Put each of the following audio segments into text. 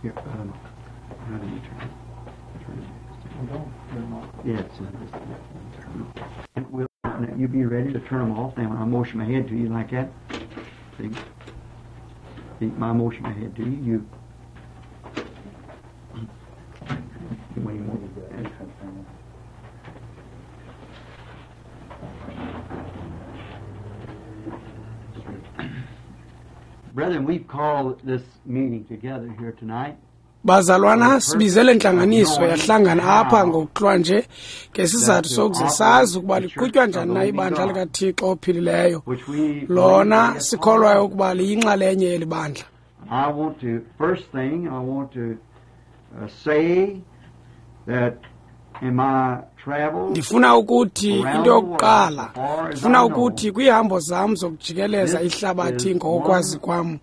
Here, how do you turn it? Turn it. Yeah, it's turn. We'll, you be ready to turn them off now when I motion my head to you like that. See? See, my motion my head to you. You. When you want. Brethren, we've called this meeting together here tonight. Bazalwana, sibize le ntlanganiso yahlangana apha ngokuhlwa nje ngesizathu sokuze sazi ukuba liqhutywa njani na ibandla likaThixo ophilileyo, lona sikholwayo ukuba liyinxalenye yeli bandla. I want to, first thing, I want to say that in my travels, Ndifuna ukuthi into yokuqala, ndifuna ukuthi kwiihambo zam zokujikeleza ihlabathi ngokwazi kwam,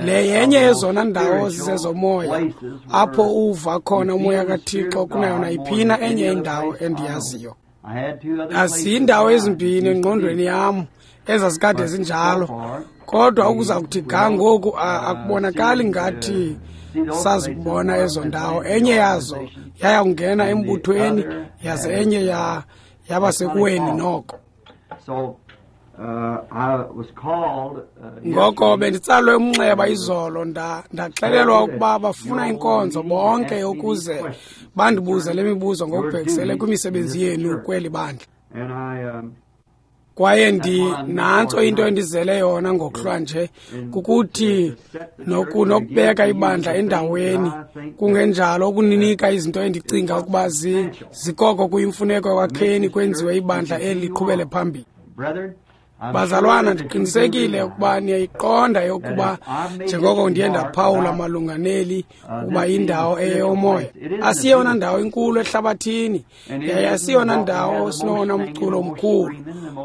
le yenye yezona ndawo zizezomoya apho uva khona umoya kaThixo kunayo nayiphina enye indawo endiyaziyo. I had two other places Azindawo ezimbini engqondweni yam ezazikade zinjalo, kodwa ukuza kuthi ga ngoku akubonakali ngathi sazibona ezo ndawo. Enye yazo yaya kungena embuthweni, yaze enye yaba sekuweni noko. So I was called Ngoko yesterday. benditsalwe umnxeba izolo, ndaxelelwa ukuba bafuna inkonzo bonke ukuze bandibuze le mibuzo ngokubhekisele kwimisebenzi yenu kweli bandla. And I Kwaye nantso into endizele yona ngokuhlwa nje, kukuthi nokubeka ibandla endaweni, kungenjalo ukuninika izinto endicinga ukuba zikoko kuyimfuneko ekwakheni kwenziwe ibandla eli liqhubele phambili. Brethren, I'm Bazalwana, sure that you do ndiqinisekile realize ukuba niyayiqonda yokuba njengoko ndiye ndaphawula malunga neli ukuba indawo eyomoya asiyona ndawo inkulu ehlabathini, yaye asiyona ndawo sinowona mculo mkhulu,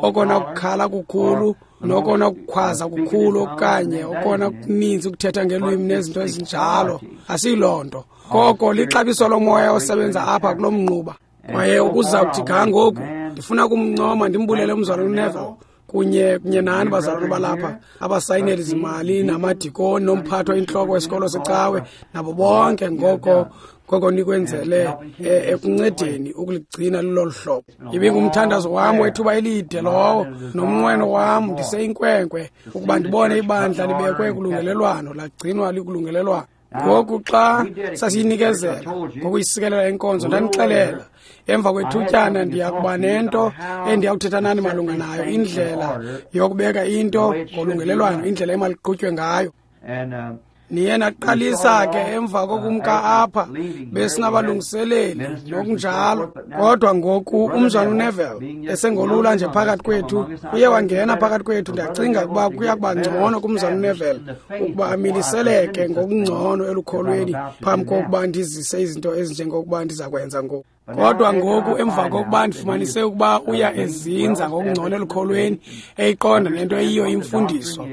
okona kukhala kukhulu, nokona kukhwaza kukhulu, okanye okona kuninzi ukuthetha ngelwimi nezinto ezinjalo. Asiyiloo nto. Koko lixabiso lomoya osebenza apha kulo mnquba. Kwaye ukuza kuthi ga ngoku, ndifuna ukumncoma ndimbulele umzalwana uNeville kunye nani bazalwane balapha, abasayineli zimali namadikoni nomphathi oyintloko wesikolo secawe nabo bonke ngoko nikwenzele ekuncedeni ukuligcina lilolu hlobo. Ibingumthandazo wam wethuba elide lowo nomnqweno wam ndiseyinkwenkwe ukuba ndibone ibandla libekwe kulungelelwano, lagcinwa likulungelelwano. Ngoku xa sasiyinikezela ngokuyisikelela inkonzo, ndanixelela emva kwethutyana ndiya kuba nento endiyawuthetha nani malunga nayo, indlela yokubeka into ngolungelelwano, indlela emaliqhutywe ngayo. And Niye naqalisa ke emva kokumka apha, besinabalungiseleli nokunjalo, kodwa ngoku umzalwana uNeville esengolula nje phakathi kwethu, uye wangena phakathi kwethu. Ndiyacinga ukuba kuya kuba ngcono kumzalwana uNeville ukuba amiliseleke ngokungcono elukholweni phambi kokuba ndizise izinto ezinjengokuba ndiza kwenza ngoku. Kodwa ngoku emva kokuba ndifumanise ukuba uya ezinza ngokungcono elukholweni, eyiqonda nento eyiyo imfundiso,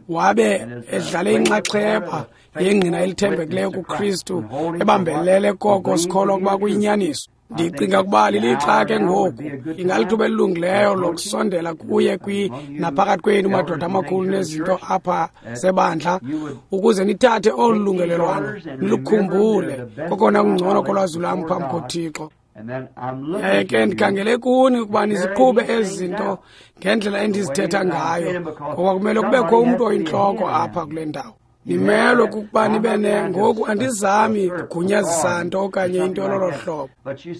wabe edlale inxaxheba yengqina elithembekileyo kuKristu, ebambelele koko sikholwa ukuba kuyinyaniso. Ndicinga ukuba lilixa ke ngoku ingalithuba elilungileyo lokusondela kuye naphakathi kwenu madoda amakhulu nezinto apha zebandla, ukuze nithathe olu lungelelwano nilukhumbule kokona kungcono kolwazi lwam phambi koThixo. And then I'm looking Yaye ke to you ndikhangele kuni ukuba niziqhube ezi zinto ngendlela endizithetha ngayo, ngoba kumele kubekho umntu oyintloko apha kule ndawo. Nimelwe kukuba nibe ne ngoku andizami kugunyazisa nto okanye into lolo hlobo,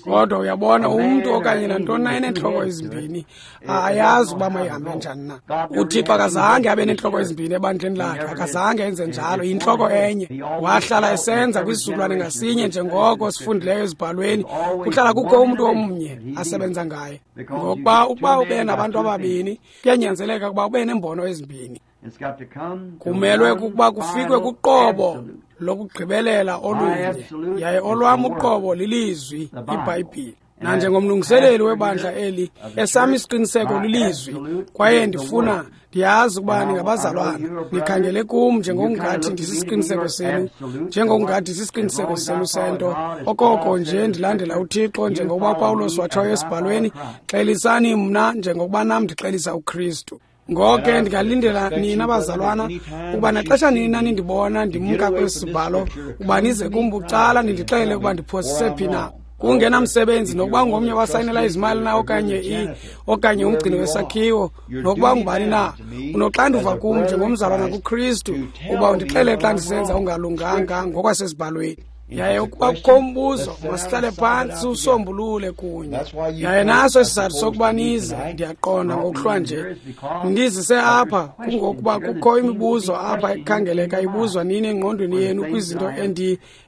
kodwa uyabona umntu okanye nantoni na eneentloko ezimbini ayazi ukuba mayihambe njani na. UThixo akazange abe neentloko ezimbini ebandleni lakhe, akazange enze njalo. Yintloko enye. Wahlala esenza kwisizukulwane ngasinye, njengoko sifundileyo ezibhalweni, kuhlala kukho umntu omnye asebenza ngaye. Ngokuba ukuba ube nabantu ababini, kuyanyanzeleka ukuba ube neembono ezimbini. It's got to come to Kumelwe one kukuba kufikwe final kuqobo absolute. lokugqibelela olunye, yaye olwam uqobo lilizwi iBhayibhile. Nanjengomlungiseleli webandla eli, esam isiqiniseko lilizwi, kwaye ndiyazi ukuba ningabazalwana, nikhangele kum njengokungathi ndisisiqiniseko senu, njengokungathi sisiqiniseko senu sento. Okoko nje ndilandela uThixo, njengokuba Pawulos watshoyo esibhalweni, xelisani mna njengokuba nam ndixelisa uKristu. Ngoko ndingalindela nina bazalwana ukuba naxesha nina nindibona ndimka kwesi sibhalo ukuba nize kum bucala nindixelele ukuba ndiphosise phi na. Kungenamsebenzi nokuba ngomnye wasayinela izimali na okanye umgcini wesakhiwo, nokuba ngubani na, unoxanduva kum njengomzalwana kuKristu ukuba undixelele xa ndisenza ungalunganga ngokwasezibhalweni. Yaye ukuba kukho umbuzo, masihlale phantsi siwusombulule kunye. Yaye naso isizathu sokuba nize, ndiyaqonda ngokuhlwa nje. Ndizise apha kungokuba kukho imibuzo apha ekhangeleka ibuzwa nini engqondweni yenu kwizinto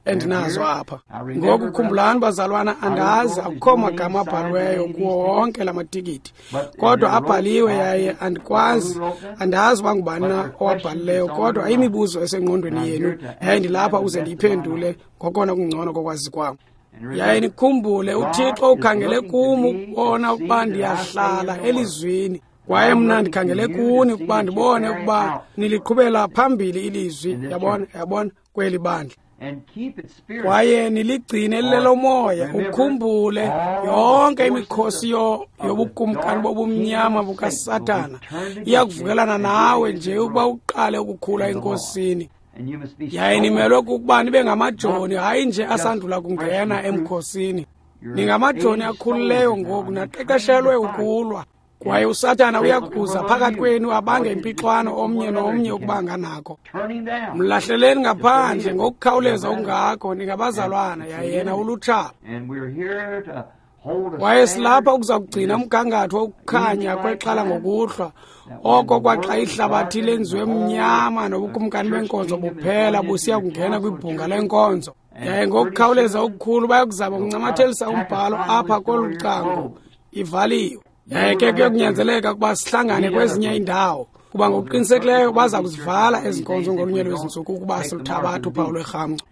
endinazo apha. Ngoku khumbulani bazalwana, andazi akukho magama abhaliweyo kuwo wonke la matikiti, kodwa abhaliwe yaye andikwazi, andazi uba ngubani na owabhalileyo, kodwa imibuzo esengqondweni yenu yaye ndilapha uze ndiyiphendule ngokona kungcono kokwazi kwam. Yaye nikhumbule, uThixo ukhangele kum ukubona ukuba ndiyahlala elizwini, kwaye mna ndikhangele kuni ukuba ndibone ukuba niliqhubela phambili ilizwi, yabona, kweli bandla. Kwaye niligcine lilelomoya, ukhumbule yonke imikhosi yobukumkani bobumnyama bukaSathana iyakuvukelana nawe nje ukuba uqale ukukhula enkosini. Yaye nimelwe kukuba nibe ngamajoni, hayi nje asandula kungena emkhosini. Ningamajoni akhulileyo ngoku, naqeqeshelwe ukulwa. Kwaye uSathana uyakuza phakathi kwenu abange impixwano omnye nomnye ukuba nganako. Mlahleleni ngaphandle ngokukhawuleza okungako, ningabazalwana, yaye yena ulutshaba. Kwaye silapha ukuza kugcina umgangatho wokukhanya kwexhala ngokuhlwa, oko kwaxa ihlabathi lenziwe mnyama nobukumkani benkonzo buphela busiya kungena kwibhunga lenkonzo. Yaye ngokukhawuleza okukhulu bayakuzama ukuncamathelisa umbhalo apha kolu cango, ivaliwe. Yaye ke kuyokunyanzeleka ukuba sihlangane kwezinye iindawo, kuba ngokuqinisekileyo baza kuzivala ezi nkonzo ngolunye lwezi ntsuku ukuba siluthabatha uphawu lwerhamncwa.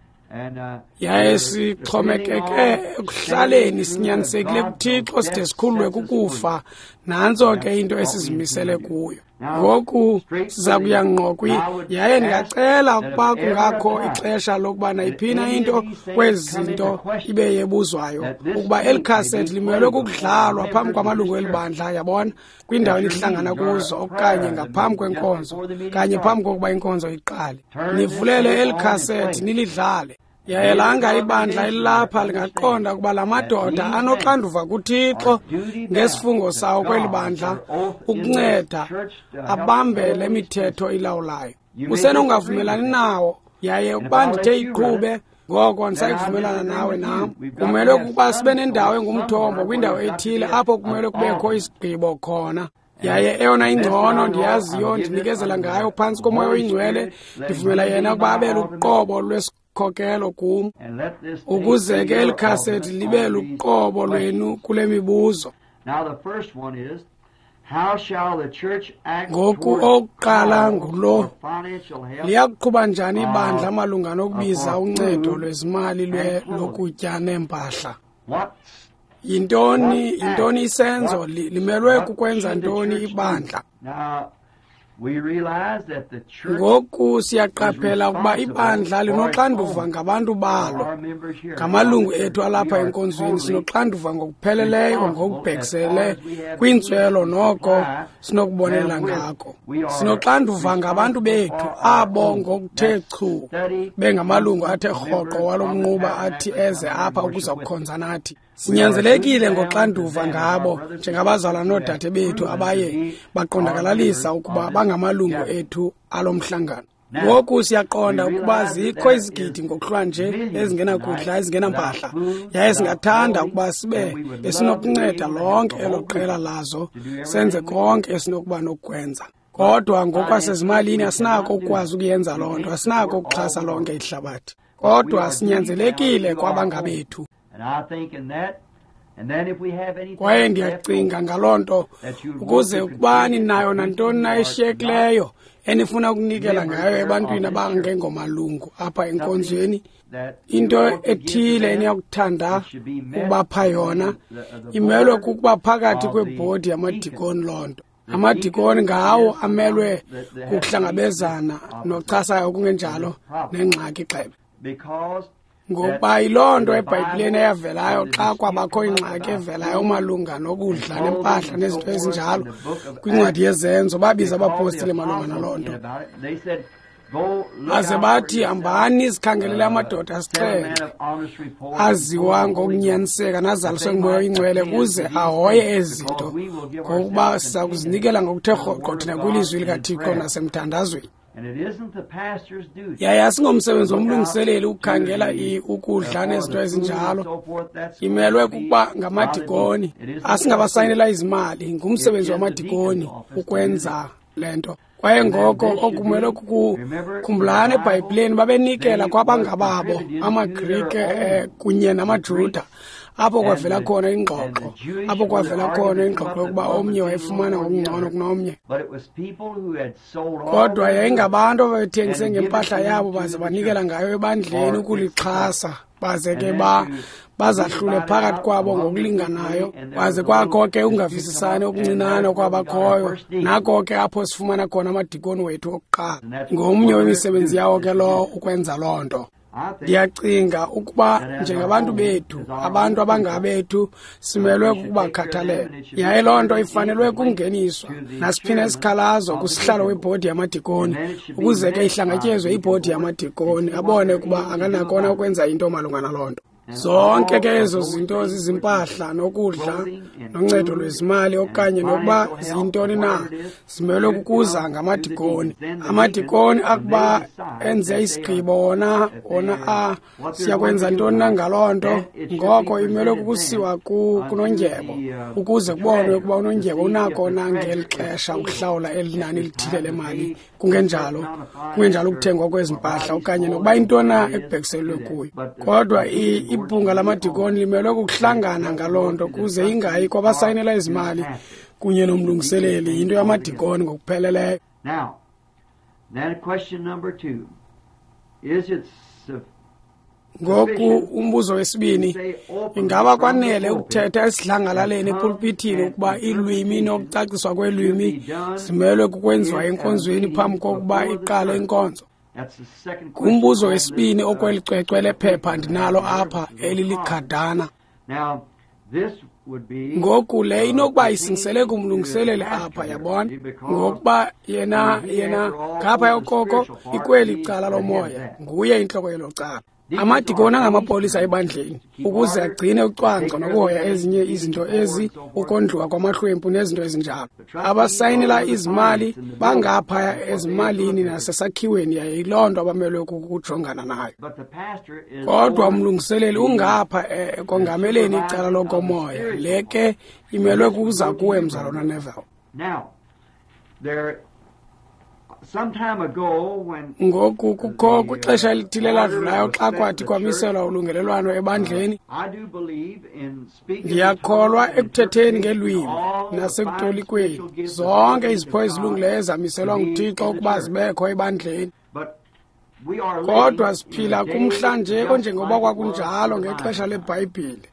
Yaye sixhomekeke ekuhlaleni sinyanisekile kuThixo side sikhululwe kukufa. Nantso ke into esizimisele kuyo. Ngoku siza kuya ngqo yaye ndingacela ukuba kungakho ixesha lokuba nayiphina into kwezi zinto ibe yebuzwayo, ukuba eli khasethi limelwe kukudlalwa phambi kwamalungu eli bandla, yabona, kwindawo enihlangana kuzo okanye ngaphambi kwenkonzo, kanye phambi kokuba inkonzo iqale. Nivulele eli khasethi nilidlale. Yaye langa ibandla elilapha lingaqonda ukuba la madoda anoxanduva kuThixo ngesifungo sawo kweli bandla ukunceda abambe le mithetho ilawulayo. Usenokungavumelani nawo, yaye ukuba ndithe iqhube, ngoko andisayivumelana nawe nam. Kumelwe ukuba sibe nendawo engumthombo kwindawo ethile apho kumelwe kubekho isigqibo khona. Yaye eyona ingcono ndiyaziyo ndinikezela ngayo phantsi koMoya oyiNgcwele, ndivumela yena ukuba abe luqobo lwesikhokelo kum, ukuze ke eli khasethi libe luqobo lwenu kule mibuzo. Ngoku owokuqala ngulo: liyakuqhuba njani ibandla malunga nokubiza uncedo lwezimali lokutya neempahla? Yintoni isenzo? Limelwe kukwenza ntoni ibandla? Ngoku siyaqaphela ukuba ibandla linoxanduva ngabantu balo, ngamalungu ethu alapha enkonzweni. Sinoxanduva ngokupheleleyo ngokubhekisele kwintswelo noko sinokubonelela ngako. Sinoxanduva ngabantu bethu abo ngokuthe chu bengamalungu athe rhoqo walo mnquba athi eze apha ukuza kukhonza nathi. Sinyanzelekile ngoxanduva ngabo njengabazalwana noodade bethu abaye baqondakalalisa ukuba bangamalungu ethu alo mhlangano. Ngoku siyaqonda ukuba zikho izigidi ngokuhlwa nje ezingenakudla, ezingenampahla, yaye singathanda ukuba sibe besinokunceda lonke elo qela lazo, senze konke esinokuba nokukwenza. Kodwa ngokwasezimalini asinako ukukwazi ukuyenza loo nto, asinako ukuxhasa lonke ihlabathi. Kodwa sinyanzelekile kwabangabethu. Kwaye ndiyacinga ngaloo nto, ukuze ukuba ninayo nantoni na eshiyekileyo enifuna ukunikela ngayo ebantwini abangengomalungu apha enkonzweni, into ethile eniyakuthanda ukubapha yona, imelwe kukuba phakathi kwebhodi yamadikoni loo nto. Amadikoni ngawo amelwe kukuhlangabezana nochasayo kungenjalo nengxaki xebe. Ngokuba yiloo nto eBhayibhileni eyavelayo xa kwabakho ingxaki evelayo malunga nokudla nempahla nezinto ezinjalo kwincwadi yeZenzo, babiza abapostile malunga naloo nto. Baze bathi, hambani sikhangelele amadoda asixhenxe aziwa ngokunyaniseka nazaliswe nguMoya oyiNgcwele kuze ahoye ezi zinto, ngokuba siza kuzinikela ngokuthe rhoqo thina kwilizwi likaThixo nasemthandazweni. Yaye asingomsebenzi womlungiseleli ukukhangela ukudla nezinto ezinjalo. Imelwe kukuba ngamadikoni, asingabasayinela izimali, ngumsebenzi wamadikoni ukwenza le nto. Kwaye ngoko okumelwe kukukhumbulana eBhayibhileni babenikela kwabangababo amaGrike kunye namaJuda, apho kwavela khona ingxoxo, apho kwavela khona ingxoxo yokuba omnye wayefumana ngokungcono kunomnye. Kodwa yayingabantu ababethengise ngempahla yabo baze banikela ngayo ebandleni ukulixhasa, baze ke bazahlule phakathi kwabo ngokulinganayo. Kwaze kwakho ke ukungavisisani okuncinane okwabakhoyo. Nako ke apho sifumana khona amadikoni wethu okuqala. Ngomnye wemisebenzi yawo ke lowo ukwenza loo nto. Ndiyacinga ukuba njengabantu bethu, abantu abangabethu, simelwe kukubakhathalela. Yaye loo nto ifanelwe kungeniswa nasiphina isikhalazo kusihlalo webhodi yamadikoni, ukuze ke ihlangatyezwe ibhodi yamadikoni, abone ukuba anganakona ukwenza into malunga naloo nto. Zonke ke ezo zinto zizimpahla nokudla noncedo lwezimali okanye nokuba ziyintoni na, zimelwe kukuza ngamadikoni. Amadikoni akuba enze isigqibo wona siyakwenza ntoni na ngaloo nto, ngoko imelwe kukusiwa kunondyebo ukuze kubonwe ukuba unondyebo unako na ngeli xesha ukuhlawula eli nani lithile lemali, kungenjalo ukuthengwa kwezi mpahla okanye nokuba intoni na ekubhekiselwe kuyo. Kodwa ibhunga lamadikoni limelwe kukuhlangana ngaloo nto kuze ingayi kwabasayinela izimali kunye nomlungiseleli, yinto yamadikoni ngokupheleleyo. Ngoku umbuzo wesibini, ingaba kwanele ukuthetha esidlangalaleni epulpithini ukuba iilwimi nokucaciswa kweelwimi zimelwe kukwenziwa enkonzweni phambi kokuba iqale inkonzo? Ngumbuzo wesibini okweli cwecwe lephepha ndinalo apha elilikhadana. Ngoku le inokuba isingisele kumlungiseleli apha, yabona, ngokuba yena ngapha yokoko ikweli cala lomoya, nguye intloko yelo cala. Amadikoni angamapolisa ebandleni ukuze agcine ucwangco nokuhoya ezinye izinto ezi, ukondliwa kwamahlwempu nezinto ezinjalo. Abasayinela izimali bangaphaya ezimalini nasesakhiweni, yaye yiloo nto abamelwe kukujongana nayo. Kodwa umlungiseleli ungapha ekongameleni icala lokomoya. Le ke imelwe kuza kuwe, Mzalwana Neville. Ngoku kukho kwixesha elithile eladlulayo xa kwathi kwamiselwa ulungelelwano ebandleni, ndiyakholwa ekuthetheni ngeelwimi nasekutolikweni, zonke izipho ezilungileyo ezamiselwa nguThixo ukuba zibekho ebandleni. Kodwa siphila kumhla nje onjengoba kwakunjalo ngexesha leBhayibhile,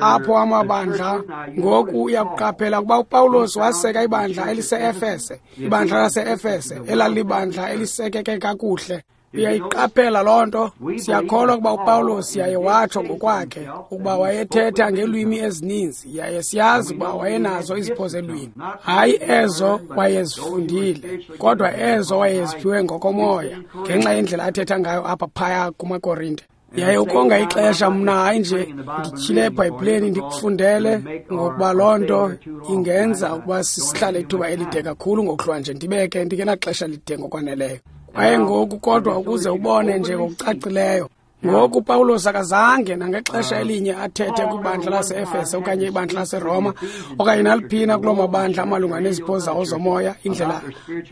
apho amabandla. Ngoku uyakuqaphela ukuba uPawulos waseka ibandla elise-Efese, ibandla lase-Efese elalibandla elisekeke kakuhle. Uyayiqaphela loo nto. Siyakholwa ukuba uPawulos yaye watsho ngokwakhe ukuba wayethetha ngeelwimi ezininzi, yaye siyazi ukuba wayenazo izipho zelwimi, hayi ezo wayezifundile, kodwa ezo wayeziphiwe ngokomoya ngenxa yendlela athetha ngayo apha phaya kumaKorinte. Yaye ukonga ixesha mna hayi nje ndityhile eBhayibhileni ndikufundele, ngokuba loo nto ingenza ukuba sihlale ithuba elide kakhulu ngokuhlwa nje, ndibeke ndingenaxesha lide ngokwaneleyo. Kwaye ngoku kodwa ukuze ubone nje ngokucacileyo, ngoku uPawulos akazange nangexesha elinye athethe kwibandla lase-Efese okanye ibandla laseRoma okanye naliphina kuloo mabandla amalunga nezipho zawo zomoya, indlela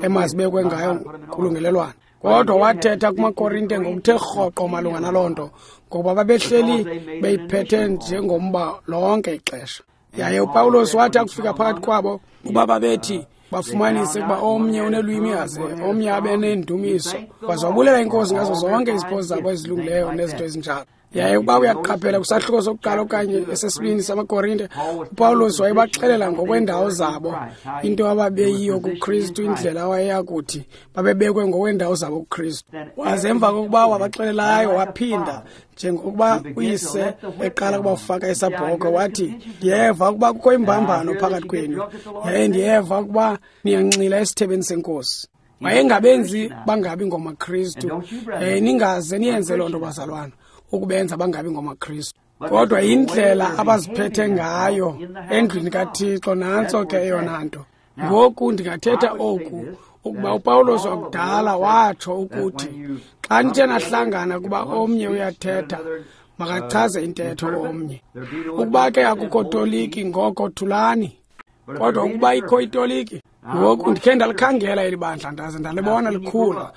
emazibekwe ngayo kulungelelwano. Kodwa wathetha kumaKorinte ngokuthe rhoqo malunga naloo nto, ngokuba babehleli beyiphethe njengomba lonke ixesha. Yaye uPawulos wathi akufika phakathi kwabo ukuba babethi bafumanise ukuba omnye unelwimi aze omnye abe nendumiso, waze wabulela iNkosi ngazo zonke izipho zabo ezilungileyo nezinto ezinjalo. Yaye ukuba uyaqaphela kwisahluko sokuqala okanye esesibini samaKorinte, uPawulos wayebaxelela ngokweendawo zabo, into ababeyiyo kuKristu, indlela awayeyakuthi babebekwe ngokweendawo zabo kuKristu. Waze emva kokuba wabaxelelayo, waphinda njengokuba uyise eqala ukubafaka esabhokhwe, wathi, ndiyeva ukuba kukho imbambano phakathi kwenu, yaye ndiyeva ukuba niyanxila esithebeni senkosi. Wayengabenzi bangabi ngomaKristu, yaye ningaze niyenze loo nto, bazalwana, ukubenza bangabi ngomaKristu. Kodwa indlela abaziphethe ngayo endlwini kaThixo, nantso ke eyona nto. Ngoku ndingathetha oku, ukuba uPawulos wakudala watsho ukuthi xa nithe nahlangana kuba omnye uyathetha, makachaze intetho omnye. Ukuba ke akukho toliki, ngoko thulani. Kodwa ukuba ikho itoliki, ngoku ndikhe ndalikhangela eli bandla, ndaze ndalibona likhula,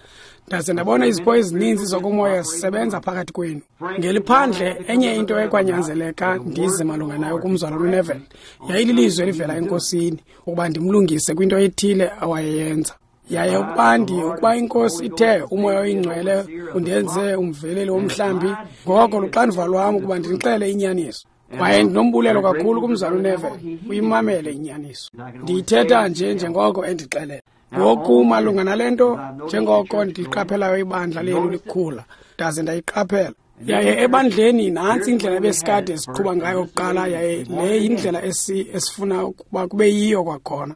ndaze ndabona izipho ezininzi zokomoya zisebenza phakathi kwenu. Ngeliphandle, enye into ekwanyanzeleka ndize malunga nayo kumzalwana uNeville yayililizwi elivela eNkosini, ukuba ndimlungise kwinto ethile awayeyenza. Yaye ukuba iNkosi ithe uMoya oyiNgcwele undenze umveleli womhlambi, ngoko luxanduva lwam ukuba ndinixele inyaniso. Kwaye ndinombulelo kakhulu kumzalwana uNeville, uyimamele inyaniso. Ndiyithetha nje njengoko endixelela. Ngoku malunga nale nto, njengoko ndiqaphelayo ibandla lenu likhula, ndaze ndayiqaphela. Yaye ebandleni nantsi indlela ebesikade siqhuba ngayo kuqala, yaye le yindlela esifuna ukuba kube yiyo kwakhona.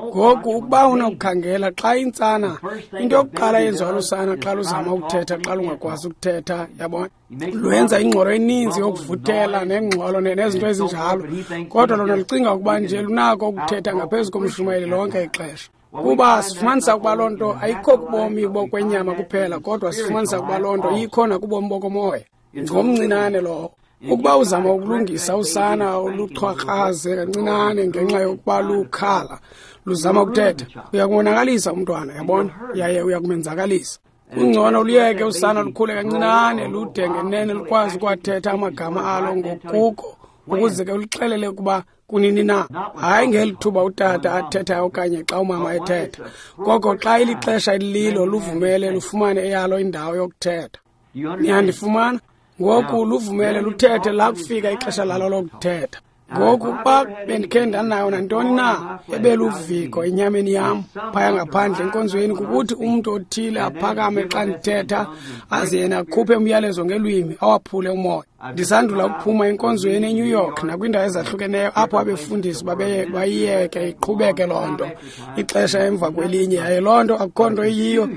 Ngoku ukuba unokukhangela xa intsana, into yokuqala yenziwa lusana xa luzama ukuthetha, xa lungakwazi ukuthetha, yabona, lwenza ingxolo eninzi yokuvuthela nengxolo nezinto ezinjalo, kodwa lona lucinga ukuba nje lunako ukuthetha ngaphezu komshumayeli lonke ixesha. Kuba sifumanisa ukuba loo nto ayikho kubomi bokwenyama kuphela, kodwa sifumanisa ukuba loo nto ikho nakubomi bokomoya. Ngomncinane lowo. Ukuba uzama ukulungisa usana oluchwakraze kancinane ngenxa yokuba lukhala, luzama ukuthetha, uyakumonakalisa umntwana, yabona, yaye uyakumenzakalisa. Kungcono luyeke usana lukhule kancinane, lude ngenene lukwazi ukwathetha amagama alo ngokuko, ukuze ke uluxelele ukuba kunini na. Hayi ngeli thuba utata athethayo okanye xa umama ethetha, koko xa ilixesha elililo luvumele lufumane eyalo indawo yokuthetha. Niyandifumana? Ngoku luvumele luthethe lakufika ixesha lalo lokuthetha. Ngoku ukuba bendikhe ndanayo nantoni na ebeluviko enyameni yam phaya ngaphandle enkonzweni, kukuthi umntu othile aphakame xa ndithetha aze yena akhuphe umyalezo ngelwimi awaphule umoya. Ndisandula ukuphuma enkonzweni eNew York nakwiindawo ezahlukeneyo apho abefundisi bayiyeke iqhubeke loo nto ixesha emva kwelinye, yaye loo nto akukho nto iyiyo,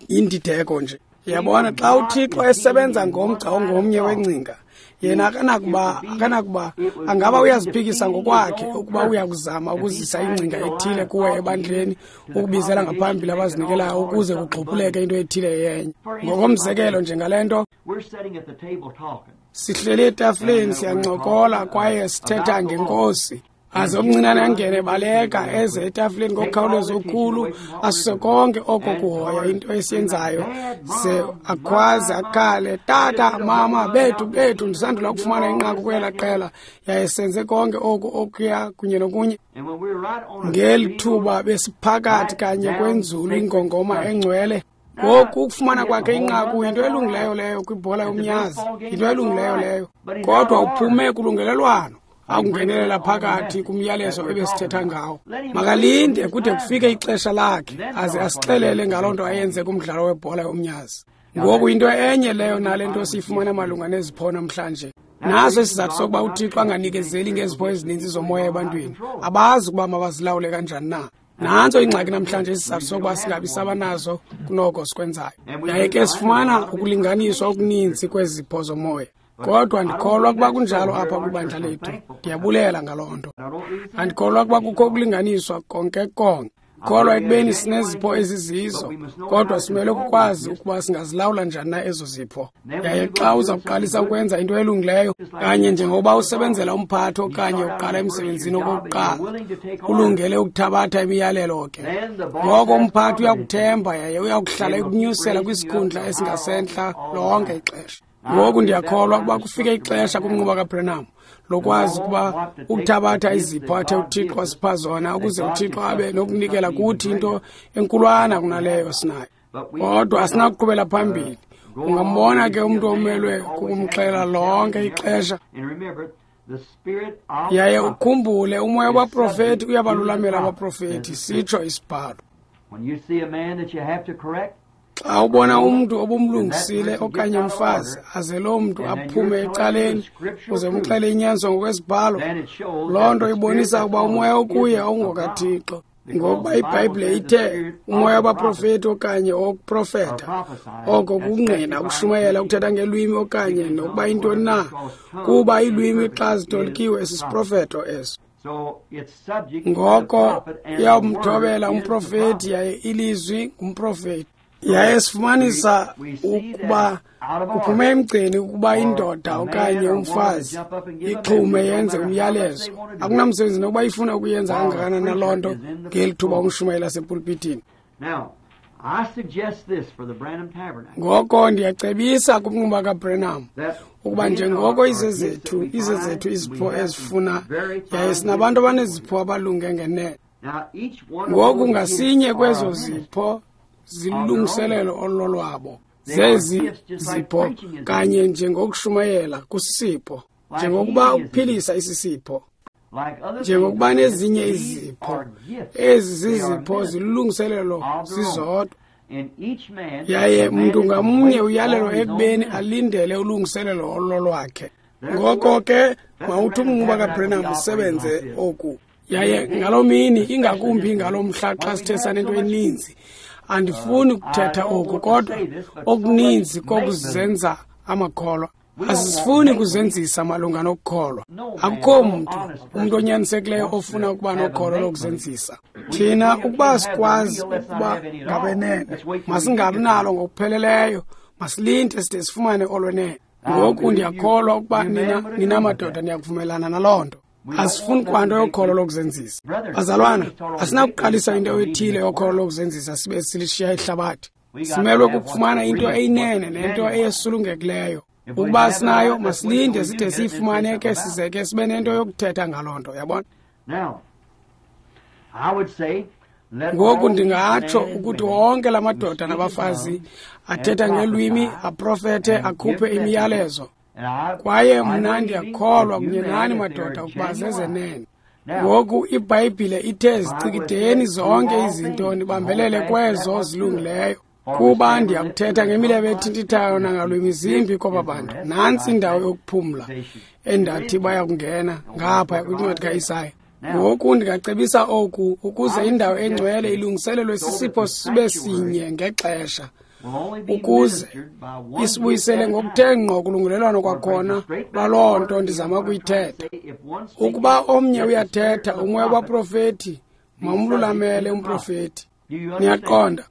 yindideko nje. Yabona, xa uThixo esebenza ngomgca ongomnye wengcinga, yena akanakuba angaba uyaziphikisa ngokwakhe ukuba uyakuzama ukuzisa ingcinga ethile kuwe ebandleni, ukubizela ngaphambili abazinikelayo ukuze kugxuphuleke into ethile yenye. Ngokomzekelo, njengale nto, sihleli etafileni siyancokola kwaye sithetha ngenkosi. Aze omncinane angene baleka eze etafileni ngokukhawuleza okukhulu, asuse konke oko kuhoya into esiyenzayo, ze akhwaze akhale, tata, mama, bethu, bethu, ndisandula ukufumana inqaku kwela qela, yaye senze konke oku okuya kunye nokunye. Ngeli thuba besiphakathi kanye kwenzulu ingongoma engcwele. Ngoku ukufumana kwakhe inqaku yinto elungileyo leyo kwibhola yomnyazi, yinto elungileyo leyo, kodwa uphume kulungelelwano akungenelela phakathi kumyalezo ebesithetha ngawo. Makalinde kude kufike ixesha lakhe aze asixelele ngaloo nto ayenze kumdlalo webhola yomnyazi. Ngoku into enye leyo nale nto siyifumana malunga nezipho namhlanje. Naso isizathu sokuba uThixo anganikezeli ngezipho ezininzi zomoya ebantwini. Abazi ukuba mabazilawule kanjani na. Nantso ingxaki namhlanje, isizathu sokuba singabi sabanazo kunoko sikwenzayo. Yaye ke sifumana ukulinganiswa okuninzi kwezipho zomoya. Kodwa ndikholwa kuba kunjalo apha kwibandla lethu. Ndiyabulela ngaloo nto. Andikholwa kuba kukho ukulinganiswa konke konke. Kholwa ekubeni sinezipho ezizizo, kodwa simele ukukwazi ukuba singazilawula njani na ezo zipho. Yaye xa uza kuqalisa ukwenza into elungileyo, kanye njengokuba usebenzela umphathi okanye uqala emsebenzini okokuqala, ulungele ukuthabatha imiyalelo ke. Ngoko umphathi uyakuthemba yaye uyakuhlala ekunyusela kwisikhundla esingasentla lonke ixesha. Ngoku ndiyakholwa ukuba kufike ixesha kumnquba kaBranham lokwazi ukuba ukuthabatha izipho athe uThixo asipha zona ukuze uThixo abe nokunikela kuthi into enkulwana kunaleyo sinayo. Kodwa asinakuqhubela phambili Ungambona ke umntu omelwe kukumxelela lonke ixesha. Yaye ukhumbule, umoya wabaprofeti uyabalulamela abaprofeti, sitsho isibhalo. Xa ubona umntu obumlungisile okanye umfazi, aze loo mntu aphume ecaleni uze umxele inyaniso ngokwesibhalo, loo nto ibonisa ukuba umoya okuye awungokaThixo. Ngokuba iBhayibhile ithe umoya wabaprofeti okanye owokuprofeta, oko kungqina ukushumayela, ukuthetha ngelwimi okanye nokuba yintoni na, kuba iilwimi xa zitolikiwe sisiprofeto eso. Ngoko iyawumthobela umprofeti, yaye ilizwi ngumprofeti. Yaye sifumanisa ukuba kuphume emgceni ukuba indoda okanye umfazi ixhume yenze umyalezo. Akunamsebenzi nokuba ifuna ukuyenza kangakanani na loo nto ngeli thuba umshumayeli asepulpitini. Ngoko ndiyacebisa kumnquba kaBranham ukuba njengoko izezethu izipho ezifuna, yaye sinabantu abanezipho abalunge ngenene. Ngoku ngasinye kwezo zipho zilungiselelo ololwabo. Zezi zipho kanye njengokushumayela kusisipho, njengokuba ukuphilisa isisipho, njengokuba nezinye izipho. Ezi zizipho zilungiselelo zizodwa, yaye mntu ngamnye uyalelwa ekubeni alindele ulungiselelo ololwakhe. Ngoko ke mawuthi umnquba kaBranham usebenze oku. Yaye ngaloo mini, ingakumbi ngaloo mhla xa sithe sanento eninzi, andifuni ukuthetha oku, kodwa okuninzi kokuzenza amakholwa. Asifuni kuzenzisa malunga nokukholwa. Akukho mntu, umntu onyanisekileyo ofuna ukuba nokholo lokuzenzisa. Thina ukuba sikwazi ukuba ngabenene, masingabi nalo ngokupheleleyo, masilinde side sifumane olwenene. Ngoku ndiyakholwa ukuba nina madoda niyakuvumelana naloo nto. Asifuni kwanto yokholo lokuzenzisa. Bazalwana, asinakuqalisa into ethile yokholo lokuzenzisa sibe silishiya ihlabathi. Simelwe kukufumana into eyinene nento eyesulungekileyo. Ukuba sinayo, masilinde side siyifumane ke size ke sibe nento yokuthetha ngaloo nto, yabona? Ngoku ndingatsho ukuthi wonke la madoda nabafazi athetha ngelwimi, aprofethe, akhuphe imiyalezo. Kwaye mna ndiyakholwa kunye nani madoda ukuba zezenene. Ngoku iBhayibhile ithe zicikideni zonke izinto nibambelele kwezo zilungileyo. Kuba ndiyakuthetha ngemilebe ethintithayo nangalwimi zimbi kwaba bantu. Nantsi indawo yokuphumla endathi bayakungena ngapha kwincwadi kaIsaya. Ngoku ndingacebisa oku ukuze indawo engcwele ilungiselelwe sisipho sibe sinye ngexesha, ukuze isibuyisele ngokuthe ngqo kulungelelwano kwakhona lwaloo nto ndizama ukuyithetha. Ukuba omnye uyathetha, umoya wabaprofeti mawumlulamele umprofeti. Niyaqonda?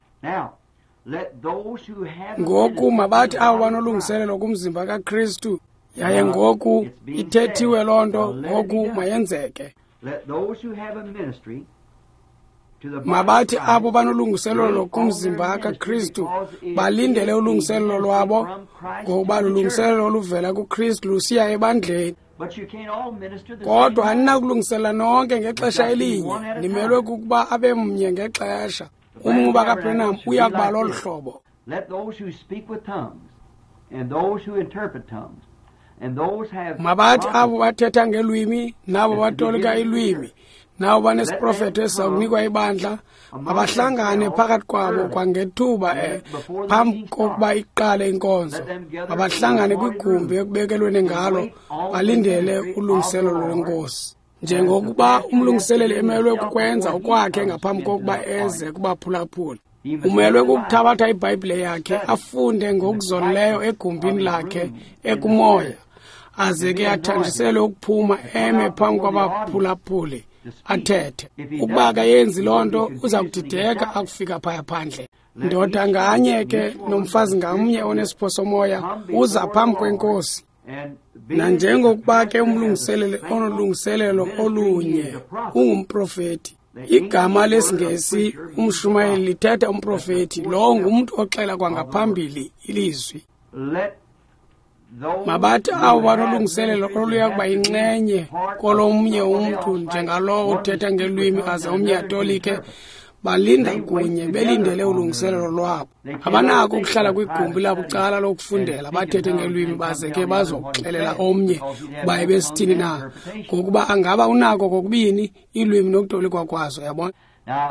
Ngoku mabathi abo banolungiselelo kumzimba kaKristu, yaye ngoku ithethiwe loo nto, ngoku mayenzeke. Mabathi abo banolungiselelo kumzimba kaKristu balindele ulungiselelo lwabo, ngokuba lulungiselelo oluvela kuKristu lusiya ebandleni. Kodwa aninakulungisela nonke ngexesha elinye, nimelwe kukuba abe mnye ngexesha. Umnquba kaBranham uya kuba lolu hlobo. Mabathi abo bathetha ngelwimi nabo batolika ilwimi nabo banesiprofeto esiza kunikwa ibandla, mabahlangane phakathi kwabo kwangethuba phambi kokuba iqale inkonzo. Mabahlangane kwigumbi ekubekelweni ngalo, balindele ulungiselelo lwenkosi. Njengokuba umlungiseleli emelwe kukwenza okwakhe ngaphambi kokuba eze kubaphulaphula, umelwe kukuthabatha iBhayibhile yakhe afunde ngokuzolileyo egumbini lakhe ekumoya, aze ke athanjiselwe ukuphuma eme phambi kwabaphulaphuli athethe. Ukuba akayenzi loo nto, uza kudideka akufika phaya phandle. Ndoda nganye ke nomfazi ngamnye onesipho somoya uza phambi kwenkosi. Nanjengokuba ke umlungiseleli onolungiselelo olunye ungumprofeti. Igama lesiNgesi umshumayeli lithetha umprofeti, lowo ngumntu oxela kwangaphambili ilizwi. Mabathi abo banolungiselelo oluya kuba yinxenye kolomnye umntu, njengalowo uthetha ngelwimi aze omnye atolike, Balinda kunye belindele ulungiselelo lwabo. Abanako ukuhlala kwigumbi labucala lokufundela bathethe ngelwimi baze ke bazokuxelela omnye ukuba ebesithini na, ngokuba angaba unako kokubini iilwimi nokutolikwa kwazo, yabona.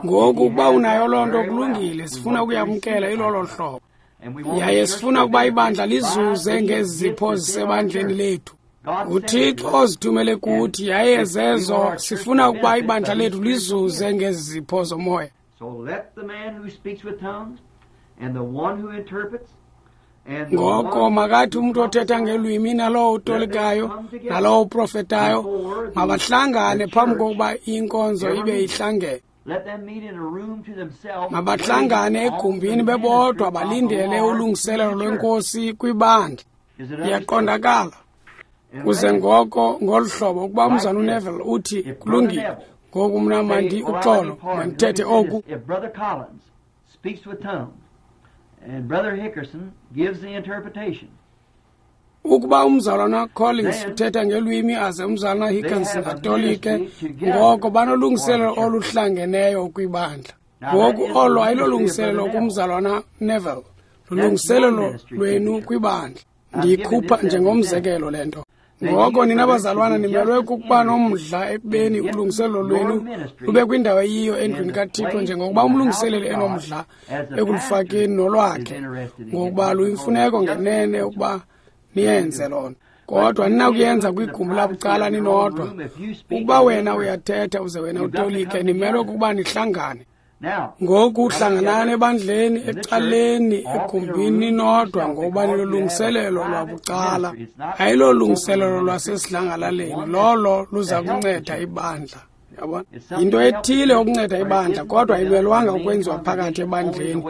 Ngoku ukuba unayo loo nto, kulungile, sifuna ukuyamkela ilolo hlobo. Yaye sifuna ukuba ibandla lizuze ngezi zipho zisebandleni lethu. UThixo ozithumele kuthi, yaye zezo sifuna ukuba ibandla lethu lizuze ngezi zipho zomoya. Ngoko makathi umntu othetha ngelwimi nalowo utolikayo nalowo uprofetayo mabahlangane phambi kokuba inkonzo ibe ihlangene. Mabahlangane egumbini bebodwa balindele ulungiselelo lwenkosi kwibandla. Iyaqondakala. Kuze ngoko ngolu hlobo ukuba umzana uNeville uthi kulungile, ngoku mna mandi uxolo mandithethe oku. If Brother Collins speaks with tongues and Brother Hickerson gives the interpretation, ukuba umzalwana Collins uthetha ngelwimi aze umzalwana Hickerson atolike, ngoko banolungiselelo oluhlangeneyo kwibandla. Ngoku olo ayilolungiselelo kumzalwana Neville, lulungiselelo lwenu kwibandla. Ndiyikhupha njengomzekelo le nto. Ngoko nina bazalwana nimelwe kukuba nomdla ekubeni ulungiselelo lwenu lube kwindawo eyiyo endlwini kaThixo, njengokuba umlungiseleli enomdla ekulufakeni nolwakhe, ngokuba luyimfuneko ngenene ukuba niyenze loo nto. Kodwa ninakuyenza kwigumbi labucala ninodwa. Ukuba wena uyathetha uze wena utolike, nimelwe kukuba nihlangane. Ngoku hlanganani ebandleni, ecaleni, egumbini ninodwa, ngokuba nilolungiselelo lwabucala. Ayilolungiselelo lwasesidlangalaleni, lolo luza kunceda ibandla. Yabona, yinto ethile ukunceda ibandla, kodwa ayimelwanga ukwenziwa phakathi ebandleni.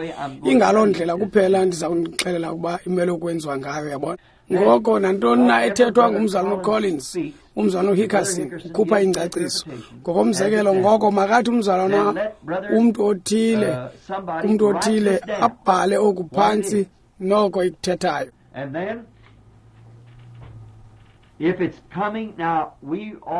Ingaloo ndlela kuphela ndiza kunixelela ukuba imele ukwenziwa ngayo, yabona. Ngoko nantoni na ethethwa ngumzalwana uCollins, umzalwana uHickerson ukhupha ingcaciso. Ngokomzekelo, ngoko makathi umzalwana umntu othile abhale oku phantsi noko ikuthethayo.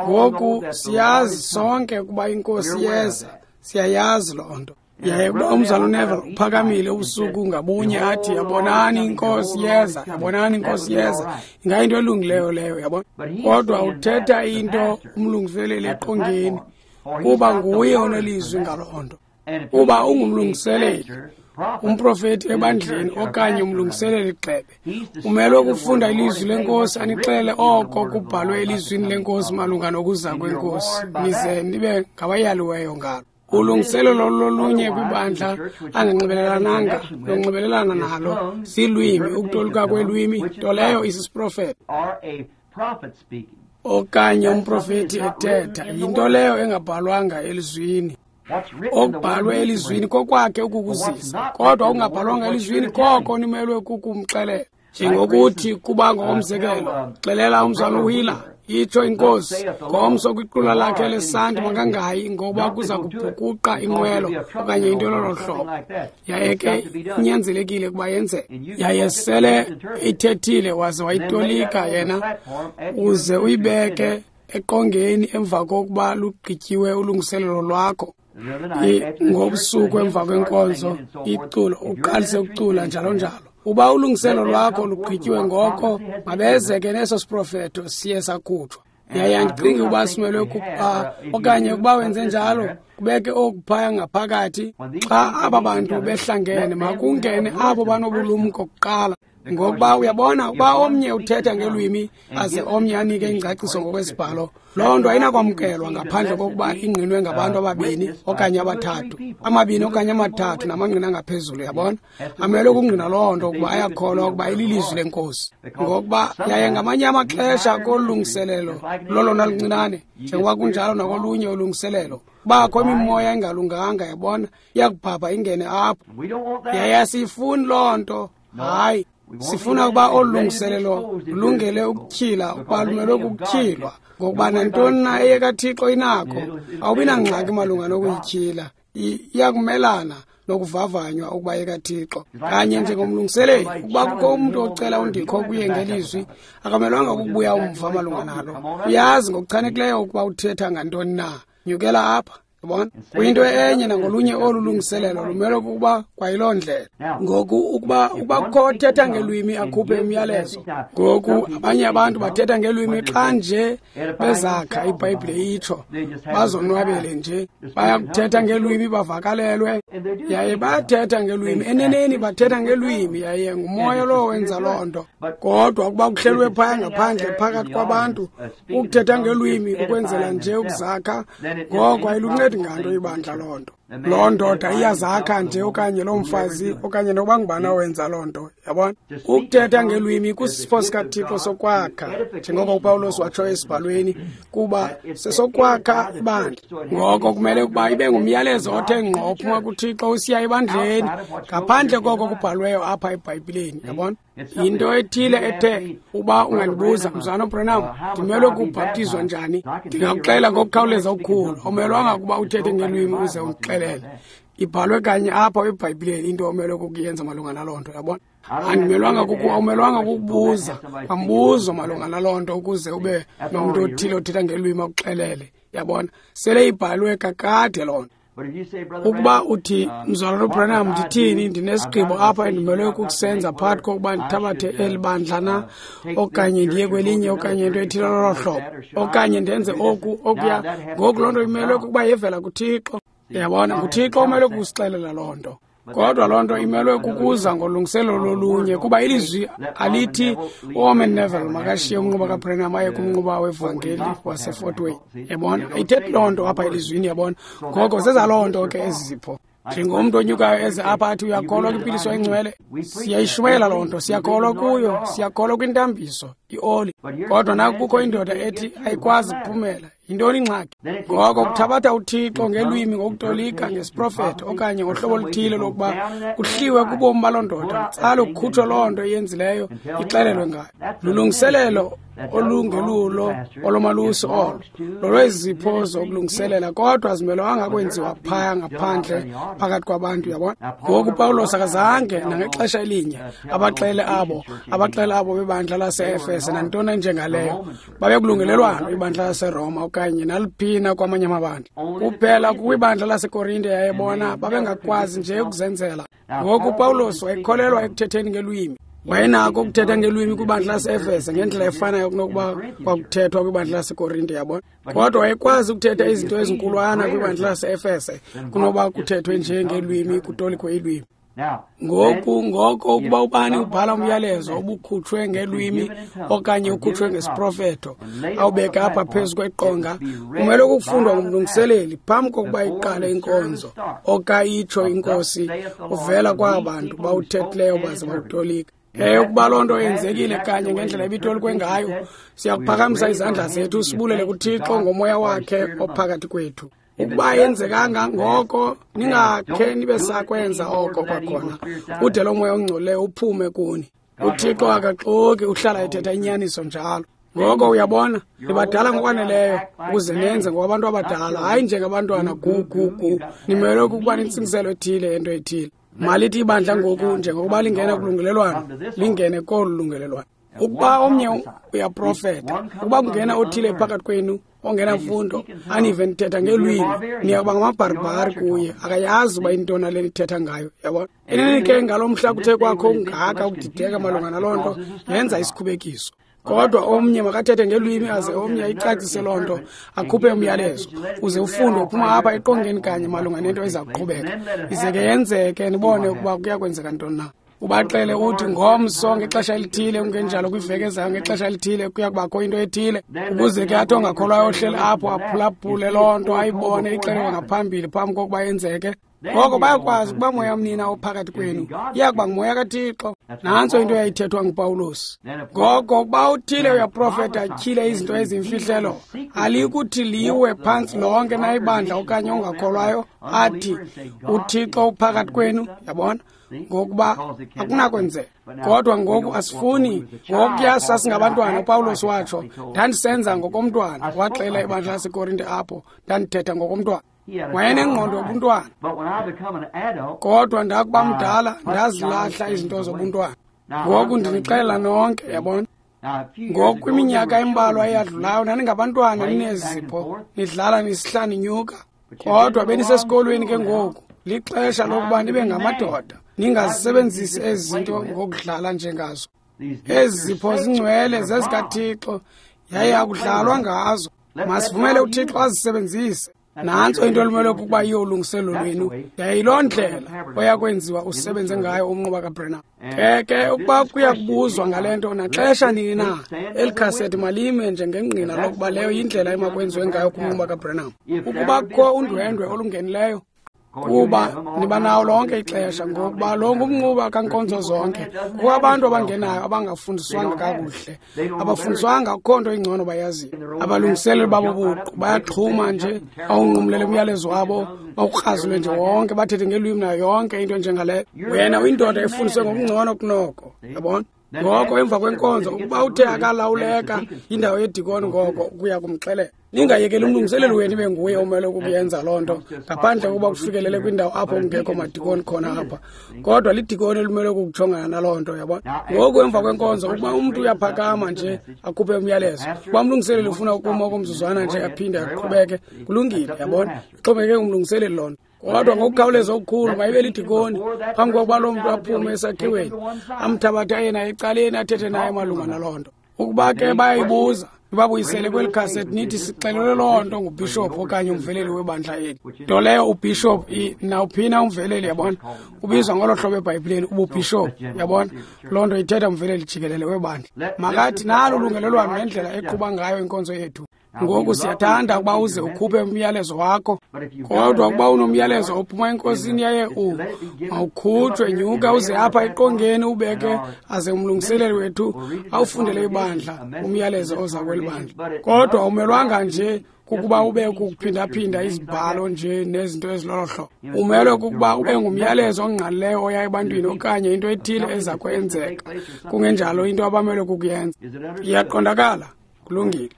Ngoku siyazi sonke ukuba inkosi yeza, siyayazi loo nto. Yaye ukuba umzalwana uNeville uphakamile ubusuku ngabunye athi, yabonani inkosi yeza, yabonani inkosi yeza, ingayinto elungileyo leyo, yabona. Kodwa uthetha into umlungiseleli eqongeni, kuba nguye onelizwi ngaloo nto. Kuba ungumlungiseleli, umprofeti ebandleni okanye umlungiseleli gxebe, umelwe kufunda ilizwi lenkosi anixele oko kubhalwe elizwini lenkosi malunga nokuza kwenkosi, nize nibe ngabayaliweyo ngalo. Ulungiselelo lolunye kwibandla anganxibelelananga lonxibelelana nalo silwimi, ukutolika kwelwimi, nto leyo isisiprofeto okanye umprofeti ethetha, yinto leyo engabhalwanga elizwini. Okubhalwe elizwini kokwakhe ukukuzisa, kodwa okungabhalwanga elizwini koko nimelwe kukumxelela. Njengokuthi kuba ngokomzekelo, xelela umzalwana uWheeler, itsho inkosi, ngomso kwiqula lakhe lesanti makangayi, ngoba kuza kubhukuqa inqwelo okanye into lolo hlobo. Yaye ke inyanzelekile ukuba yenzeke. Yaye sele ithethile waze wayitolika yena, uze uyibeke eqongeni emva kokuba lugqityiwe ulungiselelo lwakho. Ngobusuku emva kwenkonzo iculo, uqalise ukucula njalo njalo. Uba ulungiselo lwakho lugqityiwe ngoko, mabeze ke neso siprofeto siye sakhutshwa. Yaye andicingi uba simelwe kuba okanye ukuba wenze njalo, kubeke oku phaya ngaphakathi. Xa aba bantu behlangene, makungene abo banobulumko kuqala. Ngokuba uyabona, ukuba omnye uthetha ngelwimi aze omnye anike ingcaciso ngokwesibhalo, loo nto ayinakwamkelwa ngaphandle kokuba ingqinwe ngabantu ababini okanye abathathu, amabini okanye amathathu namangqina angaphezulu, yabona. Amelwe ukungqina loo nto ukuba ayakholwa ukuba ililizwi lenkosi. Ngokuba yaye ngamanye amaxesha kolungiselelo lolona luncinane, njengoba kunjalo nakolunye ulungiselelo, kubakho imimoya engalunganga, yabona, iyakubhabha ingene apho. Yaye asiyifuni loo nto, hayi. Sifuna ukuba olu lungiselelo lulungele ukutyhila, ukuba lumelwe kukutyhilwa, ngokuba nantoni na eyekaThixo inakho, awubi nangxaki malunga nokuyityhila. Iyakumelana nokuvavanywa ukuba eyekaThixo. Kanye njengomlungiseleli, ukuba kukho umntu ocela undikho kuye ngelizwi, akamelwanga kukubuya umva malunga nalo. Uyazi ngokuchanekileyo ukuba uthetha ngantoni na. Nyukela apha, Yabona? Kuyinto enye nangolunye olu lungiselelo lumele ukuba kwayiloo ndlela. Ngoku ukuba kukho othetha ngelwimi akhuphe umyalezo. Ngoku abanye abantu bathetha ngelwimi xa nje bezakha, iBhayibhile itsho, bazonwabele nje. Bayakuthetha ngelwimi bavakalelwe, yaye bayathetha ngelwimi. Eneneni bathetha ngelwimi, yaye ngumoya lowo wenza loo nto. Kodwa ukuba kuhlelwe phaya ngaphandle phakathi kwabantu ukuthetha ngelwimi ukwenzela nje ukuzakha, ngoko ayiluncedi nganto ibandla loo nto. Loo ndoda iyazakha nje, okanye loo mfazi, okanye nokuba ngubani owenza loo nto. Yabona? Ukuthetha ngelwimi kusisipho sikaThixo sokwakha, njengoko uPawulos watsho esibhalweni, kuba sesokwakha ibandla. Ngoko kumele ukuba ibe ngumyalezo othe ngqo ophuma kuThixo usiya ebandleni, ngaphandle koko kubhalweyo apha eBhayibhileni. Yabona? Yinto ethile ethe uba ungandibuza, Mzalwana uBranham, ndimelwe kubhaptizwa njani? Ndingakuxelela ngokukhawuleza okukhulu. Awumelwanga ukuba uthethe ngelwimi uze undixelele. Ibhalwe kanye apha eBhayibhileni into omelwe kukuyenza malunga naloo nto. Yabona? Awumelwanga kukubuza kwambuzo malunga naloo nto ukuze ube nomntu othile othetha ngelwimi akuxelele. Yabona? Sele ibhalwe kakade loo nto. Ukuba uthi, Mzalwana uBranham, ndithini? Ndinesigqibo apha endimelwe kukusenza phakathi kokuba ndithabathe eli bandla na, okanye ndiye kwelinye, okanye into ethile lolo hlobo, okanye ndenze oku okuya. Ngoku loo nto imelwe kukuba yevela kuThixo. Yabona? NguThixo omelwe kukusixelela loo nto. Kodwa loo nto imelwe kukuza ngolungiselelo lolunye, kuba ilizwi alithi uOrman Neville makashiye umnquba kaBranham aye kumnquba wevangeli waseFort Wayne. Yabona? Ayithethi loo nto apha elizwini, yabona? Ngoko zezaloo nto ke ezi zipho. Njengomntu onyukayo eze apha athi uyakholwa kwimpiliso engcwele, siyayishumayela loo nto, siyakholwa kuyo, siyakholwa kwintambiso, ioli. Kodwa naku kukho indoda ethi ayikwazi kuphumela. Yintoni ingxaki? Ngoko kuthabatha uThixo ngelwimi, ngokutolika, ngesiprofeto, okanye ngohlobo oluthile lokuba kuhliwe kubomi baloo ndoda, kutsale kukhutshwe loo nto iyenzileyo, ixelelwe ngayo. Lulungiselelo olungelulo olomalusi olo, lolwezipho zokulungiselela, kodwa azimelwanga kwenziwa phaya ngaphandle phakathi kwabantu. Yabona? Ngoku uPawulos akazange nangexesha elinye abaxele abo bebandla lase-Efese nantoni enjengaleyo. Babekulungelelwano ibandla laseRoma okanye naliphina kwamanye amabandla. Kuphela kwibandla laseKorinte yayebona babengakwazi nje ukuzenzela. Ngoku uPawulos wayekholelwa ekuthetheni ngelwimi. Wayenako ukuthetha ngelwimi kwibandla lase-Efese ngendlela efanayo kunokuba kwakuthethwa kwibandla laseKorinte, yabona? Kodwa wayekwazi ukuthetha izinto ezinkulwana kwibandla lase-Efese kunoba kuthethwe nje ngelwimi, kutolikwe ilwimi. Ngoku ngoko ukuba ubani ubhala umyalezo obukhutshwe ngelwimi okanye ukhutshwe ngesiprofeto, awubeke apha phezu kweqonga, kumele ukufundwa ngumlungiseleli phambi kokuba iqale inkonzo, okayitsho inkosi uvela kwaba bantu bawuthethileyo baze bawutolika. Ukuba loo nto yenzekile kanye ngendlela ebitolikwe ngayo, siyakuphakamisa izandla zethu sibulele kuThixo ngomoya wakhe ophakathi kwethu. Ukuba yenzekanga ngoko, ningakhe nibe sakwenza oko kwakhona, ude lo moya ongcolileyo uphume kuni. UThixo akaxoki, uhlala ethetha inyaniso njalo. Ngoko uyabona, nibadala ngokwaneleyo ukuze nenze ngokwabantu abadala, hayi njengabantwana gu. Nimelwe kukuba nentsingiselo ethile yento ethile. Malithi ibandla ngoku, njengokuba lingena kulungelelwano, lingene kolu lungelelwano. Ukuba omnye uyaprofeta, ukuba kungena othile phakathi kwenu ongenamfundo, anive nithetha ngelwimi, niyakuba ngamabharibhari kuye, akayazi uba intoni le nithetha ngayo. Yabona? Enene ke ngalo mhla kuthe kwakho ungaka ukudideka malunga naloo nto, yenza isikhubekiso. Kodwa omnye makathethe ngelwimi aze omnye ayicacise loo nto, akhuphe umyalezo, uze ufunde uphuma apha eqongeni kanye malunga nento eza kuqhubeka. Ize ke yenzeke nibone ukuba kuya kwenzeka ntoni na. Ubaxele uthi ngomso ngexesha elithile, kungenjalo kwiveki ezayo ngexesha elithile kuya kubakho into ethile, ukuze ke athi ongakholwayo ohleli apho aphulaphule loo nto, ayibone ixelelwa ngaphambili phambi kokuba yenzeke. Ngoko bayakwazi ukuba moya mnina ophakathi kwenu iya kuba ngumoya kaThixo. Nantso into eyayithethwa nguPawulos. Ngoko ukuba uthile uyaprofeta atyhile izinto ezimfihlelo, alikuthi liwe phantsi lonke na ibandla okanye ongakholwayo athi uThixo uphakathi kwenu. Yabona? Ngokuba akunakwenzeka. Kodwa ngoku asifuni. Ngokuya sasingabantwana, uPawulos watsho, ndandisenza ngokomntwana. Waxela ibandla laseKorinte apho, ndandithetha ngokomntwana. Wayenengqondo yobuntwana. Kodwa ndakuba mdala, ndazilahla izinto zobuntwana. Ngoku ndinixelela nonke, yabona? Ngoku kwiminyaka embalwa eyadlulayo, naningabantwana ninezipho, nidlala nisihla ninyuka. Kodwa benisesikolweni ke ngoku, lixesha lokuba nibe ngamadoda, ningazisebenzisi ezi zinto ngokudlala njengazo. Ezi zipho zingcwele zezikaThixo, yaye akudlalwa ngazo. Masivumele uThixo azisebenzise. Nantso into elimele ukuba yiyo ulungiselelo lwenu, yayiloo ndlela oyakwenziwa usebenze ngayo umnquba kaBranham. Ke ukuba kuya kubuzwa ngale nto naxesha nini na, eli khasethi malime njengengqina lokuba leyo yindlela emakwenziwe ngayo kumnquba kaBranham. Ukuba kukho undwendwe olungenileyo, kuba niba nawo lonke ixesha, ngokuba lo ngumnquba kankonzo zonke. Kukho abantu abangenayo abangafundiswanga kakuhle, abafundiswanga akukho nto ingcono bayaziyo. Abalungiseleli babo buqu bayaxhuma nje, bawunqumlele umyalezo wabo, bawukrazule nje wonke, bathethe ngelwimi nayo yonke into enjengaleyo. Wena uyindoda efundiswe ngokungcono kunoko, yabona? Ngoko emva kwenkonzo, ukuba uthe akalawuleka indawo yedikoni, ngoko kuya kumxelela. Ningayekeli umlungiseleli wenu ibe nguye omele ukuyenza loo nto, ngaphandle kokuba kufikelele kwindawo apho kungekho madikoni khona apha. Kodwa lidikoni elimele ukujongana naloo nto, yabona? Ngoku emva kwenkonzo, ukuba umntu uyaphakama nje akhuphe umyalezo, ukuba umlungiseleli ufuna ukuma okomzuzwana nje aphinde aqhubeke, kulungile, yabona? Ixhomekeke kumlungiseleli loo nto. Kodwa ngokukhawuleza okukhulu mayibe lidikoni phambi kokuba loo mntu aphume esakhiweni, amthabathe yena ecaleni athethe naye malunga naloo nto. Ukuba ke bayayibuza, nibabuyisele kweli khasethi nithi sixelelwe loo nto ngubhishophu okanye umveleli webandla eli. Nto leyo ubhishophu nawuphina umveleli, yabona, ubizwa ngolo hlobo eBhayibhileni ububhishophu, yabona. Loo nto ithetha umveleli jikelele webandla. Makathi nalo ulungelelwano nendlela eqhuba ngayo inkonzo yethu. Ngoku siyathanda ukuba uze ukhuphe umyalezo wakho, kodwa ukuba unomyalezo ophuma enkosini yaye mawukhutshwe, nyuka uze apha eqongeni ubeke aze umlungiseleli wethu awufundele ibandla umyalezo oza kweli bandla. Kodwa umelwanga nje kukuba ube kukuphindaphinda izibhalo nje nezinto ezilolo hlobo. Umelwe kukuba ube ngumyalezo ongqalileyo oya ebantwini okanye into ethile eza kwenzeka, kungenjalo into abamelwe kukuyenza. Iyaqondakala? Kulungile.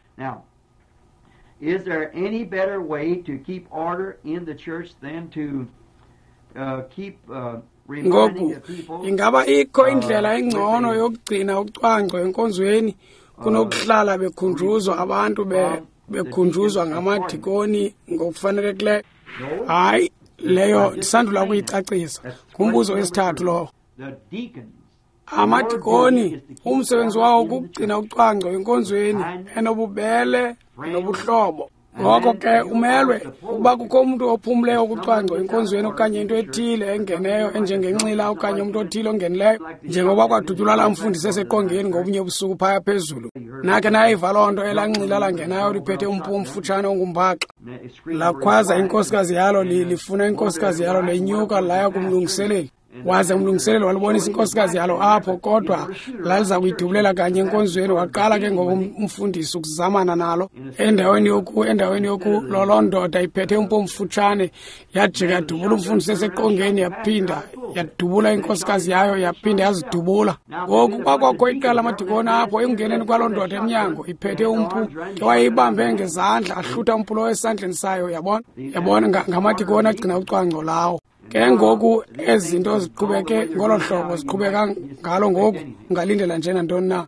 Is there any better way to keep order in the church than to keep reminding the people? Ingaba ikho indlela engcono yokugcina ucwangco enkonzweni kunokuhlala bekhunjuzwa abantu bekhunjuzwa ngamadikoni ngokufanelekileyo? Hayi, leyo ndisandula kuyicacisa. Ngumbuzo wesithathu lowo. Amadikoni umsebenzi wawo kukugcina ucwangco enkonzweni enobubele nobuhlobo. Ngoko ke umelwe ukuba kukho umntu ophumleyo kucwangco enkonzweni okanye into ethile engeneyo enjengenxila okanye umntu othile ongenileyo, njengoba kwadutyulwa laa mfundisi eseqongeni ngobunye ubusuku phaya phezulu. Nakhe nayiva loo nto, elaa nxila langenayo liphethe umpu omfutshane ongumbaxa. Lakhwaza inkosikazi yalo, lifuna inkosikazi yalo, lenyuka laya kumlungiseleli. Waze umlungiseleli walibonisa inkosikazi yalo apho, kodwa laliza kuyidubulela kanye enkonzweni. Waqala ke ngoku umfundisi ukuzamana nalo endaweni yoku loloo ndoda iphethe umpu omfutshane yajika yadubula umfundisi eseqongeni, yaphinda yadubula inkosikazi yayo, yaphinda yazidubula. Ngoku kwakwakho iqela lamadikoni apho ekungeneni kwaloo ndoda emnyango iphethe umpu, ke wayeyibambe ngezandla ahlutha umpu lowo esandleni sayo, yabona? Yabona, ngamadikoni agcina ucwangco lawo. Ke ngoku ezi zinto ziqhubeke ngolo hlobo ziqhubeka ngalo ngoku, ungalindela nje nantoni na.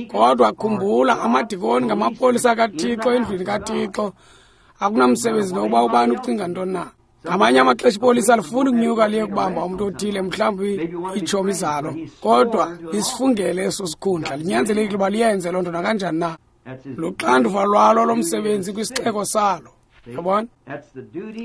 Kodwa khumbula, amadikoni ngamapolisa kaThixo endlwini kaThixo. Akunamsebenzi nokuba ubani ucinga ntoni na. Ngamanye amaxesha ipolisa alifuni ukunyuka liye kubamba umntu othile, mhlawumbi iitshomi zalo, kodwa lisifungele eso sikhundla, linyanzelekile uba liyenze loo nto nakanjani na. Luxanduva lwalo lomsebenzi kwisixeko salo. Yabona?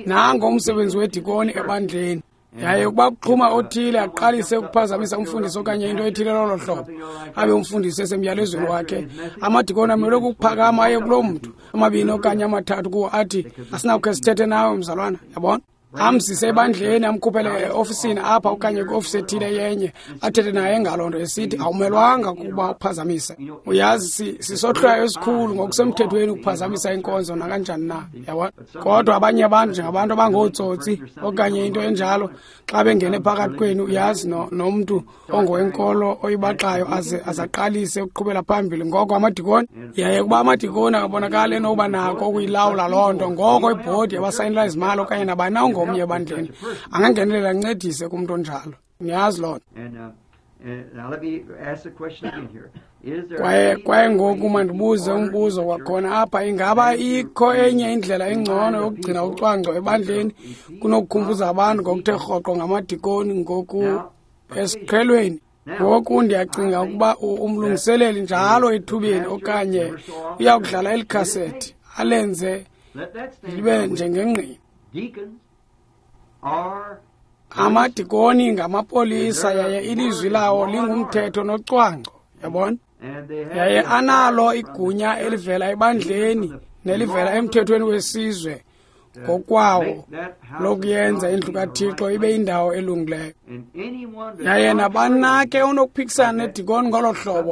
Nango umsebenzi wedikoni ebandleni. Yaye ukuba kuxhuma othile aqalise ukuphazamisa umfundisi okanye into ethile lolo hlobo, abe umfundisi esemyalezweni wakhe, amadikoni amelwe kukuphakama aye kuloo mntu, amabini okanye amathathu kuwo, athi asinawukhe sithethe nawe mzalwana, yabona? Amzise ebandleni, amkhuphele eofisini apha okanye kwiofisi ethile yenye, athethe naye ngaloo nto esithi awumelwanga kuba uphazamise. Uyazi, sisohlwayo esikhulu ngokusemthethweni ukuphazamisa inkonzo nakanjani na, yabona? Kodwa abanye abantu njengabantu abangootsotsi okanye into enjalo, xa bengene phakathi kwenu, uyazi, nomntu ongowenkolo oyibaxayo aze azaqalise ukuqhubela phambili. Ngoko amadikoni, yaye kuba amadikoni akabonakali enokuba nako ukuyilawula loo nto, ngoko ibhodi yabasayinela izimali okanye nabani na ongomnye ebandleni angangenelela ancedise kumntu onjalo. Niyazi loo nto. Kwaye ngoku mandibuze umbuzo kwakhona apha, ingaba ikho enye indlela engcono yokugcina ucwangco ebandleni kunokukhumbuza abantu ngokuthe rhoqo ngamadikoni ngoku esiqhelweni? Ngoku ndiyacinga ukuba umlungiseleli njalo ethubeni okanye uya kudlala eli khasethi alenze libe njengengqina. Amadikoni ngamapolisa yaye ilizwi lawo lingumthetho nocwangco, yabona? Yaye analo igunya elivela ebandleni nelivela emthethweni wesizwe ngokwawo lokuyenza indlu kaThixo ibe indawo elungileyo. Yaye nabani ke unokuphikisana nedikoni ngolo hlobo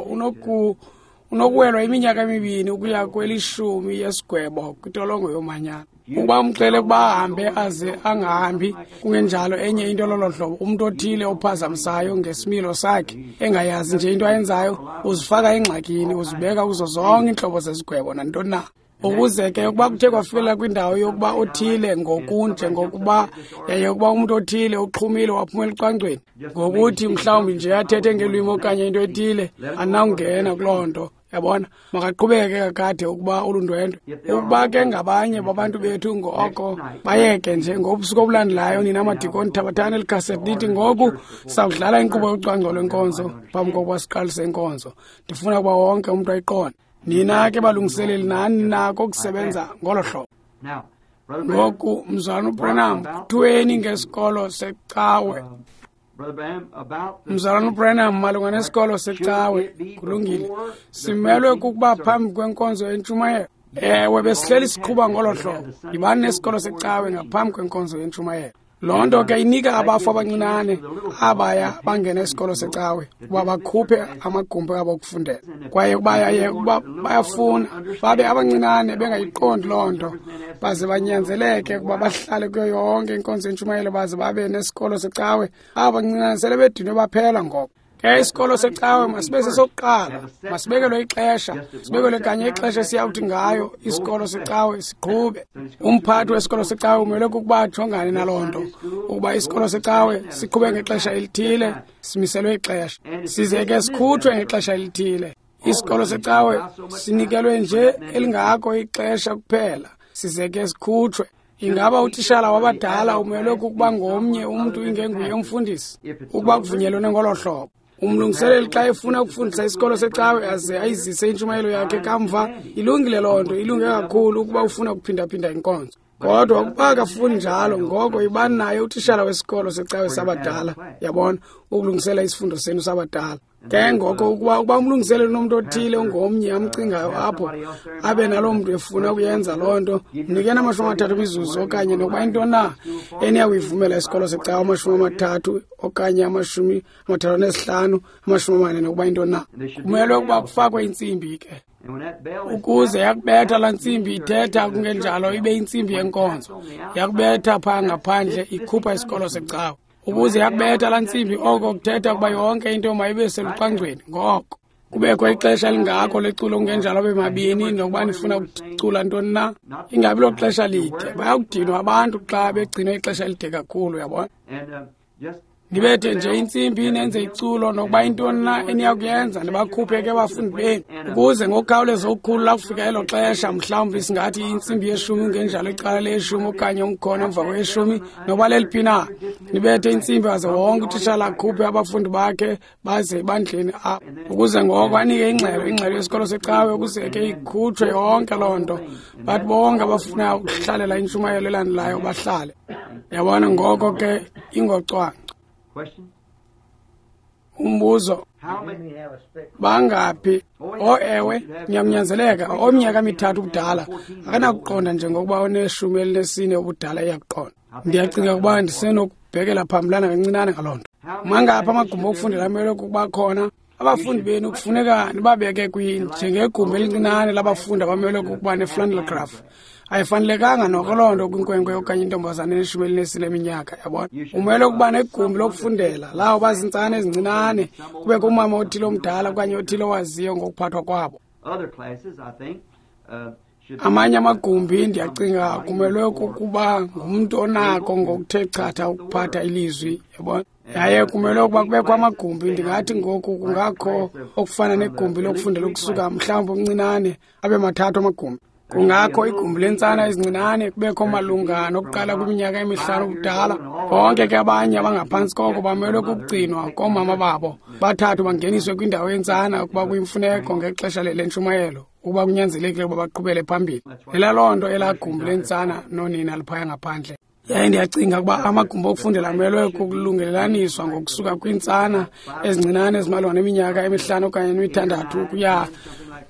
unokuwelwa iminyaka emibini ukuya kwelishumi yesigwebo kwintolongo yomanyano. Ukuba umxele ukuba ahambe aze angahambi, kungenjalo enye into lolo hlobo, umntu othile ophazamisayo ngesimilo sakhe engayazi nje into ayenzayo, uzifaka engxakini, uzibeka kuzo zonke iintlobo zezigwebo nantoni na. Ukuze ke ukuba kuthe kwafikelela kwindawo yokuba othile ngokunje ngokuba yaye ukuba umntu othile uxhumile waphumela ecwangcweni ngokuthi mhlawumbi nje athethe ngelwimi okanye into ethile, anawungena kuloo nto. Yabona, makaqhubeke kakade ukuba ulundwendwe. Ukuba ke ngabanye babantu bethu ngoko bayeke nje ngobusuku obulandelayo, nina madikoni thabathani eli khasethi nithi ngoku sawudlala inkqubo yocwangco lwenkonzo phambi kokuba siqalise inkonzo. Ndifuna ukuba wonke umntu ayiqonde. Nina ke balungiseleli nani nako ukusebenza ngolo hlobo. Ngoku mzalwana uBranham, kuthiweni ngesikolo secawe? Mzalwana uBranham, malunga nesikolo secawe, kulungile. Simelwe kukuba phambi kwenkonzo yentshumayelo. Ewe, besihleli siqhuba ngolo hlobo. Yibani nesikolo secawe ngaphambi kwenkonzo yentshumayelo. Loo nto ke inika abafu abancinane abaya bangena esikolo secawe ukuba bakhuphe amagumbi abo okufundela. Kwaye ukuba bayafuna babe abancinane bengayiqondi loo nto, baze banyanzeleke ukuba bahlale kuyo yonke inkonzo yentshumayelo baze babe nesikolo secawe. Aba bancinane sele bedinwe baphela ngoko. Ke isikolo secawe masibe sesokuqala, masibekelwe ixesha, sibekelwe kanye ixesha esiyawuthi ngayo isikolo secawe siqhube. Umphathi wesikolo secawe umele kukuba ajongane naloo nto, ukuba isikolo secawe siqhube ngexesha elithile, simiselwe ixesha, size ke sikhutshwe ngexesha elithile. Isikolo secawe sinikelwe nje elingako ixesha kuphela, size ke sikhutshwe. Ingaba utishala wabadala umelwe kukuba ngomnye umntu ingenguye umfundisi, ukuba kuvunyelwene ngolo hlobo? Umlungiseleli xa efuna ukufundisa isikolo secawe aze ayizise intshumayelo yakhe kamva, ilungile loo nto, ilunge kakhulu ukuba ufuna ukuphindaphinda inkonzo. Kodwa ukuba akafuni njalo, ngoko yibani naye utishala wesikolo secawe sabadala, yabona, ukulungisela isifundo senu sabadala. Ke ngoko ukuba umlungiseleli unomntu othile ongomnye amcingayo apho, abe naloo mntu efuna ukuyenza loo nto, mnikeni 30 imizuzu okanye nokuba into na eniya kuyivumela isikolo secawe, 30 okanye 35, 40 nokuba into na. Kumelwe ukuba kufakwe intsimbi ke, ukuze yakubetha laa ntsimbi ithetha, kungenjalo ibe intsimbi yenkonzo. Yakubetha phaa ngaphandle ikhupha isikolo secawe. Ukuze yakubetha laa ntsimbi, oko kuthetha ukuba yonke into mayibe selucwangcweni. Ngoko kubekho ixesha elingako leculo, kungenjalo abe mabini, nokuba nifuna ukucula ntoni na, ingabi lo xesha lide. Bayakudinwa abantu xa begcinwe ixesha elide kakhulu, uyabona. Nibethe nje intsimbi nenze iculo nokuba intoni na eniyakuyenza, nibakhuphe ke abafundi benu, ukuze ngokukhawuleza okukhulu lakufika elo xesha, mhlawumbi singathi intsimbi yeshumi, kungenjalo icala leshumi okanye umkhono emva kweshumi, noba leliphi na, nibethe intsimbi aze wonke utishala akhuphe abafundi bakhe baze ebandleni apho, ukuze ngoko anike ingxelo yesikolo secawe, ukuze ke ikhutshwe yonke loo nto, bathi bonke abafunayo ukuhlalela intshumayelo elandelayo bahlale. Yabona, ngoko ke ingocwangco. Umbuzo, bangaphi? Ewe, niyamnyanzeleka. Ominyaka 3 ubudala akanakuqonda njengokuba one-14 ubudala iyakuqonda. Ndiyacinga ukuba ndisenokubhekela phambilana kancinane ngaloo nto. Mangaphi amagumbi okufundela amelwe kukuba khona? Abafundi benu kufuneka nibabeke njengegumbi elincinane labafundi abamelwe kukuba ne-flannel graph. Ayifanelekanga noko loo nto kwinkwenkwe okanye intombazana ene-14 eminyaka, yabona. Umele ukuba negumbi lokufundela lawo bazintsana ezincinane, kubekho umama othile omdala okanye othile owaziyo ngokuphathwa kwabo. Amanye amagumbi ndiyacinga kumelwe kukuba ngumntu onako ngokuthe chatha ukuphatha ilizwi, yabona. Yaye kumelwe ukuba kubekho amagumbi, ndingathi ngoku kungakho okufana negumbi lokufundela ukusuka mhlawumbi omncinane abe 3 amagumbi. Kungakho igumbi lentsana ezincinane kubekho malunga nokuqala kwiminyaka emihlanu ubudala. Bonke ke abanye abangaphantsi koko bamelwe kukugcinwa koomama babo. 3 bangeniswe kwindawo yentsana ukuba kuyimfuneko ngexesha lentshumayelo, ukuba kunyanzelekile ukuba baqhubele phambili. Lela loo nto elaa gumbi lentsana nonina liphaya ngaphandle. Yaye ndiyacinga ukuba amagumbi okufundela amelwe kukulungelelaniswa ngokusuka kwiintsana ezincinane ezimalunga neminyaka emihlanu okanye emithandathu ukuya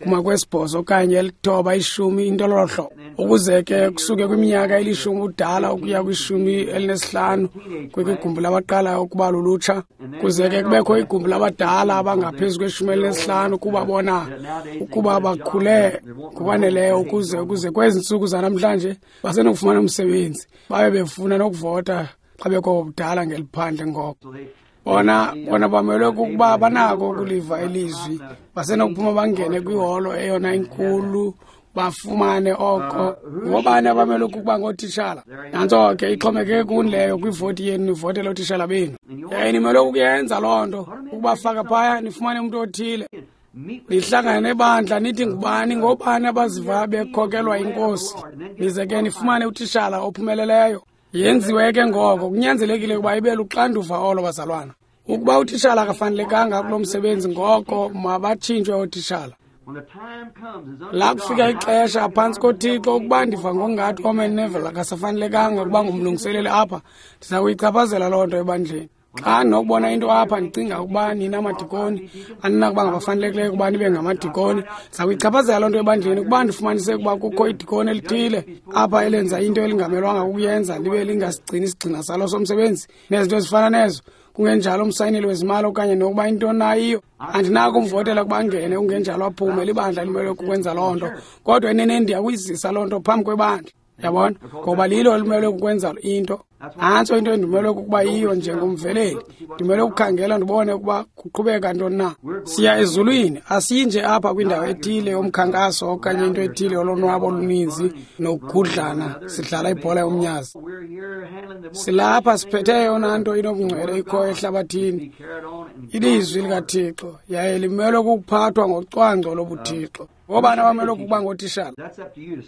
kuma kwesibhozo okanye 9, 10, into lolo hlobo, ukuze ke kusuke kwiminyaka eli-10 ubudala ukuya kwi-15 kwigumbi labaqalayo ukuba lulutsha, kuze ke kubekho igumbi labadala abangaphezu kwe-15 kuba bona ukuba bakhule ngokwaneleyo ukuze kwezi ntsuku zanamhlanje basenokufumana umsebenzi, babe befuna nokuvota xa bekobudala ngeliphandle. Ngoko bona bamelwe kukuba banako ukuliva ilizwi, basenokuphuma bangene kwiholo eyona inkulu bafumane oko. Ngobani abamelwe kukuba ngootitshala? Nantso ke ixhomekeke kuni leyo, kwivoti yenu nivotele ootitshala benu. Yaye nimelwe kukuyenza loo nto, ukubafaka phaya nifumane umntu othile. Nihlangane nebandla nithi ngubani, ngobani abaziva bekhokelwa inkosi, nize ke nifumane utitshala ophumeleleyo. Yenziwe ke ngoko, kunyanzelekile ukuba ibe luxanduva olo, bazalwana. Ukuba utitshala akafanelekanga kulo msebenzi, ngoko mabatshintshwe ootitshala. La kufika ixesha phantsi koThixo ukuba ndiva ngokungathi Orman Neville akasafanelekanga ukuba ngumlungiseleli apha, ndiza kuyichaphazela loo nto ebandleni. Xa ndinokubona into apha ndicinga ukuba nina madikoni aninakuba ngabafanelekileyo ukuba nibe ngamadikoni, ndiza kuyichaphazela loo nto ebandleni. Ukuba ndifumanise ukuba kukho idikoni elithile apha elenza into elingamelwanga kukuyenza, libe lingasigcini isigxina salo somsebenzi nezinto ezifana nezo, kungenjalo umsayineli wezimali okanye nokuba into nayiyo, andinako umvotela ukuba angene, kungenjalo aphume. Libandla limelwe kukwenza loo nto, kodwa eneneni ndiyakuyizisa loo nto phambi kwebandla, yabona, ngoba lilo elimelwe kukwenza into. Nantso into endimelwe kukuba yiyo njengomveleli, ndimelwe ukukhangela ndibone ukuba kuqhubeka ntoni na. Siya ezulwini, asiyi nje apha kwindawo ethile yomkhankaso okanye into ethile yolonwabo oluninzi nokugudlana sidlala ibhola yomnyazi. Silapha siphethe eyona nto inobungcwele ikhoyo ehlabathini, ilizwi likaThixo, yaye limelwe kukuphathwa ngocwangco lobuThixo. Ngobani abamelwe kukuba ngootishala?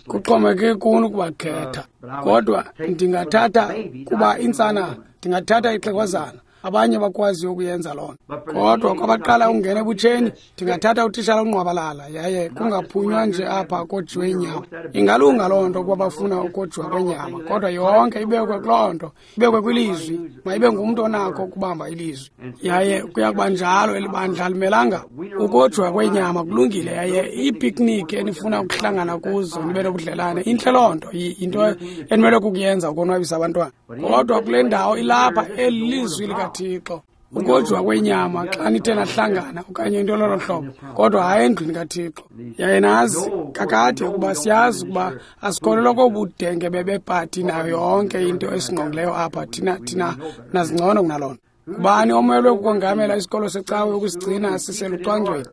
Kuxhomekeke kuni ukubakhetha. Kodwa ndingathatha kuba intsana, ndingathatha ixhegwazana, abanye bakwaziyo ukuyenza loo nto. Kodwa kwabaqala ukungena ebutsheni, ndingathatha utitshala ongqwabalala, yaye kungaphunywa nje apha kojiwe inyama. Ingalunga loo nto kuba bafuna ukojiwa kwenyama, kodwa yonke ibekwe kuloo nto, ibekwe kwilizwi, mayibe ngumntu onakho ukubamba ilizwi. Yaye kuya kuba njalo, eli bandla alimelanga ukojiwa kwenyama, kulungile. Yaye iipikniki enifuna ukuhlangana kuzo nibe nobudlelane, intle loo nto, yinto enimelwe kukuyenza ukonwabisa abantwana. Kodwa kule ndawo ilapha, eli lizwi likaThixo. Ukojiwa kwenyama xa nithe nahlangana okanye into lolo hlobo, kodwa hayi endlwini kaThixo. Yaye nazi kakade ukuba siyazi ukuba asikholelwa kobudenge bebepati nayo yonke into esingqongileyo apha. Thina nazingcono kunaloo nto. Ngubani omelwe kukongamela isikolo secawe ukusigcina siselucwangcweni?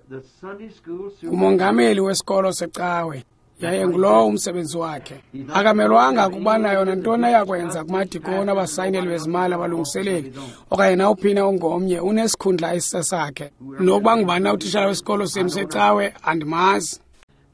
Umongameli wesikolo secawe. Yaye ngulowo umsebenzi wakhe. Akamelwanga kuba nayo nantoni ayakwenza kumadikoni, abasayineli bezimali, abalungiseleli okanye nawuphina ongomnye, unesikhundla esisesakhe. Nokuba ngubani na utitshala wesikolo senu secawe andimazi.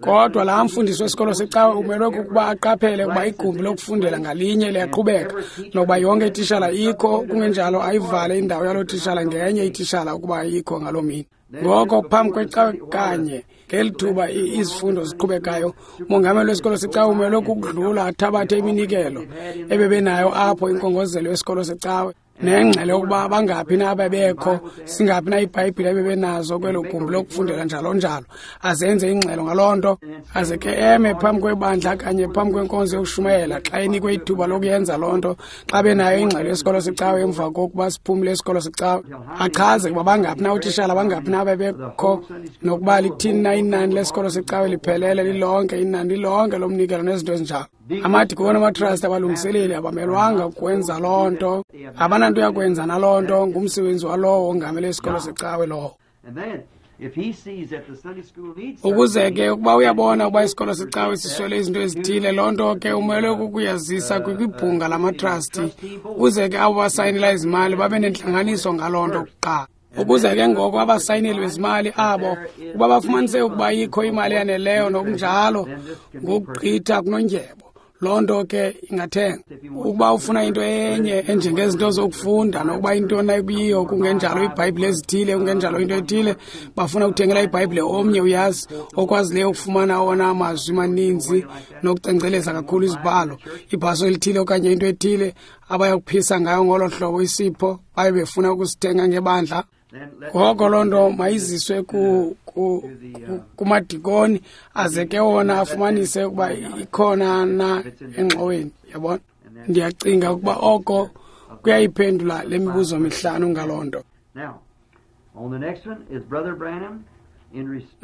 Kodwa laa mfundisi wesikolo secawe umelwe kukuba aqaphele ukuba igumbi lokufundela ngalinye liyaqhubeka, nokuba yonke itishala ikho, kungenjalo ayivale indawo yaloo tishala ngenye itishala ukuba ayikho ngaloo mini. Ngoko phambi kwecawe kanye ngeli thuba izifundo ziqhubekayo, umongameli wesikolo secawe umelwe kukudlula athabathe iminikelo ebebenayo apho inkongozelo yesikolo secawe, nengxelo yokuba bangaphi na abebekho, singaphi na iibhayibhile ebebenazo kwelo gumbi lokufundela, njalo njalo. Azenze ingxelo ngaloo nto, aze ke eme phambi kwebandla kanye phambi kwenkonzo yokushumayela xa enikwe ithuba lokuyenza loo nto, xa benayo ingxelo yesikolo secawe emva kokuba siphumile isikolo secawe, achaze ukuba bangaphi na ootishala, bangaphi na abebekho, nokuba lithini na inani lesikolo secawe liphelele lilonke, inani lilonke lomnikelo nezinto ezinjalo. Amadikoni, amatrasti, abalungiseleli abamelwanga kwenza loo nto, abananto yakwenza naloo nto, ngumsebenzi walowo ongamele isikolo secawe lowo. Ukuze ke ukuba uyabona ukuba isikolo secawe siswele izinto ezithile, loo nto ke umelwe kukuyazisa kwibhunga lamatrasti, ukuze ke abo basayinela izimali babe nentlanganiso ngaloo nto kuqala. Ukuze ke ngoko abasayineli bezimali abo ukuba bafumanise ukuba ikho imali eyaneleyo nokunjalo ngokugqitha kunondyebo, loo nto ke ingathengwa. Ukuba ufuna into enye enjengezinto zokufunda nokuba intoni ekuyiyo, kungenjalo iibhayibhile ezithile, kungenjalo into ethile, bafuna ukuthengela ibhayibhile omnye, uyazi, okwazileyo ukufumana awona mazwi maninzi nokucengceleza kakhulu izibhalo, ibhaso elithile okanye into ethile abayakuphisa ngayo ngolo hlobo isipho baye befuna ukusithenga ngebandla. Ngoko loo nto mayiziswe kumadikoni aze ke wona afumanise ukuba ikhona na engxoweni, yabona. Ndiyacinga ukuba oko kuyayiphendula le mibuzo mihlanu ngaloo nto.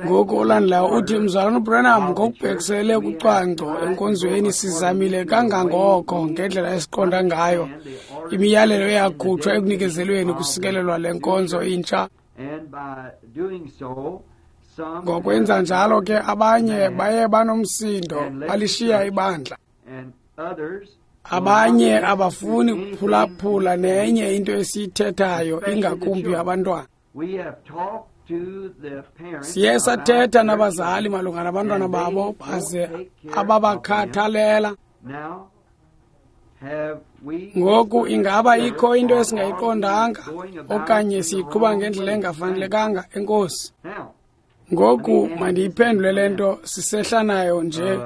Ngoku olandelayo uthi, Mzalwana uBranham, ngokubhekisele kucwangco enkonzweni sizamile kangangoko ngendlela esiqonda ngayo imiyalelo eyakhutshwa ekunikezelweni kusikelelwa le nkonzo intsha. Ngokwenza njalo ke abanye baye banomsindo balishiya ibandla. Abanye abafuni kuphulaphula nenye into esiyithethayo, ingakumbi abantwana. Siye sathetha nabazali malunga nabantwana babo baze ababakhathalela. Ngoku ingaba ikho into esingayiqondanga okanye siyiqhuba ngendlela engafanelekanga? Enkosi. Ngoku mandiyiphendule le nto sisehla nayo nje.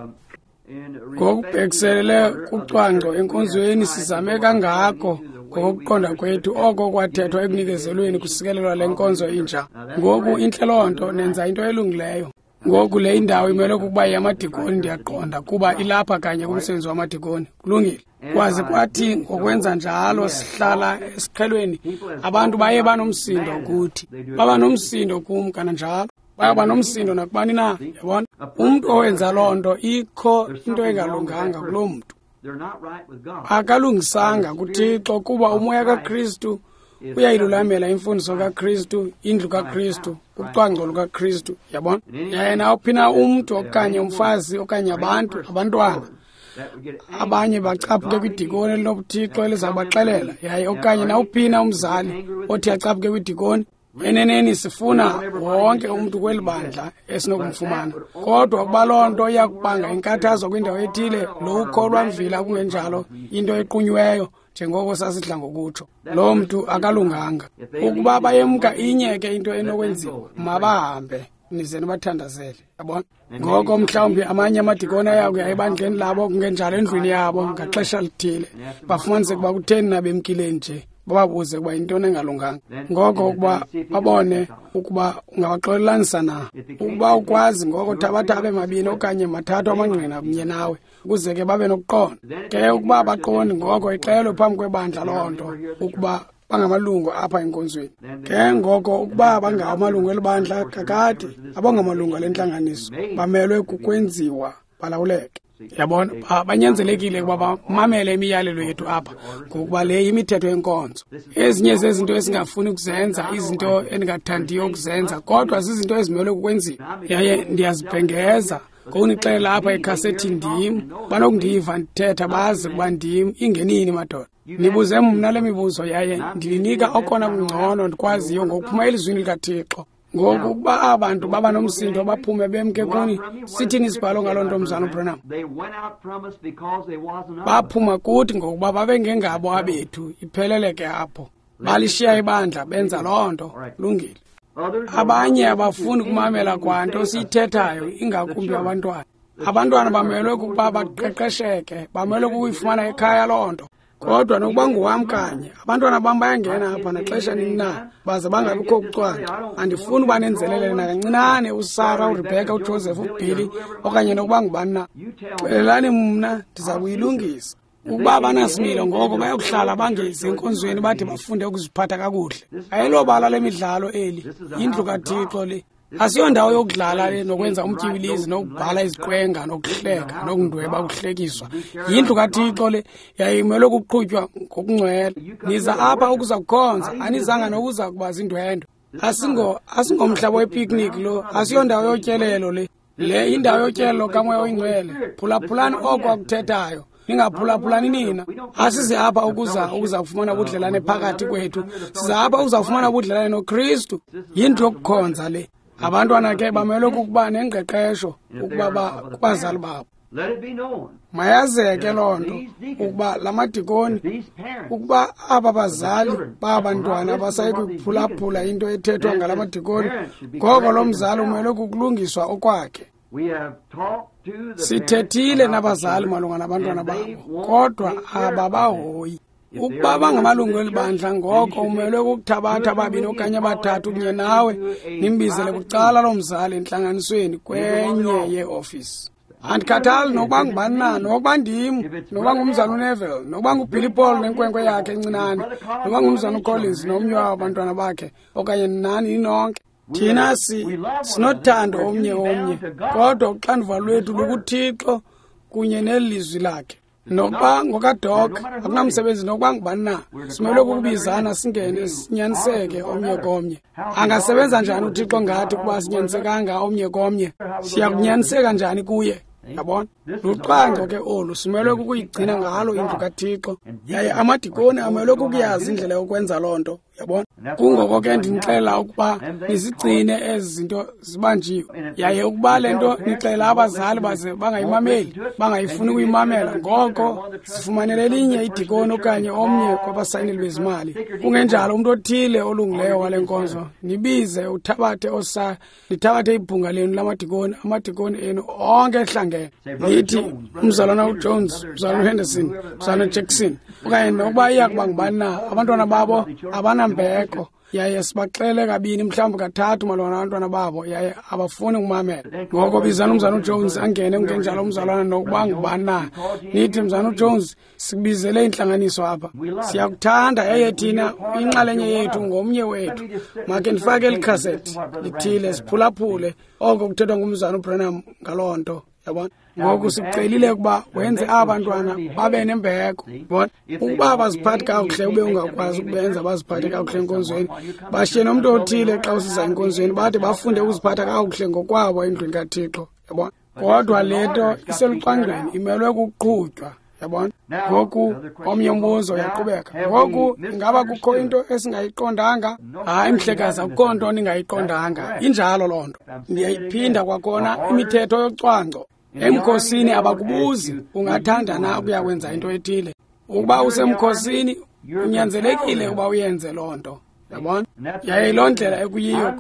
Ngokubhekiselele kucwangco enkonzweni sizame kangako ngokokuqonda kwethu oko kwathethwa ekunikezelweni kusikelelwa le nkonzo intsha. Ngoku intle loo nto, nenza into elungileyo. Ngoku le indawo imelwe kukuba yeyamadikoni, ndiyaqonda, kuba ilapha kanye kumsebenzi wamadikoni. Kulungile. Kwaze kwathi ngokwenza njalo sihlala esiqhelweni, abantu baye banomsindo kuthi. Baba nomsindo kum kananjalo. Bayaba nomsindo nakubani na, yabona. Umntu owenza loo nto, ikho into engalunganga kuloo mntu. Akalungisanga kuThixo, kuba umoya kaKristu uyayilulamela imfundiso kaKristu, indlu kaKristu, ucwangco lukaKristu, yabona. Yaye nawuphi na umntu okanye umfazi okanye abantu, abantwana, abanye bacaphuke kwidikoni elinobuthixo elizakubaxelela, yaye okanye nawuphi na umzali othi acaphuke kwidikoni. Eneneni sifuna wonke umntu kweli bandla esinokumfumana, kodwa ukuba loo nto iyakubanga inkathazo kwindawo ethile, lo ukholwa mvila kungenjalo into equnyiweyo njengoko sasidla ngokutsho, loo mntu akalunganga. Ukuba bayemka inye ke into enokwenziwa, mabahambe nize nibathandazele, yabona. Ngoko mhlawumbi amanye amadikoni ayakuya ebandleni labo kungenjalo endlwini yabo ngaxesha lithile, bafumanise ukuba kutheni na bemkile nje, bababuze ukuba yintoni engalunganga. Ngoko ukuba babone ukuba ungabaxolelanisa na. Ukuba ukwazi, ngoko thabatha abe mabini okanye mathathu amangqina kunye nawe, ukuze ke babe nokuqonda. Ke ukuba abaqondi, ngoko ixelwe phambi kwebandla loo nto ukuba bangamalungu apha enkonzweni. Ke ngoko ukuba bangawo amalungu elibandla kakade, abangamalungu ale ntlanganiso, bamelwe kukwenziwa balawuleke. Yabona, banyanzelekile ukuba bamamele imiyalelo yethu apha, ngokuba le yimithetho yenkonzo. Ezinye zezinto esingafuni ukuzenza, izinto endingathandiyo ukuzenza, kodwa zizinto ezimelwe kukwenziwa. Yaye ndiyazibhengeza ngokunixelela apha ekhasethini, ndim. Banokundiva ndithetha bazi ukuba ndim, ingenini madoda. Nibuze mna le mibuzo yaye ndininika okona kungcono ndikwaziyo ngokuphuma elizwini likaThixo. Ngoku ukuba abantu baba nomsindo baphume bemke kuni, sithini isibhalo ngaloo nto, Mzalwana uBranham? Baphuma kuthi ngokuba babengengabo abethu, iphelele ke apho. Balishiya ibandla, benza loo nto. Lungile. Abanye abafuni kumamela kwanto siyithethayo, ingakumbi abantwana. Abantwana bamelwe kukuba baqeqesheke, bamelwe kukuyifumana ekhaya loo nto. Kodwa nokuba nguwam kanye, abantwana bam bayangena apha naxesha nini na, baze bangabikho kucwangco. Andifuni uba nenzelele nakancinane uSara, uRebecca, uJoseph, uBilly okanye nokuba ngubani na. Xelelani mna, ndiza kuyilungisa. Ukuba banasimilo ngoko bayokuhlala bangezi enkonzweni bade bafunde ukuziphatha kakuhle. Ayilobala lemidlalo eli, yindlu kaThixo le. Asiyondawo yokudlala le nokwenza umtyibilizi nokubhala iziqwenga nokuhleka nokundweba ukuhlekiswa. Yindlu kaThixo le, yayimelwe kuqhutywa ngokungcwele. Niza apha ukuza kukhonza, anizanga nokuza kuba zindwendwe. Asingomhlaba wepicnic lo, asiyondawo yotyelelo le. Le indawo yotyelelo kaMoya oyiNgcwele. Phulaphulani oko akuthethayo. Ningaphulaphulani nina. Asize apha ukuza kufumana ubudlelane phakathi kwethu. Siza apha ukuza kufumana ubudlelane noKristu. Yindlu yokukhonza le. Abantwana ke bamelwe kukuba nengqeqesho ukuba kubazali babo. Mayazeke loo nto ukuba la madikoni, ukuba aba bazali babantwana abasayi kuphulaphula into ethethwa ngala madikoni, ngoko lo mzali umelwe kukulungiswa okwakhe. Sithethile nabazali malunga nabantwana babo, kodwa ababahoyi. Ukuba bangamalungu eli bandla, ngoko umelwe kukuthabatha ababini okanye abathathu kunye nawe, nimbizele bucala loo mzali entlanganisweni kwenye yeofisi. Andikhathali nokuba ngubani na, nokuba ndim, nokuba ngumzali uNeville, nokuba nguBilly Paul nenkwenkwe yakhe encinane, nokuba ngumzali uCollins nomnye wabo abantwana bakhe, okanye nani ninonke. Thina sinothando omnye omnye, kodwa uxanduva lwethu lukuThixo kunye nelizwi lakhe. Nokuba ngokaDoc, akunamsebenzi nokuba ngubani na, simelwe kukubizana singene sinyaniseke omnye komnye. Angasebenza njani uThixo ngathi ukuba sinyanisekanga omnye komnye? Siyakunyaniseka njani kuye? Yabona? Lucwangco ke olu, simelwe kukuyigcina ngalo indlu kaThixo. Yaye amadikoni amelwe kukuyazi indlela yokwenza loo nto. Yabona? Kungoko ke ndinixelela ukuba nizigcine ezi zinto zibanjiwe. Yaye ukuba le nto nixelela abazali baze bangayimameli, bangayifuni ukuyimamela, ngoko sifumanele elinye idikoni okanye omnye kwabasayineli bezimali. Kungenjalo umntu othile olungileyo wale nkonzo, nibize uthabathe nithabathe ibhunga lenu lamadikoni, amadikoni enu onke ehlangene. Nithi umzalwana uJones, umzalwana uHenderson, umzalwana uJackson, okanye nokuba iya kuba ngubani na, abantwana babo abanambeko, yaye sibaxele kabini mhlawumbi kathathu malunga nabantwana babo, yaye abafuni ukumamela. Ngoko bizani umzalwana uJones angene, kungenjalo umzalwana nokuba ngubani na. Nithi, mzalwana uJones, sikubizele intlanganiso apha. Siyakuthanda, yaye thina inxalenye yethu ngomnye wethu. Makhe ndifake eli khasethi lithile siphulaphule oko kuthethwa ngumzalwana uBranham ngaloo nto. Yabona? Ngoku sikucelile ukuba wenze aba bantwana babe nembeko. Yabona? Ukuba abaziphathi kakuhle ube ungakwazi ukubenza baziphathe kakuhle enkonzweni, bashiye nomntu othile xa usiza enkonzweni, bade bafunde ukuziphatha kakuhle ngokwabo endlwini kaThixo. Yabona? Kodwa le nto iselucwangcweni, imelwe kukuqhutywa. Yabona? Ngoku omnye umbuzo uyaqhubeka. Ngoku ingaba kukho into esingayiqondanga? Hayi mhlekazi, akukho nto ningayiqondanga. Injalo loo nto. Ndiyayiphinda kwakhona imithetho yocwangco. Emkhosini abakubuzi ungathanda na ukuya kwenza into ethile. Ukuba usemkhosini unyanzelekile ukuba uyenze loo nto. Yabona? Yaye loo ndlela ekuyiyo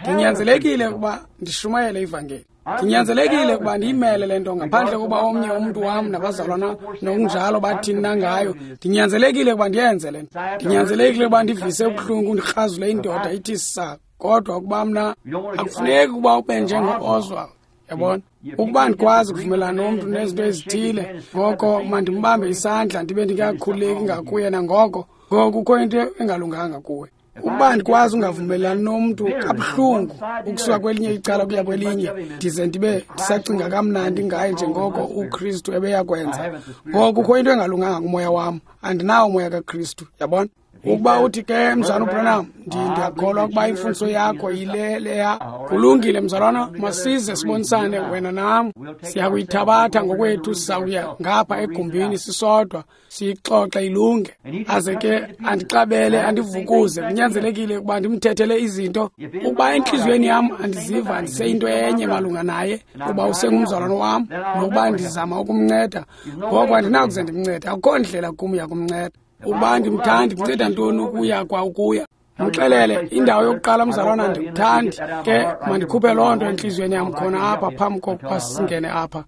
ndinyanzelekile ukuba ndishumayele ivangeli. Ndinyanzelekile ukuba ndiyimele le nto ngaphandle kokuba omnye umntu wam nabazalwana nokunjalo bathini na ngayo. Ndinyanzelekile ukuba ndiyenze le nto. Ndinyanzelekile ukuba ndivise ubuhlungu, ndikrazule indoda ithi sa. Kodwa ukuba mna akufuneki ukuba ube njengo-Oswald. Yabona? Ukuba ndikwazi ukuvumelana nomntu nezinto ezithile, ngoko mandimbambe isandla ndibe ndingakhululeki ngakuye nangoko, ngoko kukho into engalunganga kuwe. Ukuba ndikwazi ungavumelani nomntu kabuhlungu ukusuka kwelinye icala ukuya kwelinye, ndize ndibe ndisacinga kamnandi ngaye njengoko uKristu ebeyakwenza, ngoko kukho into engalunganga kumoya wam. Andinawo umoya kaKristu. Yabona? Ukuba uthi ke mzalwana uBranham, ndiyakholwa ukuba imfundiso yakho yile leya. Kulungile mzalwana, masize sibonisane wena nam. Siyakuyithabatha ngokwethu, sizawuya ngapha egumbini sisodwa, siyixoxe ilunge. Aze ke andixabele, andivukuze. Kunyanzelekile ukuba ndimthethele izinto. Ukuba entliziyweni yam andiziva ndiseyinto enye malunga naye, kuba usengumzalwana wam, nokuba ndizama ukumnceda, ngoko andinakuze ndimncede. Akukho ndlela kum yakumnceda. Ukuba ndimthandi, kunceda ntoni ukuya kwa ukuya? Mxelele indawo yokuqala mzalwana, ndikuthandi ke, mandikhuphe loo nto entliziyweni yam khona apha phambi kokuba singene apha,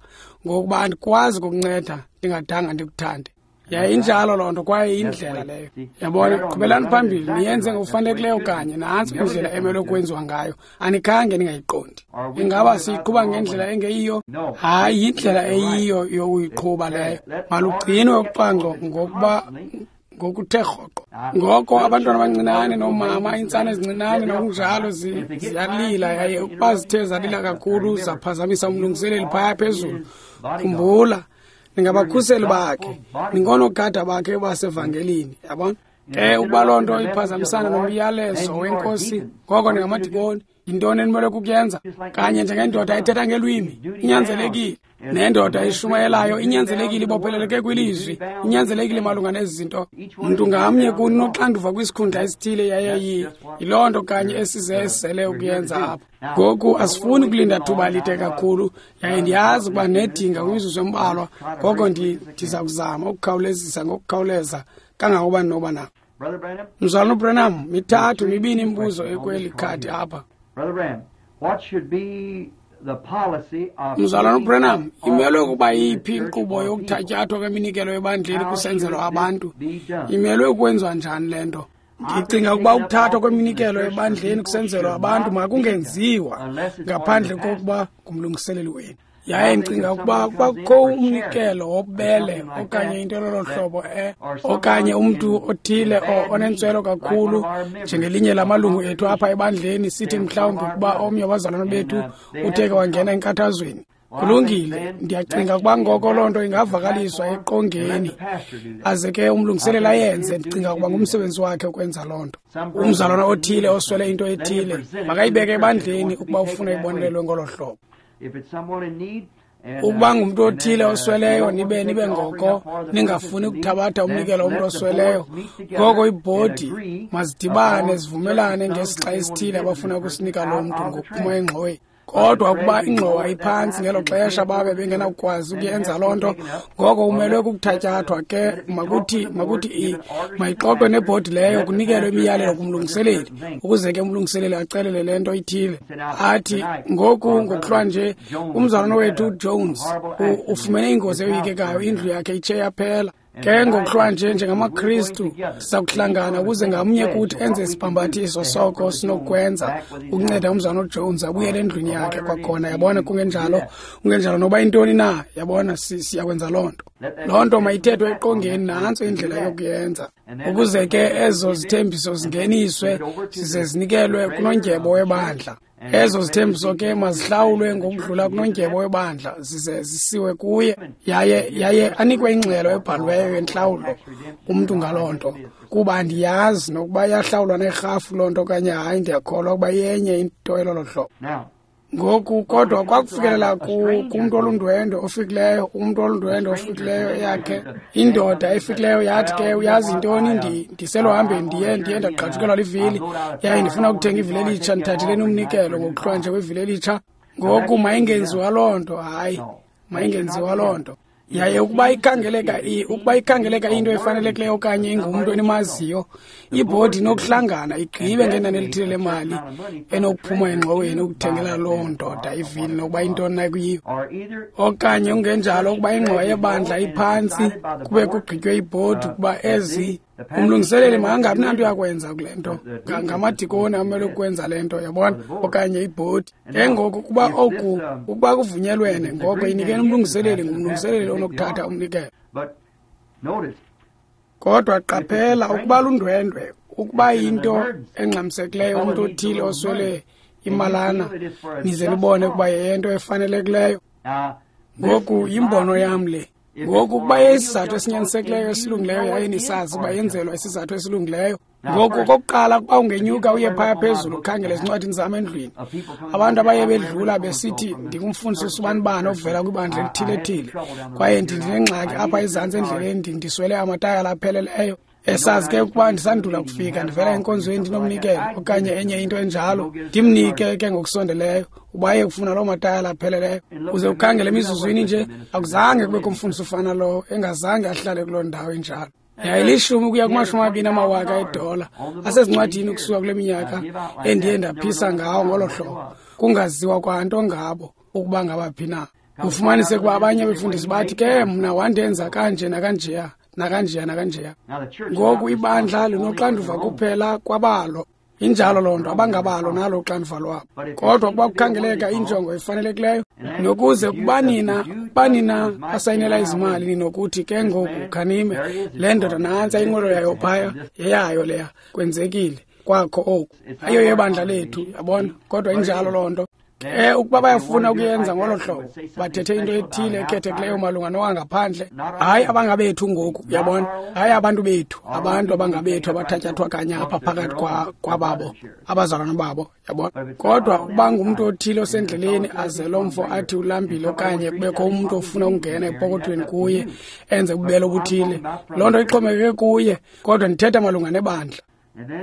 ngokuba andikwazi kukunceda ndingadanga ndikuthande. Yaye injalo loo nto, kwaye indlela leyo. Yabona? Qhubelani phambili niyenze ngokufanelekileyo kanye. Nantso indlela emelwe kwenziwa ngayo. Anikhange ningayiqondi. Ingaba siyiqhuba ngendlela engeyiyo? Hayi, yindlela eyiyo yokuyiqhuba leyo. Malugcinwe ucwangco ngokuba ngokuthe rhoqo. Ngoko abantwana abancinane noomama, iintsana ezincinane nokunjalo ziyalila, yaye ukuba zithe zalila kakhulu zaphazamisa umlungiseleli phaya phezulu. Khumbula, ningabakhuseli bakhe, ningoonogada bakhe basevangelini. Yabona? Ke ukuba loo nto iphazamisana nomyalezo wenkosi, ngoko ningamadikoni. Yintoni enimele kukuyenza? Kanye njengendoda ethetha ngelwimi, inyanzelekile. Nendoda eshumayelayo inyanzelekile, ibopheleleke kwilizwi, inyanzelekile malunga nezi zinto. Mntu ngamnye kuni unoxanduva kwisikhundla esithile, yaye yiloo nto kanye esize esizele ukuyenza apha. Ngoku asifuni kulinda thuba lide kakhulu, yaye ndiyazi ukuba nedinga kwimizuzu embalwa, ngoko ndiza kuzama ukukhawulezisa ngokukhawuleza kangangokuba ndinoba nako. Mzalwana uBranham, mithathu mibini imibuzo ekweli khadi apha. Mzalwana uBranham, imelwe ukuba yiphi inkqubo yokuthatyathwa kweminikelo ebandleni kusenzelwa abantu? Imelwe ukwenziwa njani le nto? Ndicinga ukuba ukuthathwa kweminikelo ebandleni kusenzelwa abantu makungenziwa ngaphandle kokuba ngumlungiseleli wenu. Yaye ndicinga ukuba kukho umnikelo wobubele okanye into elolo hlobo okanye umntu othile onentswelo kakhulu njengelinye lamalungu ethu apha ebandleni, sithi mhlawumbi ukuba omnye wabazalwana bethu uthe ke wangena enkathazweni. Kulungile, ndiyacinga ukuba ngoko loo nto ingavakaliswa eqongeni, aze ke umlungiseleli ayenze. Ndicinga ukuba ngumsebenzi wakhe ukwenza loo nto. Umzalwana othile oswele into ethile makayibeke ebandleni ukuba ufuna ibonelelwe ngolo hlobo. Ukuba ngumntu othile osweleyo, nibe ngoko ningafuni ukuthabatha umnikelo womntu osweleyo, ngoko ibhodi mazidibane zivumelane ngesixa esithile abafuna ukusinika loo mntu ngokuphuma engxoweni. Kodwa ukuba ingxowa iphantsi ngelo xesha babe bengenakukwazi ukuyenza loo nto, ngoko umelwe kukuthatyathwa ke. Makuthi mayixoxwe nebhodi leyo, kunikelwe imiyalelo kumlungiseleli, ukuze ke umlungiseleli acelele le nto ithile. Athi ngoku ngokuhlwa nje umzalwana wethu uJones ufumene ingozi eyoyikekayo, indlu yakhe itshe yaphela. Ke ngokuhlwa nje njengamaKristu siza kuhlangana ukuze ngamnye kuthi enze isibhambathiso soko sinokwenza ukunceda umzalwana uJones abuyele endlwini yakhe kwakhona. Yabona, kungenjalo noba intoni na, yabona, siyakwenza loo nto. Loo nto mayithethwe eqongeni, nantso indlela yokuyenza, ukuze ke ezo zithembiso zingeniswe zize zinikelwe kunondyebo webandla. Ezo zithembiso ke mazihlawulwe ngokudlula kunondyebo webandla zize zisiwe kuye, yaye anikwe ingxelo ebhaliweyo yentlawulo umntu ngaloo nto, kuba andiyazi nokuba iyahlawulwa nerhafu loo nto okanye hayi. Ndiyakholwa ukuba yenye into elolo hlobo. Ngoku kodwa kwakufikelela kumntu olundwendwe ofikileyo, umntu olundwendwe ofikileyo eyakhe indoda efikileyo yathi ke, uyazi intoni, ndiseluhambeni ndiye ndagqajukelwa livili, yaye ndifuna ukuthenga ivili elitsha, ndithatheleni umnikelo ngokuhlwa nje kwevili elitsha. Ngoku mayingenziwa loo nto, hayi, mayingenziwa loo nto. Yaye ukuba ikhangeleka into efanelekileyo okanye ingumntu enimaziyo, ibhodi inokuhlangana igqibe ngenani elithile lemali enokuphuma engxoweni ukuthengela loo ndoda ivili nokuba intoni na kuyiyo. Okanye kungenjalo ukuba ingxowa yebandla iphantsi kube kugqitywe ibhodi ukuba ezi umlungiseleli makangabi nanto yakwenza kule nto, ngamadikoni amele ukwenza le nto, yabona, okanye ibhodi. Ke ngoku ukuba oku ukuba kuvunyelwene, ngoko inikeni umlungiseleli, ngumlungiseleli onokuthatha umnikelo. Kodwa qaphela, ukuba lundwendwe, ukuba yinto engxamisekileyo, umntu othile oswele imalana, nize nibone ukuba yeyento efanelekileyo. Ngoku yimbono yam le. Ngoku ukuba isizathu esinyanisekileyo esilungileyo, yaye nisazi ukuba yenzelwa isizathu esilungileyo. Ngoku okokuqala, ukuba ungenyuka uye phaya phezulu ukhangele ezincwadini zam endlwini, abantu abaye bedlula besithi ndingumfundisi usubanibani ovela kwibandla elithile-thile, kwaye ndinengxaki apha ezantsi endleleni, ndiswele amatayala apheleleyo. Esazi ke ukuba ndisandula kufika ndivela enkonzweni ndinomnikelo okanye enye into enjalo, ndimnike ke ngokusondeleyo uba aye kufuna loo matayala apheleleyo. Uze ukhangele emizuzwini nje, akuzange kubekho umfundisi ufana lowo engazange ahlale kuloo ndawo injalo. Yayilishumi ukuya kuma-20 amawaka edola asezincwadini ukusuka kule minyaka endiye ndaphisa ngawo ngolo hlobo, kungaziwa kwanto ngabo ukuba ngabaphi na. Ufumanise ukuba abanye abefundisi bathi ke mna wandenza kanje nakanjeya nakanjeya nakanjeya. Ngoku ibandla linoxanduva kuphela kwabalo. Injalo loo nto, abangabalo nalo uxanduva lwabo. Kodwa ukuba kukhangeleka injongo efanelekileyo, nokuze kuba nina asayinela izimali, ninokuthi ke ngoku khanime le ndoda nantsa inqwelo yayo phaya, yeyayo leya, kwenzekile kwakho oku, ayiyo yebandla lethu, yabona. Kodwa injalo loo nto. Ke ukuba bayafuna ukuyenza ngolo hlobo, bathethe into ethile ekhethekileyo malunga nowangaphandle, hayi abangabethu ngoku, uyabona, hayi abantu bethu, abantu abangabethu abathatyathwa kanye apha phakathi kwababo, abazalwana babo, yabona. Kodwa ukuba ngumntu othile osendleleni aze lo mfo athi ulambile okanye kubekho umntu ofuna ukungena epokothweni kuye enze ububele obuthile, loo nto ixhomekeke kuye, kodwa ndithetha malunga nebandla.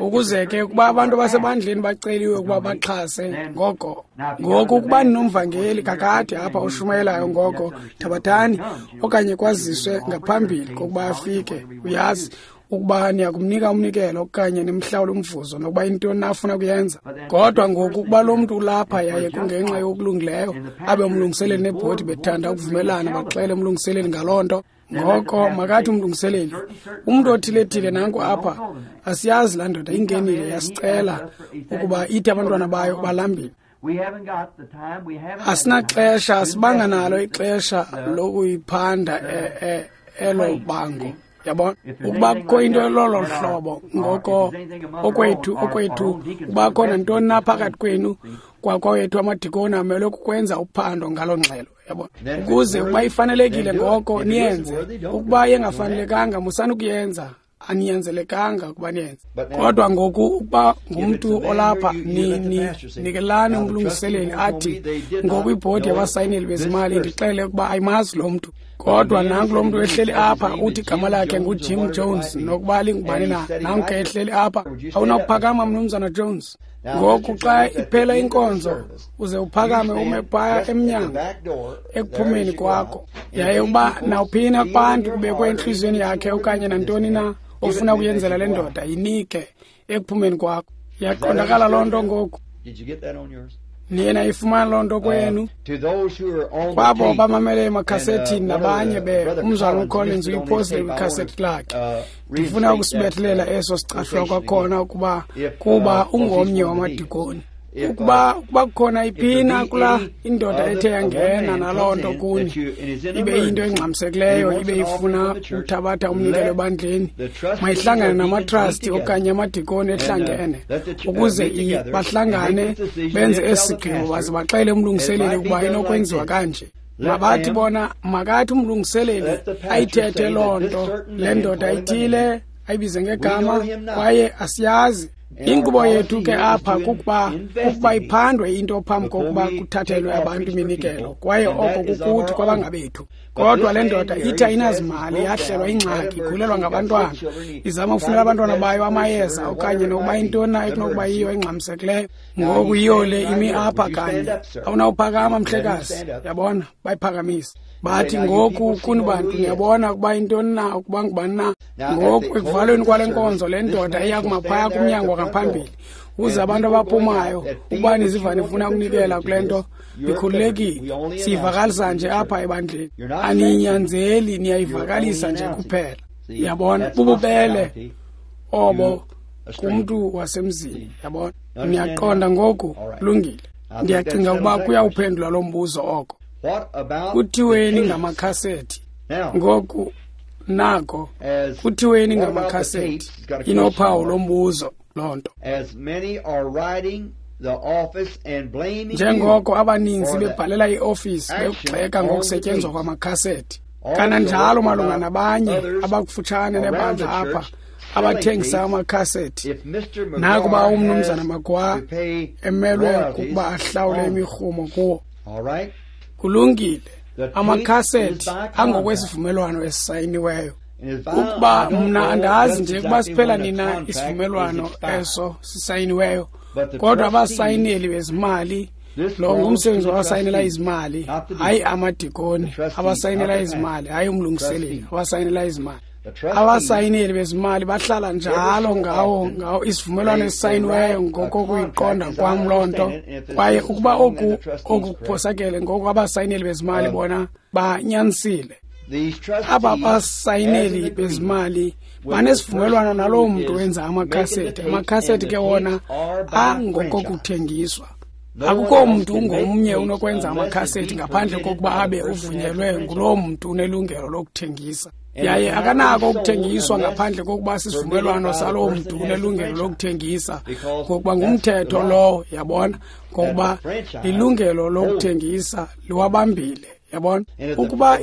Ukuze ke ukuba abantu abasebandleni baceliwe ukuba baxhase, ngoko ngoku ukuba ninomvangeli kakade apha oshumayelayo, ngoko thabathani okanye kwaziswe ngaphambili kokuba afike, uyazi ukuba niyakumnika umnikelo okanye nimhlawule umvuzo nokuba intoni na afuna kuyenza. Kodwa ngoku ukuba lo mntu ulapha yaye kungenxa yokulungileyo, abe umlungiseleli nebhodi bethanda ukuvumelana baxele umlungiseleli ngaloo nto, ngoko makathi umlungiseleli, umntu othile-thile nanku apha, asiyazi laa ndoda ingenile yasicela ukuba ithi abantwana bayo balambile. Asinaxesha, asibanga nalo ixesha lokuyiphanda elo bango. Yabona, ukuba kukho into elolo hlobo, ngoko okwethu ukuba kho nantoni na phakathi kwenu kwakwethu amadikoni amelwe kukwenza uphando ngaloo ngxelo, yabona, ukuze ukuba ifanelekile ngoko niyenze, ukuba yengafanelekanga musani ukuyenza, aninyanzelekanga ukuba niyenze. Kodwa ngoku ukuba ngumntu olapha, nikelani umlungiseleli athi ngoku ibhodi yabasayineli bezimali ndixele ukuba ayimazi lo mntu. Kodwa nanku lo mntu ehleli apha uthi igama lakhe nguJim Jones, nokuba lingubani na, nanku ehleli apha. Awunakuphakama, Mnumzana Jones. Ngoku xa iphela inkonzo uze uphakame ume phaya emnyango ekuphumeni kwakho, yaye uba nawuphina kubantu kubekwe entliziyweni yakhe okanye nantoni na ofuna ukuyenzela le ndoda, yinike ekuphumeni kwakho. Iyaqondakala loo nto ngoku? Niye nayifumana loo nto kwenu? Kwabo bamamele emakhasethini nabanye umzalwana uCollins uyiphosile kwikhasethi lakhe. Ndifuna ukusibethelela eso sicashwa kwakhona ukuba kuba ungomnye wamadikoni. Ukuba kukhona iphina kula indoda ethe yangena naloo nto kuni, ibe into engxamisekileyo, ibe ifuna uthabatha umnikelo ebandleni, mayihlangane namatrasti okanye amadikoni ehlangene, ukuze bahlangane benze esi sigqibo baze baxele umlungiseleli ukuba inokwenziwa kanje. Mabathi bona, makathi umlungiseleli ayithethe loo nto, le ndoda ithile ayibize ngegama, kwaye asiyazi. Inkqubo yethu ke apha kukuba iphandwe into phambi kokuba kuthathelwe abantu iminikelo, kwaye oko kukuthi kwabangabethu. Kodwa le ndoda ithi ayinazimali, yahlelwa ingxaki, igulelwa ngabantwana, izama ukufunela abantwana bayo amayeza okanye nokuba intoni na ekunokuba yiyo engxamisekileyo. Ngoku yiyo le imi apha kanye. Awunawuphakama, mhlekazi, yabona, bayiphakamisa. Bathi ngoku kuni bantu niyabona ukuba intoni na, ukuba ngubani na. Ngoku ekuvalweni kwale nkonzo le ndoda iya kumaphaya kumnyango ngaphambili, ukuze abantu abaphumayo ukuba niziva nifuna ukunikela kule nto, nikhululekile. Siyivakalisa nje apha ebandleni, aninyanzeli, niyayivakalisa nje kuphela. Yabona, bububele obo kumntu wasemzini, yabona. Niyaqonda ngoku? Lungile. Ndiyacinga ukuba kuyawuphendula lo mbuzo oko. Kuthiweni ngamakhasethi? Ngoku nako, kuthiweni ngamakhasethi? Inophawu lombuzo loo nto. Njengoko abaninzi bebhalela iofisi bekugxeka ngokusetyenzwa kwamakhasethi, kananjalo malunga nabanye abakufutshane nebandla apha abathengisa amakhasethi, nakuba umnumzana Magwa emelwe kukuba ahlawule imirhumo kuwo. Kulungile, amakhasethi angokwesivumelwano esisayiniweyo. Ukuba mna andazi nje ukuba siphela nina isivumelwano eso sisayiniweyo, kodwa abasayineli bezimali, lo ngumsebenzi wabasayinela izimali, hayi amadikoni, abasayinela izimali, hayi umlungiseleli, abasayinela izimali. Abasayineli bezimali bahlala njalo ngawo isivumelwano esisayiniweyo ngokokuyiqonda kwam loo nto. Kwaye ukuba oku kuphosakele, ngoku abasayineli bezimali bona banyanisile. Aba basayineli bezimali banesivumelwano naloo mntu wenza amakhasethi. Amakhasethi ke wona angokokuthengiswa. Akukho mntu ungomnye unokwenza amakhasethi ngaphandle kokuba abe uvunyelwe nguloo mntu unelungelo lokuthengisa. Yaye akanako ukuthengiswa ngaphandle kokuba sisivumelwano saloo mntu unelungelo lokuthengisa, ngokuba ngumthetho lowo, yabona, ngokuba lilungelo lokuthengisa liwabambile. Yabona, ukuba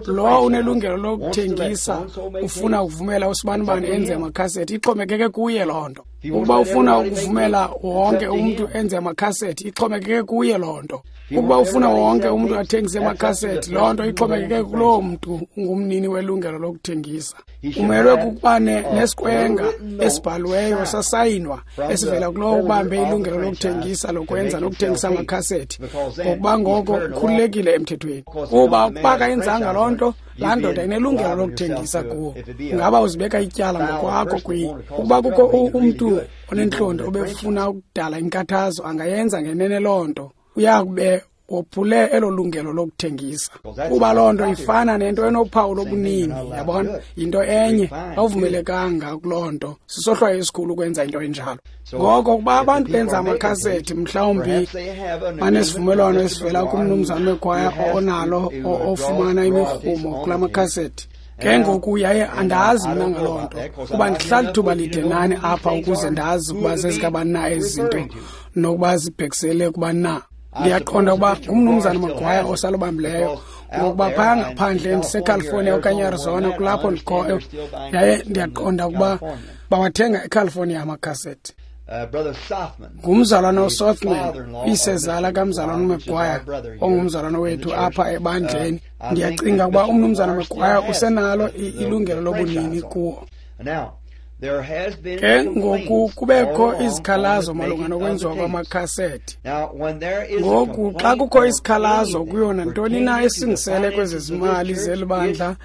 lo unelungelo lokuthengisa ufuna ukuvumela usibanibani enze amakhasethi, ixhomekeke kuye loo nto. Ukuba ufuna ukuvumela wonke umntu enze amakhasethi, ixhomekeke kuye loo nto. Ukuba ufuna wonke umntu athengise amakhasethi, loo nto ixhomekeke kuloo mntu ungumnini welungelo lokuthengisa. Umelwe kukuba nesiqwenga esibhaliweyo sasayinwa esivela kulowo ubambe ilungelo lokuthengisa lokwenza nokuthengisa amakhasethi, ngokuba ngoko ukhululekile emthethweni. Kuba ukuba akayenzanga loo nto, laa ndoda inelungelo lokuthengisa kuwo. Ngaba uzibeka ityala ngokwakho kuye. Ukuba kukho umntu onentlonti obefuna ukudala inkathazo, angayenza ngenene loo nto. Uyakube wophule elo lungelo lokuthengisa, kuba loo nto ifana nento enophawu lobunini, yabona, yinto enye, awuvumelekanga kuloo nto. Sisohlwayo esikhulu ukwenza into enjalo. Ngoko ukuba abantu benza amakhasethi, mhlawumbi banesivumelwano esivela kumnumzana wekwaya onalo ofumana imirhumo kula makhasethi. Ke ngoku yaye andazi mna ngaloo nto, kuba ndihlala ithuba lide nani apha ukuze ndazi ukuba zezikabani na ezi zinto nokuba zibhekisele kubani na. Ndiyaqonda ukuba ngumnumzana Magwaya osalubambileyo, ngokuba phaya ngaphandle ndiseCalifornia okanye Arizona kulapho ndikhoyo, yaye ndiyaqonda ukuba bawathenga eCalifornia amakhasethi. Ngumzalwana uSothman, isezala kamzalwana uMaguire, ongumzalwana wethu apha ebandleni. Ndiyacinga ukuba umnumzana Maguire usenalo ilungelo lobunini kuwo. Ke ngoku kubekho izikhalazo malunga nokwenziwa kwamakhasethi. Ngoku xa kukho isikhalazo kuyo nantoni na esingisele kwezezimali zeli bandla,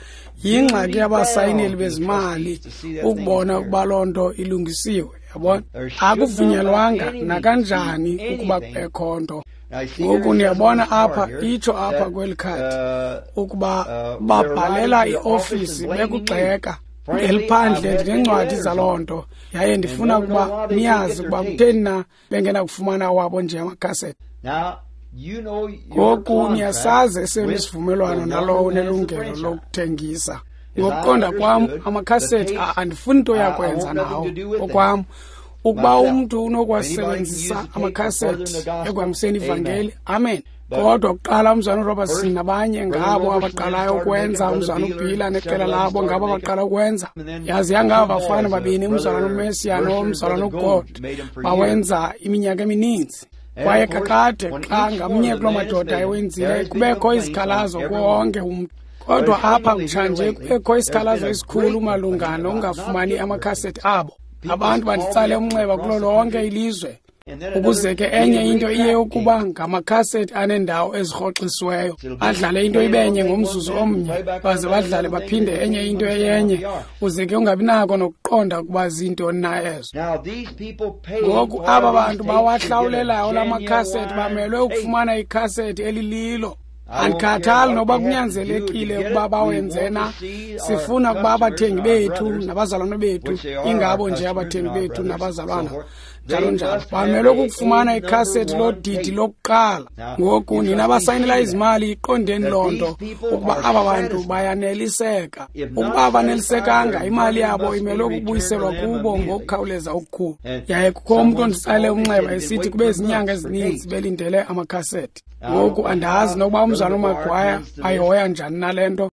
yingxaki yabasayineli bezimali ukubona ukuba loo nto ilungisiwe, yabona. Akuvunyelwanga nakanjani ukuba kubekho nto. Ngoku niyabona apha, itsho apha kweli khadi ukuba babhalela iofisi bekugxeka. Ngeliphandle ndinencwadi zaloo nto, yaye ndifuna ukuba niyazi ukuba kutheni na bengenakufumana wabo nje amakhasethi. Ngoku niyasazi esenu isivumelwano nalowo unelungelo lokuthengisa. Ngokuqonda kwam, amakhasethi andifuni nto yakwenza nawo okwam. Ukuba umntu unokuwasebenzisa amakhasethi ekuhambiseni ivangeli, amen. Kodwa kuqala umzwana uRobertson nabanye ngabo abaqalayo ukwenza, umzwana uBhila neqela labo ngabo abaqala ukwenza. Yazi yangaba bafana babini, umzalwana uMesia nomzalwana uGod, bawenza iminyaka emininzi. Kwaye kakade xa ngamnye kuloo madoda ewenzile, kubekho izikhalazo kuwo wonke umntu. Kodwa apha kutshanje kubekho isikhalazo esikhulu malunga nokungafumani amakhasethi abo. Abantu banditsale umnxeba kulo lonke ilizwe. Ukuze ke enye into iye ukuba ngamakhasethi aneendawo ezirhoxisiweyo, adlale into ibenye ngomzuzu omnye, baze badlale baphinde enye into eyenye, uze ke ungabi nako nokuqonda ukuba zintoni na ezo. Ngoku aba bantu bawahlawulelayo la makhasethi bamelwe ukufumana ikhasethi elililo. Andikhathali noba kunyanzelekile ukuba bawenze na. Sifuna ukuba abathengi bethu nabazalwana bethu, ingabo nje abathengi bethu nabazalwana, njalo njalo, bamelwe kukufumana ikhasethi lodidi lokuqala. Ngoku nina abasayinela izimali, iqondeni loo nto ukuba aba bantu bayaneliseka. Ukuba abanelisekanga, imali yabo imelwe ukubuyiselwa kubo ngokukhawuleza okukhulu. Yaye kukho umntu onditsale umnxeba esithi kube zinyanga ezininzi belindele amakhasethi. Ngoku andazi nokuba umzalwana uMaguire ayihoya njani nale nto.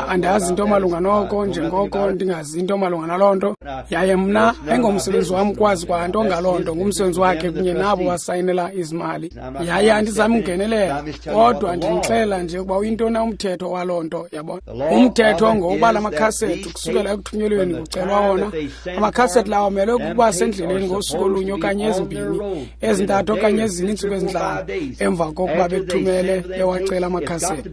Andazi into malunga noko, njengoko ndingazi into malunga naloo nto. Yaye mna ayingomsebenzi wam ukwazi kwanto ngaloo nto, ngumsebenzi wakhe kunye nabo basayinela izimali. Yaye andizami ungenelela, kodwa ndinixelela nje ukuba uyintoni umthetho waloo nto, yabona. Umthetho ngowokuba la makhasethi kusukela ekuthunyelweni kucelwa wona. Amakhasethi lawo amelwe ukuba sendleleni ngosuku olunye okanye ezimbini, ezintathu okanye ezine, iintsuku ezintlanu emva kokuba bethumele bewacela amakhasethi.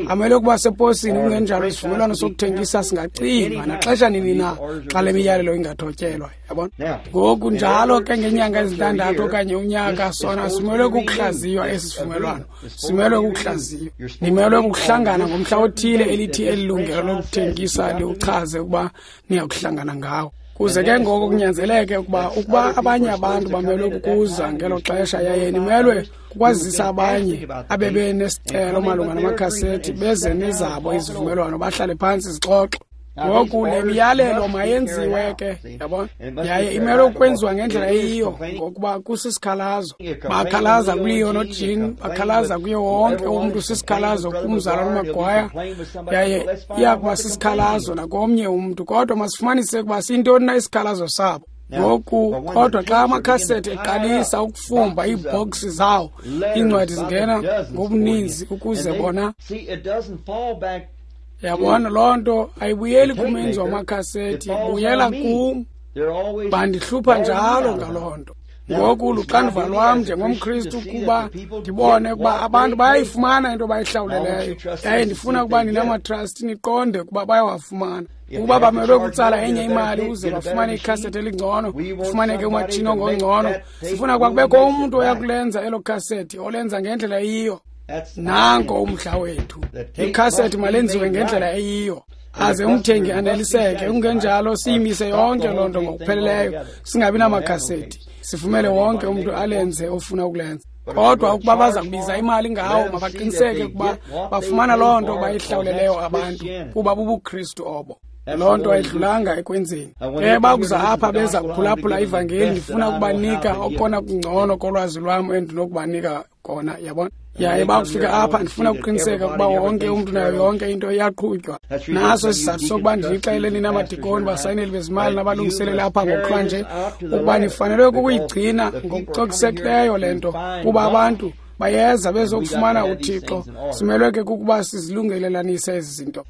Amelwe ukuba seposini, kungenjalo isivumelwano sokuthengisa singacinywa naxesha nini na xa le miyalelo ingathotyelwa, yabona. Ngoku njalo ke ngenyanga ezintandathu okanye unyaka sona simelwe kukuhlaziywa esi sivumelwano, simelwe kukuhlaziywa. Nimelwe kukuhlangana ngomhla othile elithi eli lungelo lokuthengisa liwuchaze ukuba niyakuhlangana ngawo. Kuze ke ngoko kunyanzeleke ukuba abanye abantu bamelwe kukuza ngelo xesha, yaye nimelwe kukwazisa abanye abebenesicelo malunga namakhasethi beze nezabo izivumelwano, bahlale phantsi zixoxe. Ngoku le miyalelo mayenziwe ke, yabona, yaye imelwe ukwenziwa ngendlela eyiyo, ngokuba kusisikhalazo. Bakhalaza kuLeo noJean, bakhalaza kuye wonke umntu, sisikhalazo kumzalwana uMaguire, yaye iya kuba sisikhalazo nakomnye umntu. Kodwa masifumanise ukuba siyintoni na isikhalazo sabo. Ngoku kodwa xa amakhasethi eqalisa ukufumba iibhoksi zawo, iincwadi zingena ngobuninzi ukuze bona, yabona, loo nto ayibuyeli kumenzi wamakhasethi, ibuyela kum. Bandihlupha njalo ngaloo nto. Ngoku luxanduva lwam njengomKristu kuba ndibone ukuba abantu bayayifumana into abayihlawuleleyo, yaye ndifuna ukuba ninamatrasti niqonde ukuba bayawafumana. Ukuba bamelwe kutsala enye imali ukuze bafumane ikhasethi elingcono, kufumaneke umatshini ongongcono, sifuna ukuba kubekho umntu oya kulenza elo khasethi, olenza ngendlela eyiyo. Nanko umdla wethu. Ikhasethi malenziwe ngendlela eyiyo, aze umthengi aneliseke. Kungenjalo siyimise yonke loo nto ngokupheleleyo, singabi namakhasethi, sivumele wonke umntu alenze ofuna ukulenza. Kodwa ukuba baza kubiza imali ngawo, mabaqiniseke ukuba bafumana loo nto bayihlawuleleyo abantu, kuba bubuKristu obo. Loo nto ayidlulanga ekwenzeni. Ke bakuza apha beza kuphulaphula ivangeli, ndifuna ukubanika okona kungcono kolwazi lwam endinokubanika kona, yabona. Yaye bakufika apha ndifuna ukuqiniseka ukuba wonke umntu nayo yonke into iyaqhutywa. Naso isizathu sokuba ndinixelele nina madikoni, basayineli bezimali nabalungiseleli apha ngokuhlwa nje, ukuba nifanelwe kukuyigcina ngokucokisekileyo le nto, kuba abantu bayeza bezokufumana uThixo. Simelwe ke kukuba sizilungelelanise ezi zinto.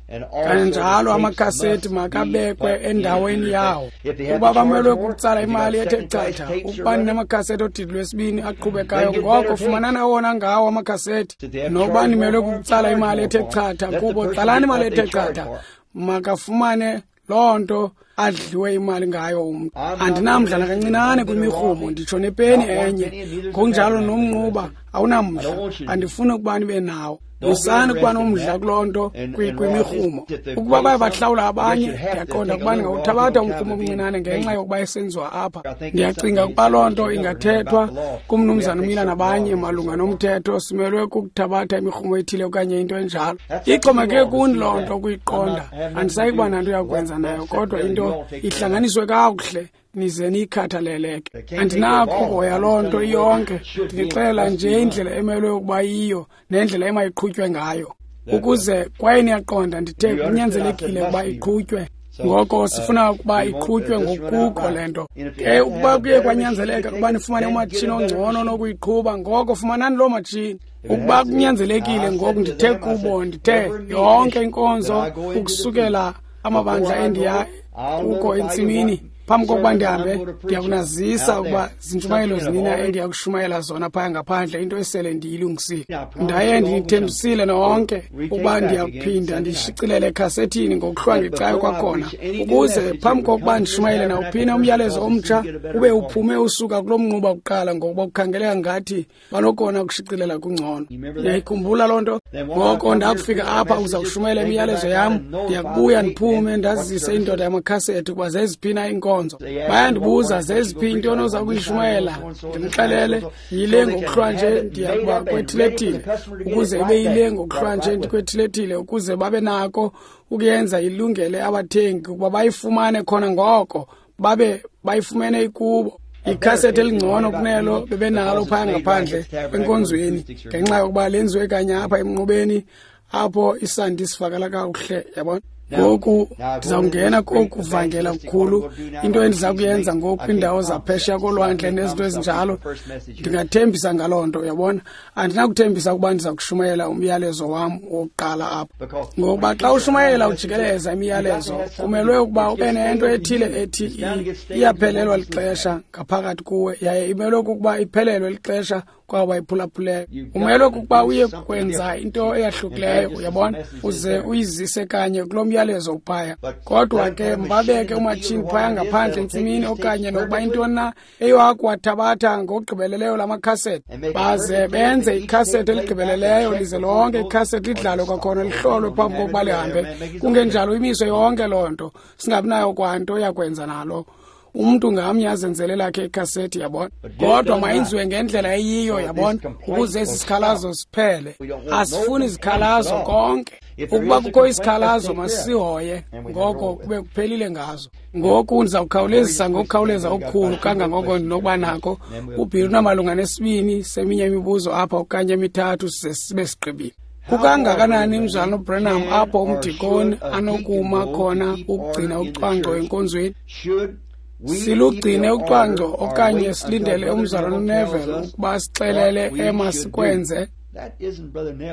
Kananjalo amakhasethi makabekwe endaweni yawo. Ukuba bamelwe kukutsala imali ethe chatha, ukuba ninamakhasethi odidi lwesibini aqhubekayo, ngoko fumanani awona ngawo amakhasethi. Nokuba nimelwe kukutsala imali ethe chatha kubo, tsalani imali ethe chatha, makafumane loo nto adliwe imali ngayo umntu. Andinamdla nakancinane kwimirhumo, nditsho nepeni enye. Ngokunjalo nomnquba awunamdla, andifuni ukuba nibe nawo. Musani ukuba nomdla kuloo nto kwimirhumo. Ukuba baye bahlawula abanye, ndiyaqonda ukuba ndingawuthabatha umrhumo omncinane ngenxa yokuba esenziwa apha. Ndiyacinga ukuba loo nto ingathethwa kumnumzana uMila nabanye malunga nomthetho. Simelwe kukuthabatha imirhumo ethile okanye into enjalo. Ixhomekeke kuni loo nto ukuyiqonda. Andisayi kuba nanto yakwenza nayo, kodwa into ihlanganiswe kakuhle nize niyikhathaleleke. Andinakho uhoya loo nto iyonke, ndinixelela nje indlela emelwe ukuba yiyo nendlela emayiqhutywe ngayo. Ukuze kwaye niyaqonda, ndithe kunyanzelekile ukuba iqhutywe. Ngoko sifuna ukuba iqhutywe ngokuko le nto. Ke ukuba kuye kwanyanzeleka ukuba nifumane umatshini ongcono onokuyiqhuba, ngoko fumanani loo matshini. Ukuba kunyanzelekile, ngoku ndithe kubo, ndithe yonke inkonzo ukusukela amabandla endiya kuko entsimini, phambi kokuba ndihambe, ndiyakunazisa ukuba zintshumayelo zinina endiyakushumayela zona phaya ngaphandle, into esele ndiyilungisile. Ndaye ndinithembisile nonke ukuba ndiyakuphinda ndishicilele ekhasethini ngokuhlwa ngecayo kwakhona, ukuze phambi kokuba ndishumayele nawuphina umyalezo omtsha ube uphume usuka kulo mnquba kuqala, ngokuba kukhangeleka ngathi banokona ukushicilela kungcono. Ndiyayikhumbula loo nto. Ngoko ndakufika apha uza kushumayela imiyalezo yam, ndiyakubuya ndiphume ndazise indoda yamakhasethi ukuba zeziphina iinkonzo. Bayandibuza zeziphi into onoza kuyishumayela, ndimxelele yile ngokuhlwa nje ndiyakuba kwethiletile, ukuze ibe yile ngokuhlwa nje ndikwethiletile, ukuze babe nako ukuyenza ilungele abathengi ukuba bayifumane khona ngoko babe bayifumene ikubo. Ikhasethi elingcono kunelo bebenalo phaya ngaphandle enkonzweni, ngenxa yokuba lenziwe kanye apha emnqubeni apho isandi sivakala kakuhle, yabona. Ngoku ndizawungena kokuvangela kukhulu. Into endiza kuyenza ngoku kwiindawo zaphesheya kolwandle nezinto ezinjalo, ndingathembisa ngaloo nto, uyabona. Andinakuthembisa ukuba ndiza kushumayela umyalezo wam wokuqala apha, ngokuba xa ushumayela ujikeleza imiyalezo, kumelwe ukuba ube nento ethile ethi iyaphelelwa lixesha ngaphakathi kuwe, yaye imelwe kukuba iphelelwe lixesha kwabo bayiphulaphuleyo. Umelwe kukuba uye kwenza into eyahlukileyo, uyabona, uze uyizise kanye kulo myalezo uphaya. Kodwa ke mbabeke umatshini phaya ngaphandle entsimini, okanye nokuba intoni na eyoakuwathabatha ngokugqibeleleyo la makhasethi, baze benze ikhasethi eligqibeleleyo, lize lonke ikhasethi lidlalwe kwakhona, lihlolwe phambi kokuba lihambe. Kungenjalo imiswe yonke loo nto, singabi nayo kwanto yakwenza nalo. Umntu ngamnye azenzele lakhe ikhasethi, yabona. Kodwa mayenziwe ngendlela eyiyo, yabona, ukuze esi sikhalazo siphele. Asifuni zikhalazo konke. Ukuba kukho isikhalazo masihoye, ngoko kube kuphelile ngazo. Ngoku ndizawukhawulezisa ngokukhawuleza okukhulu kangangoko ndinokuba nako. UBill unamalunga nesibini seminye imibuzo apha okanye emithathu size sibe sigqibile. Kukangakanani mzalwana uBranham apho umdikoni anokuma khona ukugcina ucwangco enkonzweni? Silugcine ucwangco okanye silindele umzalwana uNeville ukuba sixelele emasikwenze?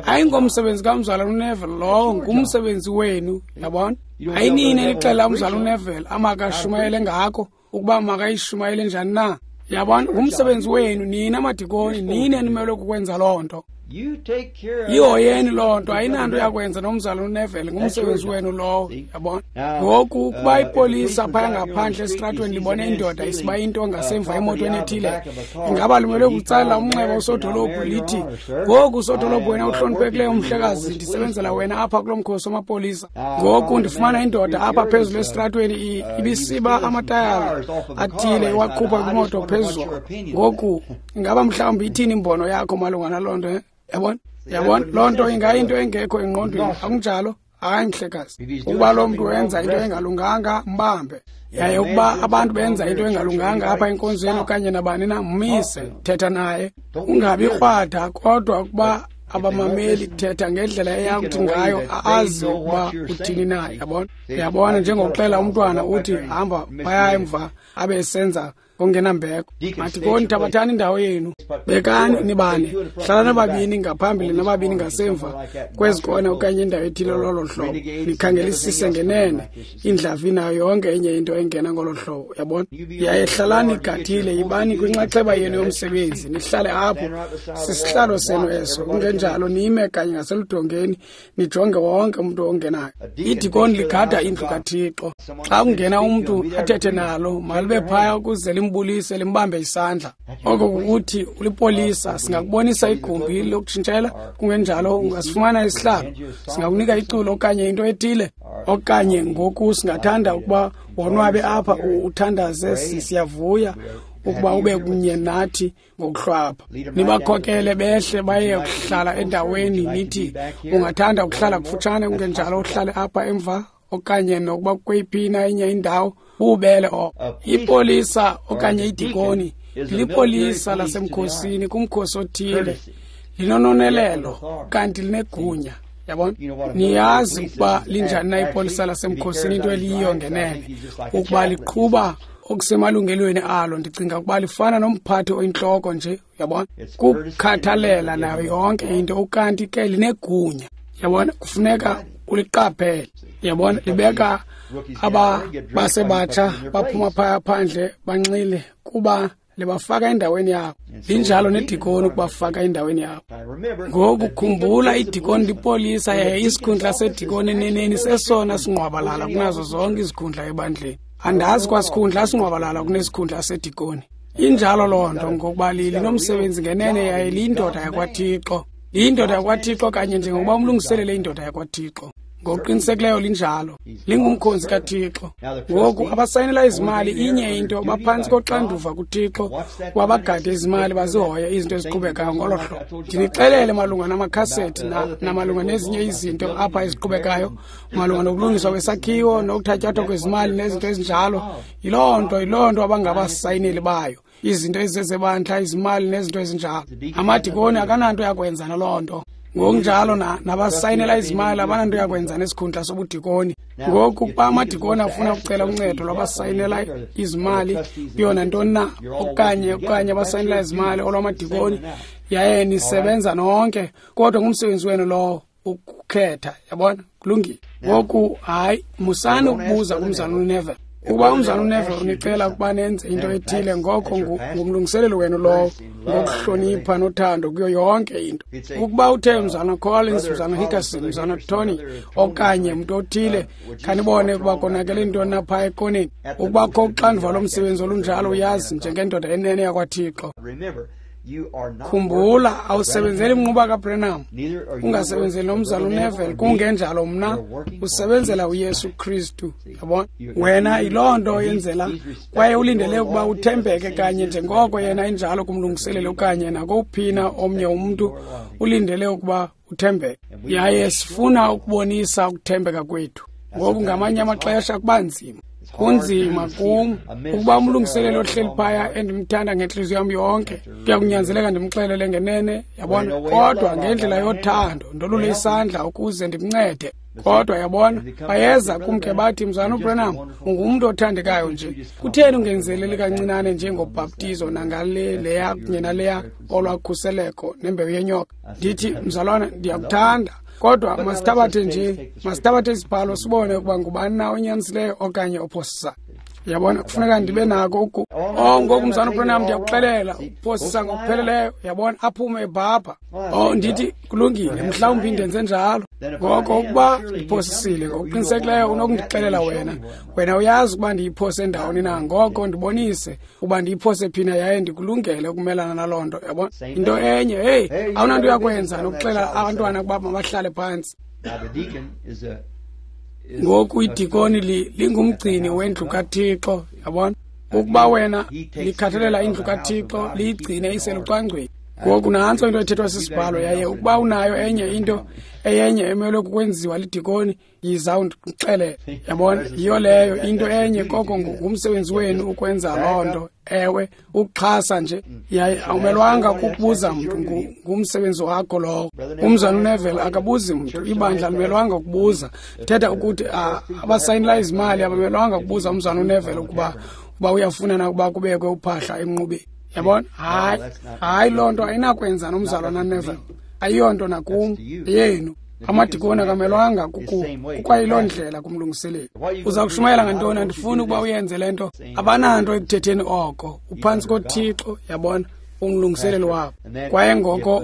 Ayingomsebenzi kamzalwana uNeville lowo, ngumsebenzi wenu, yabona? Ayinini enixelela umzalwana uNeville amakashumayele ngako, ukuba makayishumayele njani na. Yabona, ngumsebenzi wenu nina madikoni, nini enimelwe kukwenza loo nto. Yihoyeni loo nto, ayinanto yakwenza nomzalwana uNeville, ngumsebenzi wenu lowo, yabona. Ngoku ukuba ipolisa phaya ngaphandle esitratweni libone indoda isiba into ngasemva emotweni ethile, ingaba limelwe kutsalela umnxeba usodolophu lithi, ngoku usodolophu wena uhloniphekileyo umhlekazi, ndisebenzela wena apha kulo mkhosi wamapolisa. Ngoku ndifumana indoda apha phezulu esitratweni ibisiba amatayara athile iwakhupha kwimoto phezulu. Ngoku ingaba mhlawumbi ithini imbono yakho malunga naloo nto? Yabona? Yabona? Loo nto ingayinto engekho engqondweni, akunjalo? Hayi mhlekazi. Ukuba loo mntu wenza into engalunganga, mbambe. Yaye ukuba abantu benza into engalunganga apha enkonzweni okanye nabani na, mmise, thetha naye. Ungabi krwada, kodwa ukuba abamameli, thetha ngendlela eyakuthi ngayo azi ukuba uthini na, yabona? Yabona, njengokuxela umntwana uthi hamba phaya emva abe esenza ongenambeko. Madikoni, thabathani indawo yenu, bekani nibane, hlala nababini ngaphambili nababini ngasemva kwezikona okanye indawo ethile lolo hlobo, nikhangelisise ngenene indlavi nayo yonke enye into engena ngolo hlobo, yabona. Yaye hlalani igadile, yibani kwinxaxheba yenu yomsebenzi, nihlale apho, sisihlalo senu eso, kungenjalo nime kanye ngaseludongeni nijonge wonke umntu ongenayo. Idikoni ligada indlu kaThixo. Xa kungena umntu athethe nalo, malibe phaya ukuze limbulise, limbambe isandla. Oko kukuthi ulipolisa, singakubonisa igumbi lokutshintshela, kungenjalo ungasifumana isihlalo, singakunika iculo okanye into ethile, okanye ngoku singathanda ukuba wonwabe apha, uthandaze, siyavuya ukuba ube kunye nathi ngokuhlwapha. Nibakhokele behle baye kuhlala endaweni, nithi ungathanda ukuhlala kufutshane, kungenjalo uhlale apha emva okanye nokuba kweyiphi na enye indawo, bubele oko. Ipolisa okanye idikoni lipolisa lasemkhosini, kumkhosi othile, linononelelo kanti linegunya, yabona. Niyazi ukuba linjani na ipolisa lasemkhosini, into eliyiyo ngenene, ukuba liqhuba okusemalungelweni alo. Ndicinga ukuba lifana nomphathi oyintloko nje, yabona, kukhathalela nayo yonke into, ukanti ke linegunya, yabona, kufuneka uliqaphele, yabona. Libeka aba basebatsha baphuma phaya phandle banxile kuba libafaka endaweni yabo. Linjalo nedikoni ukubafaka endaweni yabo. Ngoku khumbula, idikoni lipolisa, yaye isikhundla sedikoni eneneni sesona singqwabalala kunazo zonke izikhundla ebandleni. Andazi kwasikhundla singqwabalala kunesikhundla sedikoni. Injalo loo nto, ngokuba linomsebenzi ngenene, yaye liyindoda yakwaThixo. Liyindoda yakwaThixo kanye njengokuba umlungiselele indoda yakwaThixo. Ngokuqinisekileyo linjalo, lingumkhonzi kaThixo. Ngoku abasayinela izimali, inye into, baphantsi koxanduva kuThixo wabagade izimali, bazihoye izinto eziqhubekayo ngolo hlobo. Ndinixelele malunga namakhasethi namalunga nezinye izinto apha eziqhubekayo, malunga nokulungiswa kwesakhiwo nokuthatyathwa kwezimali nezinto ezinjalo. Yiloo nto abangabasayineli bayo, izinto ezizezebandla, izimali nezinto ezinjalo. Amadikoni akananto yakwenza naloo nto. Ngokunjalo nabasayinela izimali abananto yakwenza nesikhundla sobudikoni. Ngoku ukuba amadikoni afuna ukucela uncedo lwabasayinela izimali kuyo nantoni na, okanye abasayinela izimali olwamadikoni, yaye nisebenza nonke, kodwa ngumsebenzi wenu lowo ukukhetha, yabona. Kulungile. Ngoku hayi, musani ukubuza kumzalwana uNeville. Ukuba umzalwana uNeville unicela ukuba nenze into ethile, ngoko ngumlungiseleli wenu lowo, ngokuhlonipha nothando kuyo yonke into. Ukuba uthe umzalwana Collins, umzalwana Hickerson, umzalwana Tony okanye umntu othile, khanibone ukuba konakele intoni na phaya ekoneni. Ukuba kho uxanduva lomsebenzi olunjalo, uyazi, njengendoda enene yakwaThixo. Khumbula, awusebenzeli mnquba kaBranham, ungasebenzeli nomzalwana uNeville, kungenjalo mna, usebenzela uYesu Kristu, yabona. Wena yiloo nto yenzela, kwaye ulindele ukuba uthembeke kanye njengoko yena enjalo kumlungiseleli okanye nakowuphina omnye umntu, ulindele ukuba uthembeke. Yaye sifuna ukubonisa ukuthembeka kwethu. Ngoku ngamanye amaxesha kuba nzima. Kunzima kum ukuba umlungiseleli ohleli phaya endimthanda ngentliziyo yam yonke, kuya kunyanzeleka ndimxelele ngenene, yabona, kodwa ngendlela yothando ndolule isandla ukuze ndimncede. Kodwa yabona, bayeza kum ke bathi, Mzalwana uBranham, ungumntu othandekayo nje. Kutheni ungenzeleli kancinane njengobhaptizo nangale leya kunye naleya olwakhuseleko nembewu yenyoka? Ndithi, mzalwana, ndiyakuthanda. Kodwa masithabathe isibhalo sibone ukuba ngubani na onyanisileyo okanye ophosisayo. Yabona, kufuneka ndibe nako oh, ngoku Mzalwana uBranham, ndiyakuxelela, uphosisa ngokupheleleyo. Yabona, aphume ebhabha. Oh, ndithi kulungile, mhlawumbi ndenze njalo. Ngoko ukuba ndiphosisile, ngokuqinisekileyo unokundixelela wena. Wena uyazi ukuba ndiyiphose ndawoni na, ngoko ndibonise ukuba ndiyiphose phina yaye ndikulungele ukumelana naloo nto. Yabona, into enye, heyi, awunanto uyakwenza nokuxelela abantwana ukuba mabahlale phantsi. Ngoku idikoni lingumgcini wendlu kaThixo, yabona. Ukuba wena likhathalela indlu kaThixo, liyigcine iselucwangcweni. Ngoku nantso into ethethwa sisibhalo, yaye ukuba unayo enye into eyenye emelwe kukwenziwa lidikoni, yiza undixelele. Yabona, yiyo leyo into enye, koko ngumsebenzi wenu ukwenza loo nto. Ewe, ukuxhasa nje, yaye awumelwanga kukubuza mntu, ngumsebenzi wakho lowo. Umzalwana uNeville akabuzi mntu, ibandla alimelwanga kubuza. Thetha ukuthi abasayinela izimali abamelwanga kubuza umzalwana uNeville ukuba uyafuna na ukuba kubekwe uphahla emnqubeni. Yabona, hayi, loo nto ayinakwenza nomzalwana Neville, ayiyonto nakum, yenu. Amadikoni akamelwanga kukwayiloo ndlela kumlungiseleli. Uza kushumayela ngantoni? Andifuni ukuba uyenze le nto. Abananto ekuthetheni oko. Uphantsi koThixo, yabona, umlungiseleli wabo. Kwaye ngoko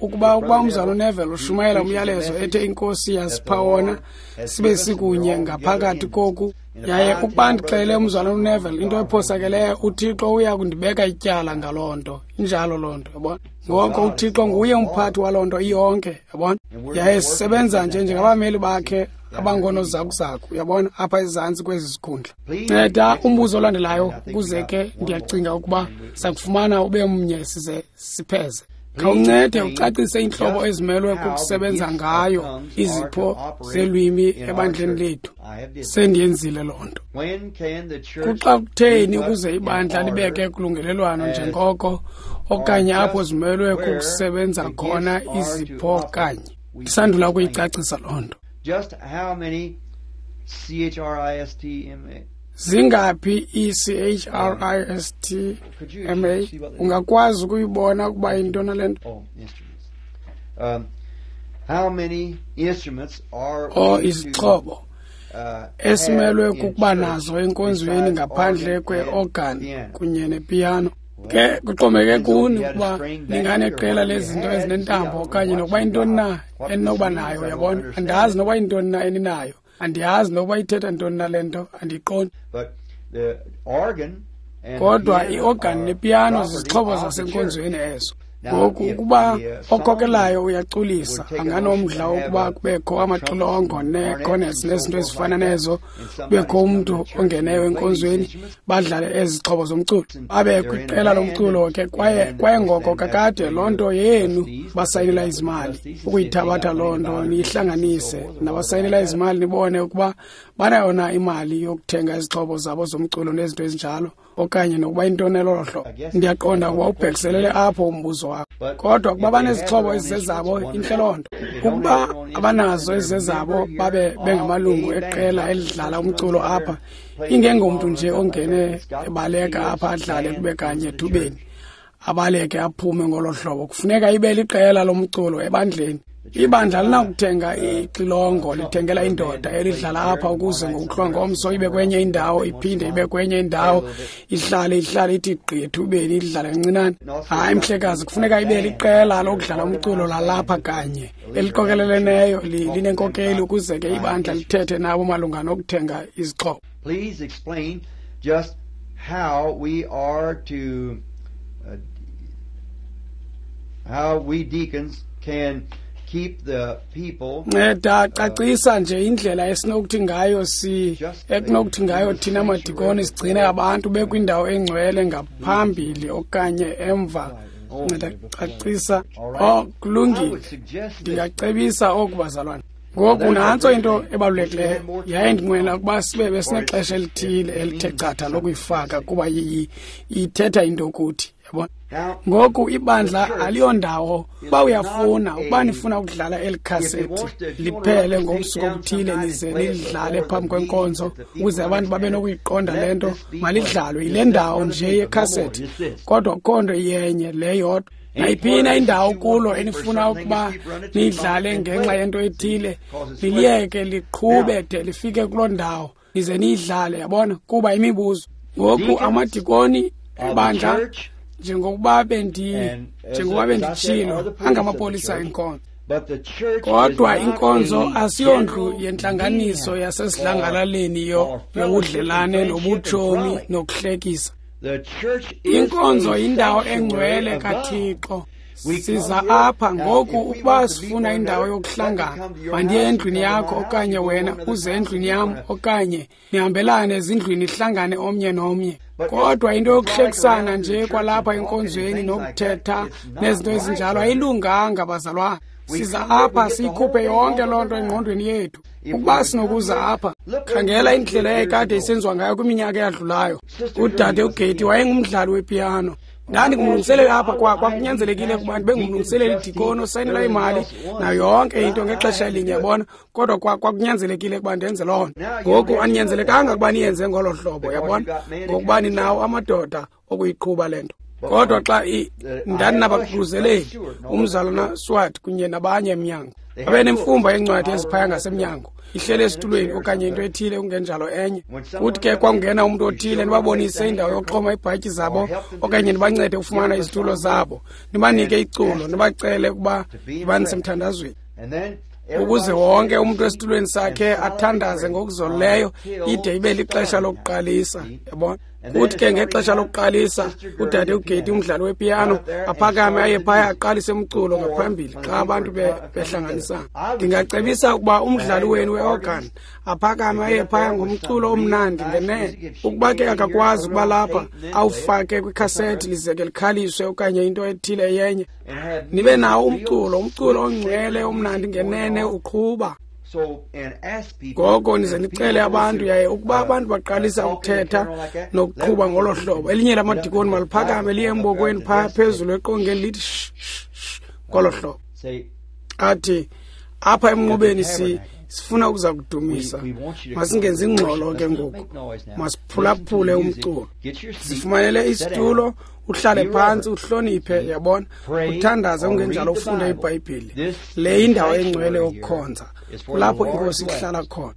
ukuba umzalwana uNeville ushumayela umyalezo ethe iNkosi yasipha wona, sibe sikunye ngaphakathi koku, yaye ukuba ndixelele umzalwana uNeville into ephosakeleyo, uThixo uya kundibeka ityala ngaloo nto. Injalo loo nto, yabona. Ngoko uThixo nguye umphathi waloo nto iyonke, yabona. Yaye sisebenza nje njengabameli bakhe abangonozakuzaku, yabona, apha ezantsi kwezi zikhundla. Nceda umbuzo olandelayo, ukuze ke ndiyacinga ukuba sakufumana ube mnye size sipheze. Khawuncede ucacise iintlobo ezimelwe kukusebenza ngayo izipho zelwimi ebandleni lethu. Sendiyenzile loo nto. Kuxa kutheni ukuze ibandla libeke kulungelelwano njengoko okanye apho zimelwe kukusebenza khona izipho kanye? Ndisandula ukuyicacisa loo nto. Just how many CHRISTMA? Zingaphi i-CHRISTMA? Ungakwazi ukuyibona ukuba yintoni le nto? Oh, instruments. How many instruments are izixhobo esimelwe kukuba nazo enkonzweni ngaphandle kwe-organ kunye nepiyano? Ke kuxhomekeke kuni ukuba ninganeqela lezinto ezinentambo okanye nokuba yintoni na eninokuba nayo, yabona. Andazi nokuba yintoni na eninayo. Andiyazi nokuba ithetha ntoni na le nto, andiyiqondi. Kodwa i-organ nepiyano zizixhobo zasenkonzweni ezo. Ngoku ukuba okhokelayo uyaculisa, anganomdla wokuba kubekho amaxilongo nee-cornets nezinto ezifana nezo, kubekho umntu ongeneyo enkonzweni badlale ezi zixhobo zomculo, babe kwiqela lomculo ke. Kwaye ngoko kakade loo nto yenu basayinela izimali, ukuyithabatha loo nto niyihlanganise nabasayinela izimali, nibone ukuba banayo na imali yokuthenga izixhobo zabo zomculo nezinto ezinjalo, okanye nokuba intoni elolo hlobo. Ndiyaqonda ukuba ubhekiselele apho umbuzo wakho. Kodwa ukuba banezixhobo ezizezabo, intle loo nto. Ukuba abanazo ezizezabo, babe bengamalungu eqela elidlala umculo apha, ingengomntu nje ongene ebaleka apha adlale kube kanye ethubeni, abaleke aphume ngolo hlobo. Kufuneka ibe liqela lomculo ebandleni. Ibandla linakuthenga ixilongo, lithengela indoda elidlala apha ukuze ngokuhlwa ngomso ibe kwenye indawo, iphinde ibe kwenye indawo, ihlale ithi gqi ethubeni idlale kancinane. Hayi mhlekazi, kufuneka ibe liqela lokudlala umculo lalapha kanye eliqokeleleneyo, linenkokeli, ukuze ke ibandla lithethe nabo malunga nokuthenga izixhobo. Please explain just how we are to how we deacons can keep the people. Nceda cacisa nje indlela esinokuthi ngayo ekunokuthi ngayo thina madikoni sigcine abantu bekwindawo engcwele ngaphambili okanye emva Nceda cacisa. Oh, kulungile. Ndingacebisa oku, bazalwane. Ngoku nantso into ebalulekileyo, yaye ndinqwenela ukuba sibe besinexesha elithile elithe chatha lokuyifaka, kuba ithetha into kuthi, yabona. Ngoku ibandla aliyondawo. Uba uyafuna, ukuba nifuna ukudlala eli khasethi liphele ngobusuku obuthile, nize nilidlale phambi kwenkonzo ukuze abantu babe nokuyiqonda le nto, malidlalwe yile ndawo nje yekhasethi. Kodwa akukho nto iyenye le yodwa. Nayiphina indawo kulo enifuna ukuba niyidlale ngenxa yento ethile, niliyeke liqhube de lifike kuloo ndawo, nize niyidlale, yabona, kuba imibuzo. Ngoku amadikoni ebandla, njengokuba benditshilo, angamapolisa enkonzo. Kodwa inkonzo asiyondlu yentlanganiso yasesidlangalaleni yobudlelane nobutshomi nokuhlekisa. Inkonzo yindawo engcwele kaThixo. Siza apha ngoku ukuba sifuna indawo yokuhlangana. Mandiye endlwini yakho, okanye wena uze endlwini yam, okanye nihambelane ezindlwini nihlangane omnye nomnye. Kodwa into yokuhlekisana nje kwalapha enkonzweni nokuthetha nezinto ezinjalo ayilunganga, bazalwane. Siza apha siyikhuphe yonke loo nto engqondweni yethu. Ukuba sinokuza apha, khangela indlela eyayikade isenziwa ngayo kwiminyaka eyadlulayo. Udade uGeti wayengumdlali wepiyano. Ndandingumlungiseleli apha, kwakunyanzelekile ukuba ndibe ngumlungiseleli, idikoni osayinela imali nayo yonke into ngexesha elinye, yabona. Kodwa kwakunyanzelekile ukuba ndenze loo nto. Ngoku aninyanzelekanga ukuba niyenze ngolo hlobo, yabona, ngokuba ninawo amadoda okuyiqhuba le nto. Kodwa xa ndandinabaququzeleli, umzalwana Swart kunye nabanye emnyango, babe nemfumba yencwadi eziphaya ngasemnyango, ihlele esitulweni okanye into ethile kungenjalo enye. Kuthi ke kwakungena umntu othile, nibabonise indawo yokuxhoma iibhatyi zabo okanye nibancede ukufumana izitulo zabo, nibanike iculo, nibacele ukuba banisemthandazweni, ukuze wonke umntu esitulweni sakhe athandaze ngokuzolileyo ide ibe lixesha lokuqalisa, yabona. Kuthi ke ngexesha lokuqalisa, udade uGeti, umdlali wepiyano, aphakame aye phaya aqalise umculo ngaphambili xa abantu behlanganisana. Ndingacebisa ukuba umdlali wenu weorgan aphakame aye phaya ngomculo omnandi ngenene. Ukuba ke akakwazi ukuba lapha, awufake kwikhasethi lize ke likhaliswe okanye into ethile yenye. Nibe nawo umculo ongcwele omnandi ngenene uqhuba. Ngoko nize nicele abantu, yaye ukuba abantu baqalisa ukuthetha nokuqhuba ngolo hlobo, elinye lamadikoni maliphakame liye embokweni phaya phezulu eqongeni lithi shh shh ngolo hlobo. Athi, apha emnqubeni sifuna ukuza kudumisa. Masingenzi ingxolo ke ngoku, masiphulaphule umculo. Zifumanele isitulo, uhlale phantsi, uhloniphe, yabona, uthandaze, ungenjalo ufunde iBhayibhile. Le yindawo engcwele yokukhonza, kulapho inkosi ihlala khona.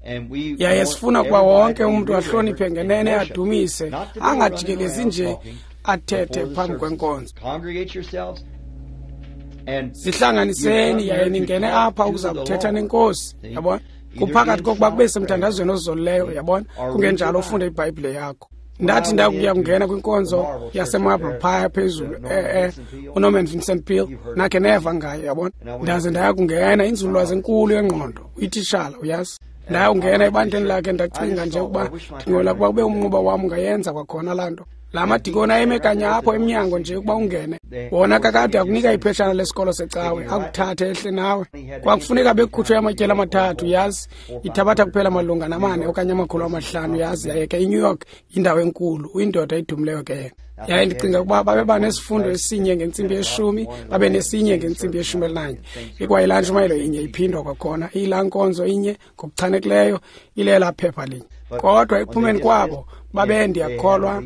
Yaye sifuna ukuba wonke umntu ahloniphe ngenene, adumise, angajikelezi nje athethe phambi kwenkonzo. Zihlanganiseni yaye ningene apha ukuza kuthetha nenkosi, yabona. Kuphakathi kokuba kube semthandazweni ozolileyo, yabona, kungenjalo ufunde iBhayibhile yakho. Ndathi ndakuya kungena kwinkonzo yaseMarble phaya phezulu, uNorman Vincent Peale, nakhe neva ngayo, yabona. Ndaze ndaya kungena, inzululwazi enkulu yengqondo, uyititshala, uyazi. Ndaya kungena ebandleni lakhe, ndacinga nje ukuba ndingola ukuba kube umnquba wam ungayenza kwakhona laa nto. La madikoni ayeme kanye apho emnyango nje ukuba ungene. Wona kakade akunika ipheshana lesikolo secawe, akuthathe ehle nawe. Kwakufuneka bekukhutshwe amatyeli amathathu, yazi, ithabatha kuphela malunga namane okanye 500, yazi. Yaye ke iNew York yindawo enkulu, uyindoda edumileyo ke yena. Yaye ndicinga ukuba babeba nesifundo esinye ngentsimbi yeshumi, babe nesinye ngentsimbi 11. Ikwayilaa ntshumayelo inye iphindwa kwakhona, iyilaa nkonzo inye ngokuchanekileyo, ilela phepha linye. Kodwa ekuphumeni kwabo babe, ndiyakholwa,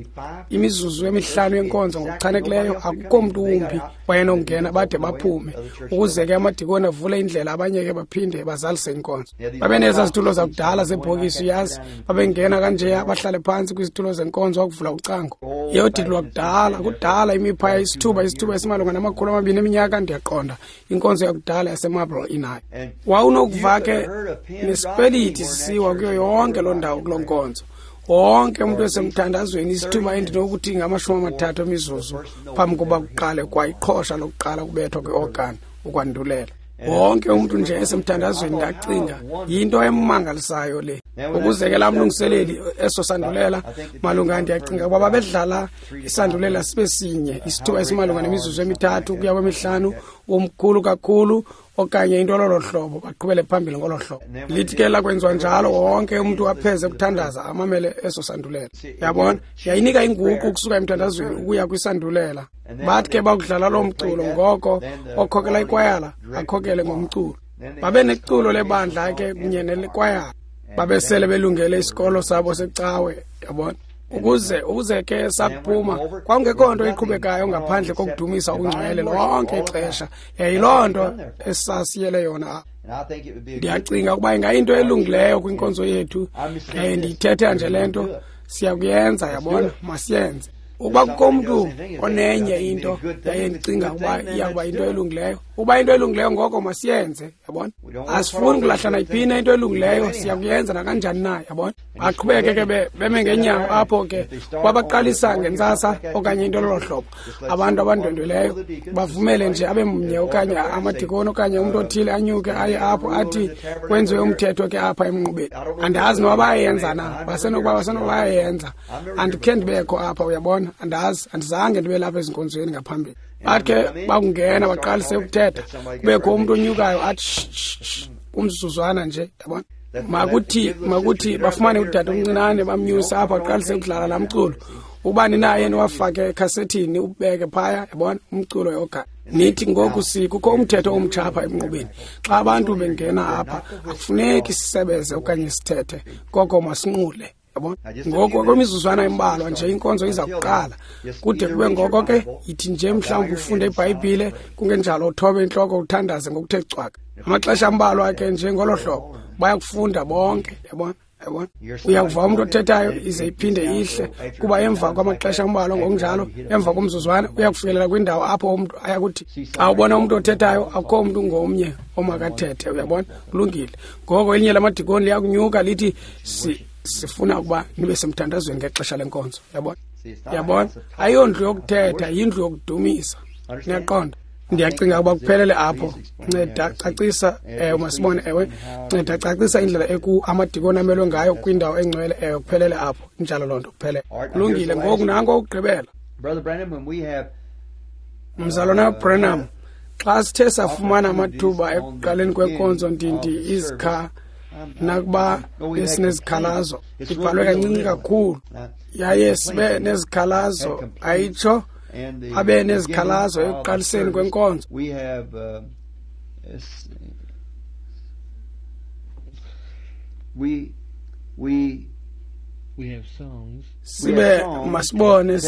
imizuzu emihlanu yenkonzo ngokuchanekileyo, akukho mntu wumbi wayenongena bade baphume, ukuze ke amadikoni avule indlela, abanye ke baphinde bazalise inkonzo. Babe nezaa zitulo zakudala zebhokisi, uyazi, babengena kanjeya bahlale phantsi kwizitulo zenkonzo wakuvula ucango. Yodidi lwakudala, kudala imiphaya isithuba esimalunga nama-200 eminyaka, ndiyaqonda, inkonzo yakudala yaseMarble inayo. Wawunokuva ke nesipeliti sisiwa kuyo yonke loo ndawo kuloo nkonzo. Wonke umntu esemthandazweni isithuba endinokuthi ngama-30 emizuzu phambi kokuba kuqale kwayiqhosha lokuqala kubethwa kweorgan ukwandulela. Wonke umntu nje esemthandazweni, ndacinga yinto emangalisayo le. Ukuze ke laa mlungiseleli eso sandulela malunga, ndiyacinga ukuba babedlala isandulela sibe sinye isithuba esimalunga nemizuzu emi-3 ukuya kwemi-5, umkhulu kakhulu okanye into lolo hlobo, baqhubele phambili ngolo hlobo. Lithi ke lakwenziwa njalo, wonke umntu apheze ukuthandaza amamele eso sandulela. Yabona, yayinika inguqu ukusuka emthandazweni ukuya kwisandulela. Bathi ke bakudlala loo mculo, ngoko okhokela ikwayala akhokele ngomculo. Babe neculo lebandla ke kunye nelikwayala. Babesele belungele isikolo sabo secawe, yabona. Ukuze ke sakuphuma kwakungekho nto iqhubekayo ngaphandle kokudumisa ungcwele lonke ixesha. Yayiloo nto esasiyele yona. Ndiyacinga ukuba ingayinto elungileyo kwinkonzo yethu. Ndiyithetha nje le nto, siyakuyenza, yabona, masiyenze. Ukuba kukho umntu onenye into yaye ndicinga ukuba iyakuba into elungileyo, ukuba into elungileyo ngoko masiyenze, yabona. Asifuni kulahla nayiphi na into elungileyo, siyakuyenza nakanjani na, yabona. Baqhubeke ke beme ngeenyawo apho ke, babaqalisa ngentsasa okanye into lolo hlobo. Abantu abandwendweleyo bavumele nje abe mnye okanye amadikoni okanye umntu othile anyuke aye apho athi kwenziwe umthetho ke apha emnqubeni. Andazi noba bayayenza na, basenokuba bayayenza. Andikhe ndibekho apha, uyabona. Andazi, andizange ndibe lapha ezinkonzweni ngaphambili. Bathi ke bakungena baqalise ukuthetha, kubekho umntu onyukayo athi umzuzwana nje, yabona. Makuthi bafumane udade omncinane bamnyuse apho aqalise ukudlala laa mculo. Ubani naye niwafake ekhasethini ubeke phaya, yabona, umculo yoga. Nithi ngoku kukho umthetho omtsha apha emnqubeni. Xa abantu bengena apha akufuneki sisebeze okanye sithethe, koko masinqule. Ngoku kwimizuzwana embalwa nje inkonzo iza kuqala. Kude kube ngoko ke yithi nje mhlawumbi ufunde iBhayibhile, kungenjalo uthobe intloko uthandaze ngokuthe cwaka. Amaxesha ambalwa ke nje ngolo hlobo bayakufunda bonke, yabona. Yabona, uyakuva umntu othethayo ize iphinde ihle, kuba emva kwamaxesha ambalwa ngokunjalo, emva komzuzwana uyakufikelela kwindawo apho umntu ayakuthi xa ubona umntu othethayo akukho umntu ngomnye omakathethe, uyabona. Kulungile. Ngoko elinye lamadikoni liyakunyuka lithi sifuna ukuba nibe semthandazweni ngexesha lenkonzo, yabona. Yabona, ayondlu yokuthetha, yindlu yokudumisa. Niyaqonda? Ndiyacinga ukuba kuphelele apho. Nceda cacisa, masibone, ewe. Nceda cacisa indlela amadikoni amelwe ngayo kwindawo engcwele, ewe, kuphelele apho. Injalo loo nto, kuphelele. Kulungile. Ngoku nanko okugqibela. Mzalwana Branham, xa sithe safumana amathuba ekuqaleni kwenkonzo ndindi izikha nakuba besinezikhalazo, ibhalwe kancinci kakhulu, yaye sibe nezikhalazo, ayitsho abe nezikhalazo ekuqaliseni kwenkonzo. Sibe masibone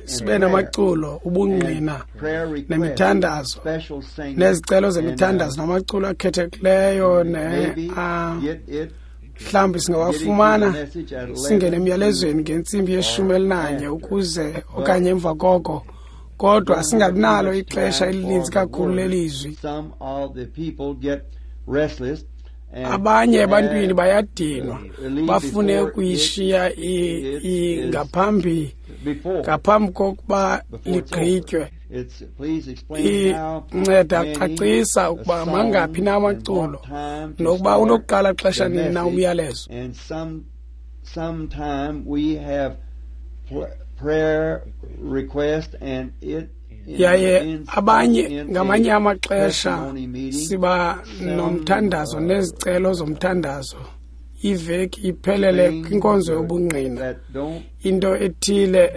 sibe namaculo, ubungqina nemithandazo, nezicelo zemithandazo namaculo akhethekileyo mhlawumbi singawafumana singene emyalezweni ngentsimbi ye-11 ukuze okanye emva koko, kodwa singabinalo ixesha elininzi kakhulu lelizwi. Abanye ebantwini bayadinwa, bafune ukuyishiya ngaphambi kokuba ligqitywe. Inceda cacisa ukuba mangaphi na amaculo nokuba unokuqala xesha nini na umyalezo. Yaye abanye ngamanye amaxesha siba nomthandazo nezicelo zomthandazo iveki iphelele kwinkonzo yobungqina, into ethile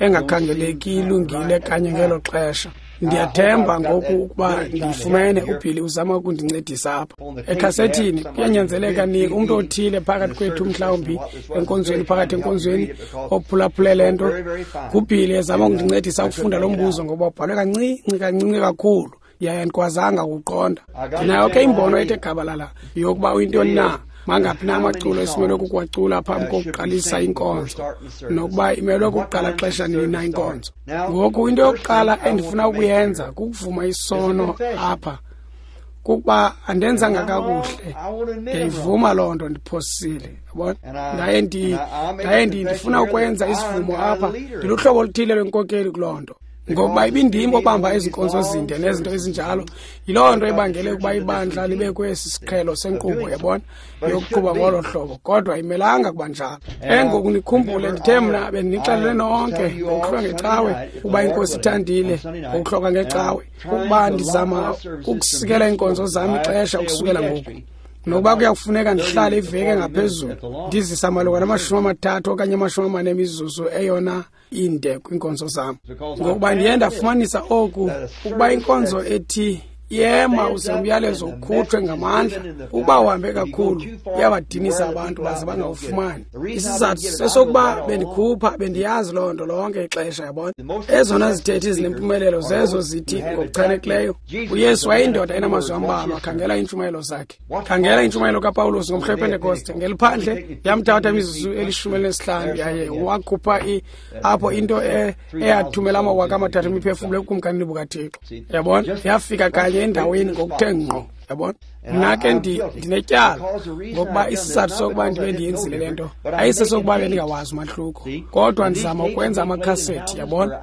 engakhangeleki ilungile kanye ngelo xesha. Ndiyathemba ngoku ukuba ndifumene uBilly uzama ukundincedisa apha. Ekhasethini kuyanyanzeleka ni umntu othile phakathi kwethu, mhlawumbi enkonzweni, phakathi enkonzweni, ophulaphule le nto. NguBilly ezama ukundincedisa ukufunda lo mbuzo ngoba ubhalwe kancinci kancinci kakhulu, yaye andikwazanga ukuqonda. Ndinayo ke imbono ethe gabalala yokuba uyintoni na, mangaphi na amaculo esimelwe kukuwacula phambi kokuqalisa inkonzo, nokuba imelwe kukuqala xesha nini na inkonzo. Ngoku into yokuqala endifuna ukuyenza kukuvuma isono apha, kukuba andenzanga kakuhle. Ndiyayivuma loo nto, ndiphosile, yabona. Ndaye ndifuna ukwenza isivumo apha, ndiluhlobo oluthile lwenkokeli kuloo nto. Ngokuba ibindim obamba ezi nkonzo zinde nezinto ezinjalo, yiloo nto ibangele ukuba ibandla libe kwesi siqhelo senkqubo, yabona, yokuqhuba ngolo hlobo, kodwa imelanga kuba njalo. Engoku nikhumbule, ndithe mna bendinixelele nonke ngokuhlwa ngecawe, ukuba iNkosi ithandile ngokuhloka ngecawe, ukuba ndizama ukusikela iinkonzo zam ixesha ukusukela ngoku. Nokuba kuyakufuneka ndihlale iveki engaphezulu, ndizisa malunga nama-30 okanye 40 emizuzu eyona inde kwiinkonzo zam. Ngokuba ndiye ndafumanisa oku, ukuba inkonzo ethi yema uze umyalezo ukhutshwe ngamandla, ukuba uhambe kakhulu uyabadinisa abantu baze bangawufumani. Isizathu sesokuba bendikhupha, bendiyazi loo nto lonke ixesha, yabona. Ezona zithethi zinempumelelo zezo zithi ngokuchanekileyo, uYesu wayeyindoda enamazwi ambalwa. Khangela iintshumayelo zakhe, khangela intshumayelo kaPawulos ngomhla wePentekoste. Ngeliphandle yamthatha imizuzu eli-15 yaye wakhupha apho into eyathumela 3,000 imiphefumlo ebukumkanini bukaThixo, yabona. Yafika kanye endaweni ngokuthe ngqo, yabona. Mna ke ndinetyala ngokuba isizathu sokuba ndibe ndiyenzile le nto ayisesokuba bendingawazi umahluko, kodwa ndizama ukwenza amakhasethi, yabona.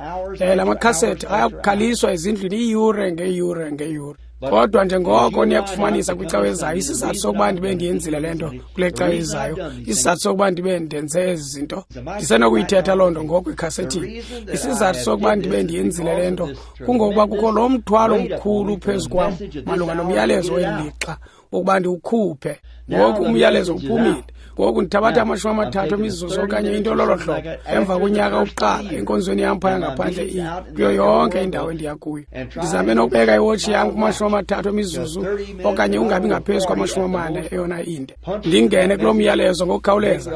La makhasethi ayakukhaliswa ezindlwini iiyure ngeeyure ngeeyure. Kodwa njengoko niyakufumanisa kwicawe ezayo, isizathu sokuba ndibe ndiyenzile le nto kule cawe ezayo, isizathu sokuba ndibe ndenze ezi zinto, ndisenokuyithetha loo nto ngoku ekhasethini. Isizathu sokuba ndibe ndiyenzile le nto kungokuba kukho lo mthwalo mkhulu phezu kwam malunga nomyalezo weli lixa ukuba ndiwukhuphe. Ngoku umyalezo uphumile. Ngoku ndithabatha 30 emizuzu okanye into lolo hlobo emva konyaka wokuqala enkonzweni yam phaya ngaphandle kuyo yonke indawo endiya kuyo. Ndizame nokubeka iwotshi yam kuma-30 emizuzu okanye ungabi ngaphezu kwa-40 eyona inde. Ndingene kulo myalezo ngokukhawuleza,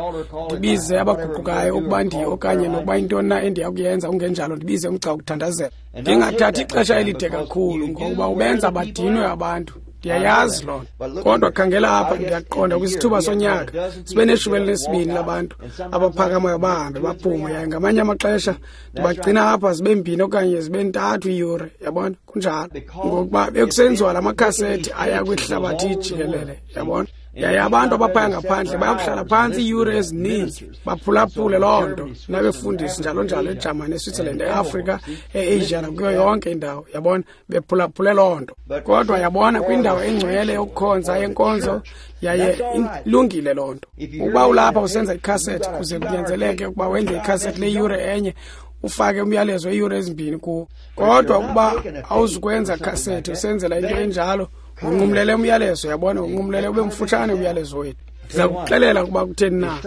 ndibize abaguqukayo ukuba ndiye okanye nokuba intoni na endiya kuyenza, ungenjalo ndibize umgca wokuthandazela. Ndingathathi ixesha elide kakhulu ngokuba ubenza badinwe abantu. Ndiyayazi loo nto. Kodwa khangela apha, ndiyaqonda kwisithuba sonyaka sibe ne-12 labantu abaphakamayo bahambe baphume, yaye ngamanye amaxesha ndibagcina apha zibe 2 okanye zibe 3 iiyure, yabona. Kunjalo ngokuba bekusenziwa la makhasethi aya kwihlabathi jikelele, yabona. Yaye abantu abaphaya ngaphandle bayakuhlala phantsi iiyure ezininzi baphulaphule loo nto, nabefundisi njalo njalo eJamani, eSwitzerland, eAfrika, eAsia nakuyo yonke indawo, yabona, bephulaphule loo nto. Kodwa yabona, kwindawo engcwele yokukhonza yenkonzo, yaye ilungile loo nto. Ukuba ulapha usenza ikhasethi, kuze kunyanzeleke ukuba wenze ikhasethi leyure enye, ufake umyalezo iiyure 2 kuwo. Kodwa ukuba awuzukwenza khasethi usenzela into enjalo, unqumlele umyalezo, yabona, unqumlele ube mfutshane umyalezo wethu. Ndiza kuxelela ukuba kutheni na.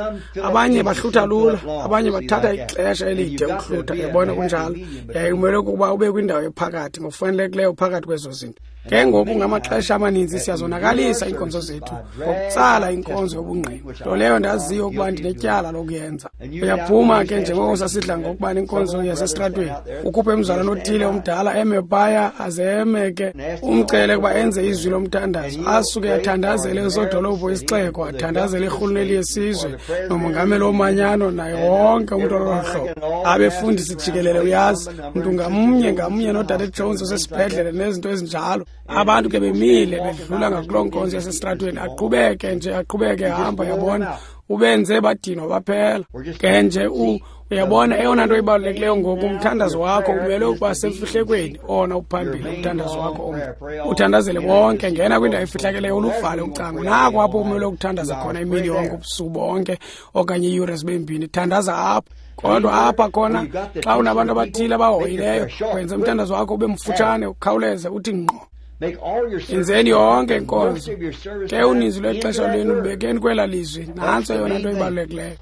Abanye bahlutha lula, abanye bathatha ixesha elide ukuhlutha, yabona, kunjalo. Yaye kumele ukuba ube kwindawo ephakathi ngokufanelekileyo phakathi kwezo zinto. Ke ngoku ngamaxesha amaninzi siyazonakalisa iinkonzo zethu ngokutsala inkonzo yobungqina, nto leyo ndaziyo ukuba ndinetyala lokuyenza. Uyaphuma ke njengoko sasidla ngokuba nenkonzo yasesitratweni, ukhuphe umzalwana othile omdala eme phaya, aze eme ke umcele ukuba enze izwi lomthandazo, asuke athandazele usodolophu wesixeko, athandazele irhuluneli yesizwe nomongameli womanyano naye wonke umntu ololo hlobo. Abefundisi jikelele, uyazi, mntu ngamnye ngamnye, noDade Jones osesibhedlele nezinto ezinjalo. Abantu ke bemile bedlula ngakuloo nkonzo yasesitratweni, aqhubeke nje, aqhubeke ehamba, yabona, ubenze badinwa baphela. Ke nje uyabona, eyona nto ibalulekileyo ngoku, umthandazo wakho umele ukuba semfihlekweni, ona uphambili umthandazo wakho omnye. Uthandazele bonke, ngena kwindawo efihlakeleyo, uluvale ucango. Nako apho umele ukuthandaza khona imini yonke, ubusuku bonke okanye iiyure zibe 2, thandaza apho. Kodwa apha khona, xa unabantu abathile abahoyileyo, wenze umthandazo wakho ube mfutshane, ukhawuleze, uthi ngqo. Yenzeni yonke inkonzo. Ke uninzi lwexesha lwenu lubekeni kwela lizwi. Nantso eyona nto ibalulekileyo.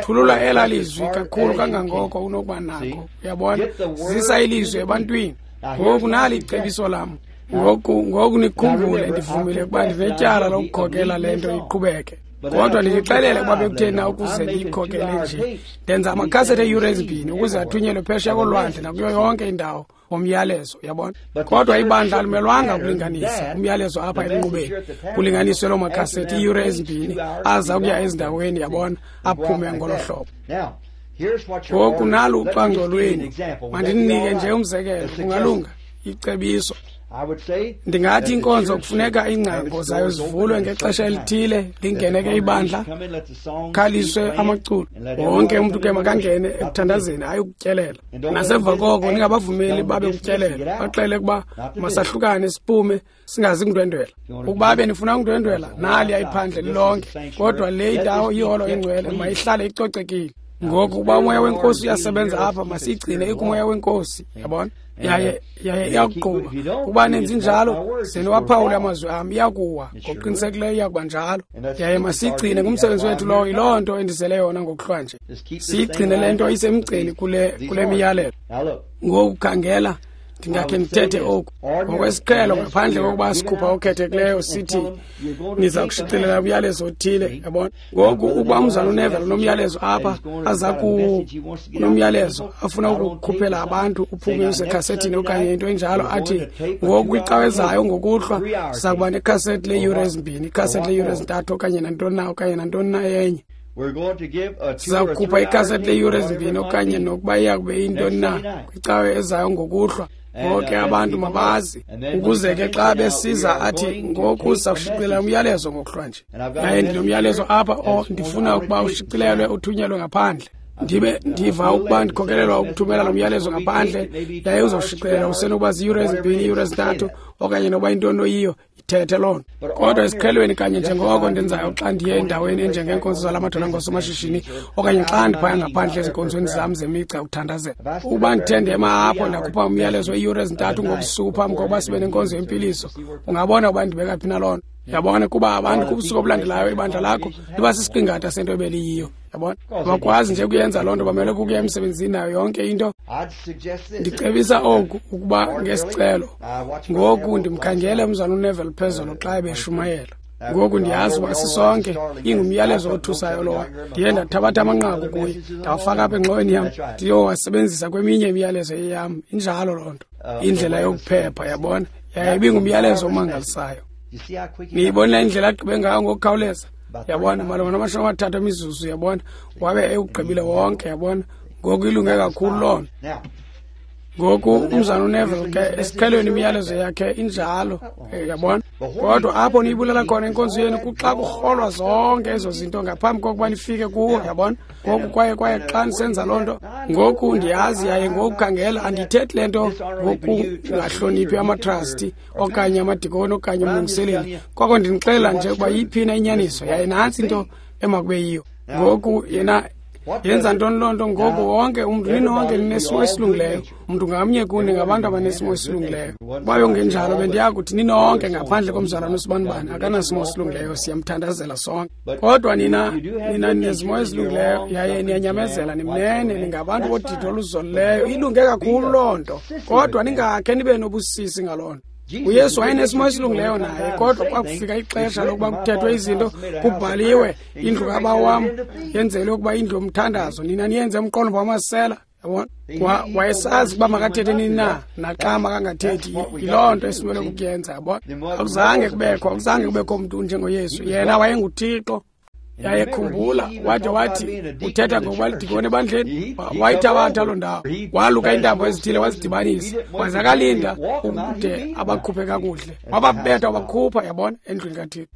Thulula ela lizwi kakhulu kangangoko unokuba nako, uyabona. Zisa ilizwi ebantwini. Ngoku nali icebiso lam. Ngoku nikhumbule, ndivumile ukuba ndinetyala lokukhokela le nto iqhubeke. Kodwa ndinixelele ukuba bekutheni na ukuze ndiyikhokele nje. Ndenza amakhasethi eeyure 2 ukuze athunyelwe phesheya kolwandle nakuyo yonke indawo ngomyalezo, uyabona. Kodwa ibandla alimelwanga ukulinganisa umyalezo apha emnqubeni, kulinganiswe loo makhasethi iiyure 2 aza kuya ezindaweni, yabona, aphume ngolo hlobo. Ngoku nalu ucwangco lwenu. Mandininike nje umzekelo, kungalunga. icebiso. Ndingathi inkonzo kufuneka iingcango zayo zivulwe ngexesha elithile, lingene ke ibandla, khaliswe amaculo. Wonke umntu ke makangene ekuthandazeni, hayi ukutyelela. Nasemva koko ningabavumeli babe kutyelela, baxele ukuba masahlukane siphume singazi kundwendwela. Ukuba benifuna ukundwendwela, nali ayiphandle lilonke, kodwa le indawo iholo ingcwele mayihlale icocekile. Ngoku ukuba umoya wenkosi uyasebenza apha, masiyigcine ikumoya wenkosi, yabona? Yaye iyakuqhuba. Ukuba nenzi njalo, zeniwaphawule amazwi am, iyakuwa. Ngokuqinisekileyo iyakuba njalo. Yaye masiyigcine ngumsebenzi wethu lowo, yiloo nto endizele yona ngokuhlwa nje. Siyigcine le nto isemgceni kule miyalelo. Ngoku khangela, ndingakhe ndithethe oku ngokwesiqhelo, ngaphandle kokuba sikhupha okhethekileyo sithi niza kushicilela umyalezo othile, yabona. Ngoku ukuba umzana uNeville unomyalezo apha, aza kunomyalezo afuna ukukhuphela abantu uphume usekhasethini okanye into enjalo, athi ngoku kwicawe ezayo ngokuhlwa siza kuba nekhasethi leeyure ezimbini, ikhasethi leeyure ezintathu okanye nantoni na okanye nantoni na enye. Siza kukhupha ikhasethi leeyure ezimbini okanye nokuba iya kube iyintoni na kwicawe ezayo ngokuhlwa. Bonke abantu mabazi, ukuze ke xa besiza athi ngoku siza kushicilela umyalezo ngokuhlwa nje. Yaye ndinomyalezo apha ndifuna ukuba ushicilelwe uthunyelwe ngaphandle. Ndibe ndiva ukuba ndikhokelelwa ukuthumela lo myalezo ngaphandle, yaye uzawushicilela usenokuba ziyure ezimbini, iiyure ezintathu okanye nokuba intoni oyiyo, ithethe loo nto. Kodwa esiqhelweni kanye njengoko ndenzayo xa ndiye endaweni enjengeenkonzo zala madoda ngosomashishini okanye xa ndiphaya ngaphandle ezinkonzweni zam zemigca yokuthandazela, ukuba ndithe ndema apho ndakhupha umyalezo iiyure ezintathu ngobusuku phambi kokuba sibe nenkonzo yempiliso, ungabona ukuba ndibeka phi na loo nto. Yabona, kuba abantu kubusuku obulandelayo ibandla lakho liba sisiqingatha sento ebeliyiyo. Yabona, abakwazi nje kuyenza loo nto, bamele kukuya emsebenzini nayo yonke into. Ndicebisa oku ukuba ngesicelo. Ngoku ndimkhangele umzana uNeville phezolo xa ebeshumayela. Ngoku ndiyazi uba sisonke ingumyalezo othusayo lowa. Ndiye ndathabatha amanqaku kuye, ndawafaka apha engxoweni yam, ndiyowasebenzisa kweminye imiyalezo eyam. Injalo loo nto, indlela yokuphepha, yabona. Yaye ibingumyalezo omangalisayo. Niyibonile indlela agqibe ngayo ngokukhawuleza, yabona, malunga nama-30 emizuzu, yabona, wabe ewugqibile wonke, yabona. Ngoku ilunge kakhulu loo nto. Ngoku umzana uNeville ke esiqhelweni imiyalezo yakhe injalo, yabona. Kodwa apho niyibulala khona inkonzo yenu kuxa kurholwa zonke ezo zinto ngaphambi kokuba nifike kuwo, yabona. Ngoku kwaye xa nisenza loo nto, ngoku ndiyazi yaye ngoku khangela, andiyithethi le nto ngokungahloniphi amatrasti okanye amadikoni okanye umlungiseleli, koko ndinixelela nje ukuba yiphina inyaniso, yaye nantsi into emakube yiyo. Ngoku yena yenza ntoni loo nto? Ngoku wonke umntu, ninonke ninesimo esilungileyo. Umntu ngamnye kuni ngabantu abanesimo esilungileyo. Uba yongenjalo bendiyakuthi ninonke ngaphandle komzalwane usibanibani akanasimo esilungileyo, siyamthandazela sonke. Kodwa nina ninezimo ezilungileyo yaye niyanyamezela, nimnene, ningabantu bodidi oluzolileyo. Ilunge kakhulu loo nto, kodwa ningakhe nibe nobusisi ngaloo nto. uYesu wayenesimo esilungileyo naye, kodwa kwakufika ixesha lokuba kuthethwe izinto, kubhaliwe, indlu kabawo wam yenzelwe ukuba indlu yomthandazo, nina niyenze umqolomba wamasela. Yabona, wayesazi ukuba makathethe nini na, naxa makangathethi. Yiloo nto esimele ukuyenza, yabona. Akuzange kubekho mntu njengoYesu. Yena wayenguThixo. Yaye khumbula, wade wathi uthetha ngokuba lidikoni ebandleni, wayithabatha loo ndawo, waluka iintambo ezithile wazidibanisa, waze akalinda ukude abakhuphe kakuhle, wababetha wabakhupha, yabona, endlwini kaThixo.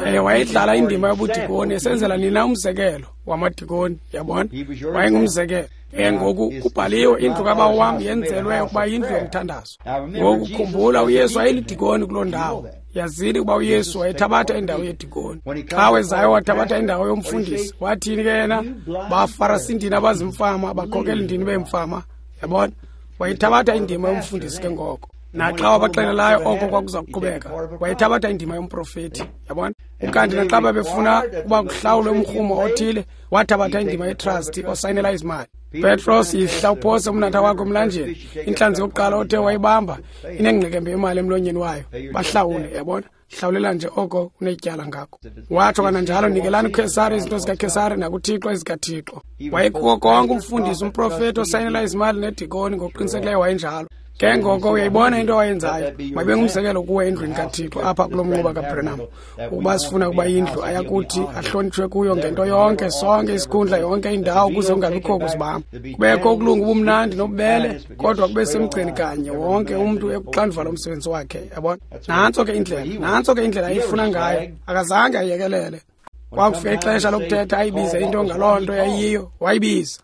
Yaye wayedlala indima yobudikoni esenzela nina umzekelo wamadikoni, yabona, wayengumzekelo. Ngoku kubhaliwe, indlu kabawo wam yenzelwe ukuba yindlu yomthandazo. Ngoku khumbula, uYesu wayelidikoni kuloo ndawo. Yazini ukuba uYesu wayethabatha indawo yedikoni. Xa wezayo wathabatha indawo yomfundisi. Wathini ke yena? Bafarasindini abazimfama, bakhokelindini beemfama, yabona. Wayethabatha indima yomfundisi ke ngoko. Naxa wabaxelelayo oko kwakuza kuqhubeka, wayethabatha indima yomprofethi, yabona. Ukanti naxa babefuna ukuba kuhlawulwe umrhumo othile, wathabatha indima yetrasti osayinela izimali. Petros, yihla uphose umnatha wakho emlanjeni, intlanzi yokuqala othe wayibamba inengqekembe yemali emlonyeni wayo, bahlawule, yabona. Hlawulela nje oko unetyala ngako. Watsho kananjalo, nikelani kuKhesari izinto zikaKhesari nakuThixo ezikaThixo. Wayekuko konke umfundisi, umprofethi osayinela izimali nedikoni, ngokuqinisekileyo wayenjalo. Ke ngoko uyayibona into awayenzayo, mayibe ngumzekelo kuwe endlwini kaThixo apha kulo mnquba kaBranham, ukuba sifuna ukuba indlu ayakuthi ahlonitshwe kuyo ngento yonke, sonke isikhundla, yonke indawo, ukuze kungabikho kuzibamba, kubekho ukulunga, ubumnandi nobubele, kodwa kube semgceni kanye, wonke umntu ekuxanduva lomsebenzi wakhe. Yabona, nantso ke indlela, nantso ke indlela ayifuna ngayo. Akazange ayekelele. Kwakufika ixesha lokuthetha, ayibize into ngaloo nto yayiyo, wayibiza.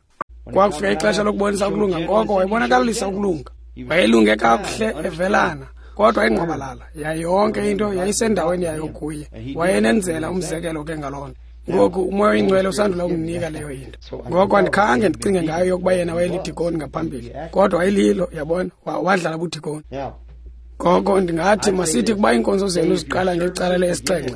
Kwakufika ixesha lokubonisa ukulunga, ngoko wayibonakalisa ukulunga. Wayelunge kakuhle evelana, kodwa ingqwabalala yayo yonke into yayisendaweni yayo kuye. Wayenenzela umzekelo ke ngaloo nto. Ngoku uMoya oyiNgcwele usandula ukundinika leyo into. Ngoko andikhange ndicinge ngayo yokuba yena wayelidikoni ngaphambili, kodwa wayelilo, yabona, wadlala budikoni. Ngoko ndingathi masithi kuba iinkonzo zenu ziqala ngecala le-7,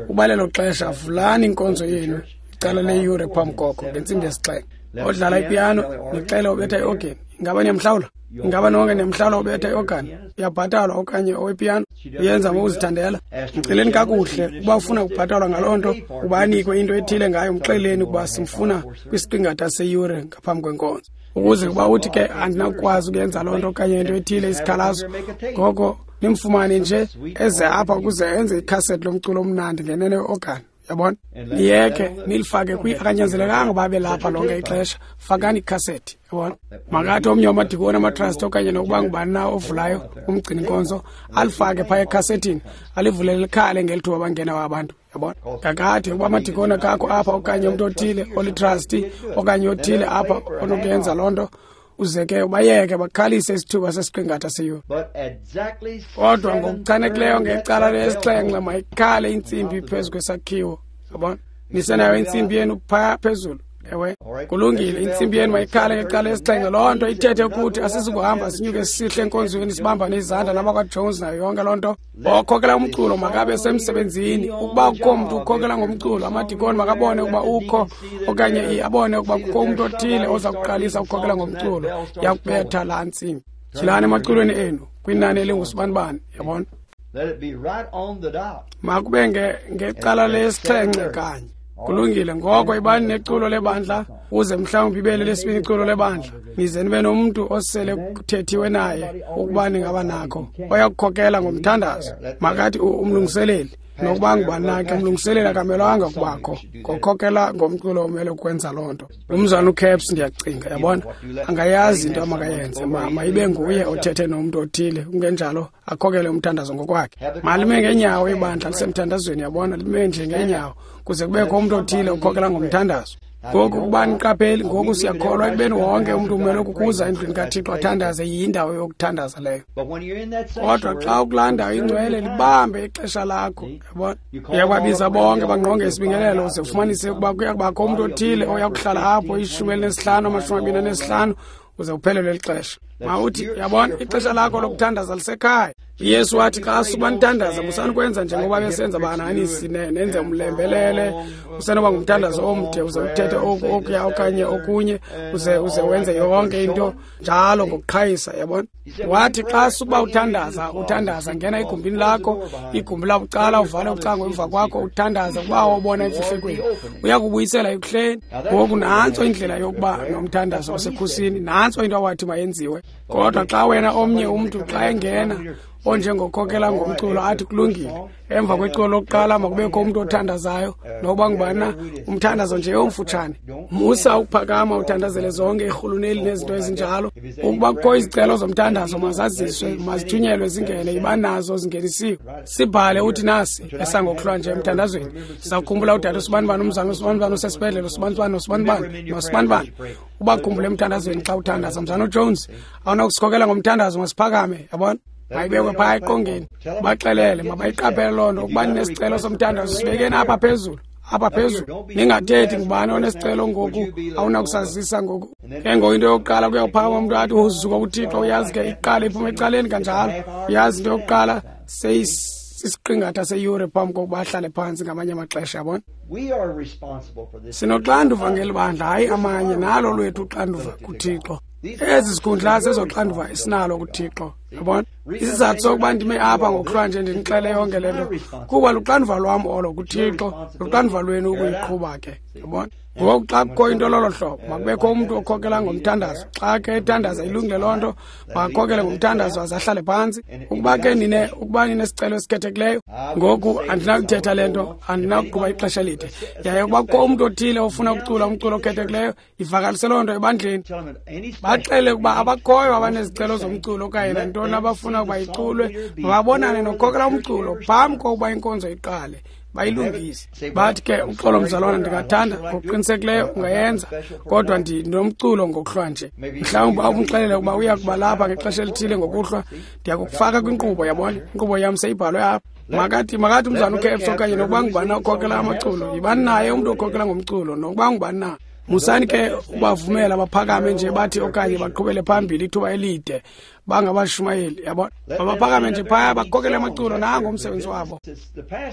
uba lelo xesha vulani inkonzo yenu icala leyure phambi koko ngentsimbi yesi-7. Odlala ipiyano nixele obetha iogeni, ingaba niyamhlawula? Ingaba nonke niyamhlawula obetha iogani? Uyabhatalwa okanye owepiyano? Uyenza ngokuzithandela? Mceleni kakuhle ukuba ufuna ukubhatalwa ngaloo nto, uba anikwe into ethile ngayo, mxeleni ukuba simfuna kwisiqingatha seyure ngaphambi kwenkonzo, ukuze kuba uthi ke andinakukwazi ukuyenza loo nto okanye into ethile isikhalazo, ngoko nimfumane nje eze apha ukuze enze ikhasethi lomculo omnandi ngenene weogani. Yabona, niyeke nilifake kwi, akanyanzelekanga babe lapha lonke ixesha. Fakani ikhasethi, yabona. Makathi omnye wamadikoni, amatrasti okanye nokuba ngubani na ovulayo umgcini inkonzo, alifake phaya ekhasethini, alivulele likhale ngeli thuba bangena abantu. Yabona, kakade ukuba amadikoni akakho apha okanye umntu othile olitrasti okanye othile apha onokuyenza loo nto, uze ke ubayeke bakhalise isithuba sesiqingatha seyure. Kodwa ngokuchanekileyo ngecala lesi-7 mayikhale intsimbi phezu kwesakhiwo. Yabona, nisenayo intsimbi yenu phaya phezulu. Ewe, kulungile, intsimbi yenu mayikhale ngecala lesi-7. Loo nto ithethe ukuthi asizukuhamba sinyuke sisihle enkonzweni sibambane izandla nabakwaJones nayo yonke loo nto. Okhokela umculo makabe semsebenzini. Ukuba kukho mntu ukhokela ngomculo, amadikoni makabone ukuba ukho okanye abone ukuba kukho umntu othile oza kuqalisa ukukhokela ngomculo, yakubetha laa ntsimbi. Tyhilani emaculweni enu kwinani elingusibanibani, yabona. Makube ngecala lesi-7 kanye. Kulungile, ngoko ibani neculo lebandla, uze mhlawumbi ibe lelesibini iculo lebandla, nize nibe nomntu osele kuthethiwe naye ukuba ningaba nakho, oyakukhokela ngomthandazo. Makathi umlungiseleli, nokuba ngubani na ke, umlungiseleli akamelwanga ukubakho ngokhokela ngomculo, umele ukwenza loo nto. Umzana uCaps, ndiyacinga, yabona, angayazi into amakayenze. Mayibe nguye othethe nomntu othile, kungenjalo akhokele umthandazo ngokwakhe. Malime ngeenyawo ibandla lisemthandazweni, yabona, lime nje ngeenyawo kuze kubekho umntu othile okhokela ngomthandazo. Ngoku ukuba niqapheli, ngoku siyakholwa ekubeni wonke umntu umele ukuza endlwini kaThixo athandaze, yindawo yokuthandaza leyo. Kodwa xa ukulaa ndawo ingcwele, libambe ixesha lakho, yabona. Uyakubabiza bonke bangqonge isibingelelo, uze ufumanise ukuba kuyakubakho umntu othile oyakuhlala apho 15, 25, uze uphelelwe lixesha. Mawuthi, yabona, ixesha lakho lokuthandaza lisekhaya. uYesu wathi xa suba nithandaza, musani kwenza njengoba besenza bahanisi, nenze umlembelele, usenoba ngumthandazo omde, uze uthethe okuya okanye okunye, uze wenze yonke into njalo ngokuqhayisa, yabona. Wathi xa suba uthandaza, ngena egumbini lakho, igumbi labucala, uvale ucango emva kwakho, uthandaza kuba wobona emfihlekweni, uyakubuyisela ekuhleni. Ngoku nantso indlela yokuba nomthandazo osekhusini, nantso into awathi mayenziwe. Kodwa xa wena omnye umntu xa engena onjengokhokela ngomculo athi kulungile, emva kweculo lokuqala makubekho umntu othandazayo, nokuba ngubani na, umthandazo nje omfutshane. Musa ukuphakama uthandazele zonke irhuluneli nezinto ezinjalo. Ukuba kukho izicelo zomthandazo, mazaziswe, mazithunyelwe zingene, iba nazo zingenisiwe. Sibhale uthi nasi esangokuhlwa nje emthandazweni, sizawukhumbula udade usibanibani, umzana usibanibani osesibhedlele, usibanibani nosibanibani nosibanibani. Ubakhumbule emthandazweni xa uthandaza. Mzana uJones, awunakusikhokela ngomthandazo, masiphakame, yabona. Mayibekwe phaya eqongeni, baxelele, mabayiqaphele loo nto. Ukuba ninesicelo somthandazo, sibekeni apha phezulu, apha phezulu. Ningathethi ngubani onesicelo ngoku, awunakusazisa ngoku. Ke ngoku into yokuqala kuyawuphakama umntu athi uzuko kuThixo, uyazi ke iqale iphume ecaleni kanjalo. Uyazi into yokuqala seyisisiqingatha seyure phambi kokuba ahlale phantsi ngamanye amaxesha, yabona. Sinoxanduva ngeli bandla, hayi amanye, nalo lwethu uxanduva kuThixo. Ezi zikhundla zezoxanduva esinalo kuThixo. Yabona? Isizathu sokuba ndime apha ngokuhlwa nje ndinixele yonke le nto kuba luxanduva lwam olo kuThixo, luxanduva lwenu ukuyiqhuba ke. Yabona? Ngoku xa kukho into lolo hlobo, makubekho umntu okhokela ngomthandazo. Xa ke ethandaza ilungile loo nto, makakhokele ngomthandazo aze ahlale phantsi. Ukuba ke ukuba ninesicelo esikhethekileyo, ngoku andinakuthetha le nto, andinakuqhuba ixesha elide. Yaye ukuba kukho umntu othile ofuna ukucula umculo okhethekileyo, ivakalise loo nto ebandleni. Baxele ukuba abakhoyo abanezicelo zomculo okanye nantoni abafuna ukuba iculwe, mababonane nokhokela umculo phambi kokuba inkonzo iqale. Bayilungise. Bathi ke, uxolo mzalwana, ndingathanda ngokuqinisekileyo ungayenza, kodwa ndinomculo ngokuhlwa nje. Mhlawumbi umxelele ukuba uya kuba lapha ngexesha elithile ngokuhlwa, ndiyakufaka kwinkqubo, yabona? Inkqubo yam seyibhalwe apha. Makathi umzana uCaps okanye nokuba ngubani okhokela amaculo, yibani naye umntu okhokela ngomculo, nokuba ngubani na. Musani ke ubavumela baphakame nje bathi okanye baqhubele phambili ithuba elide bangabashumayeli, yabona? Baphakame nje phaya bakhokele amaculo, nango umsebenzi wabo.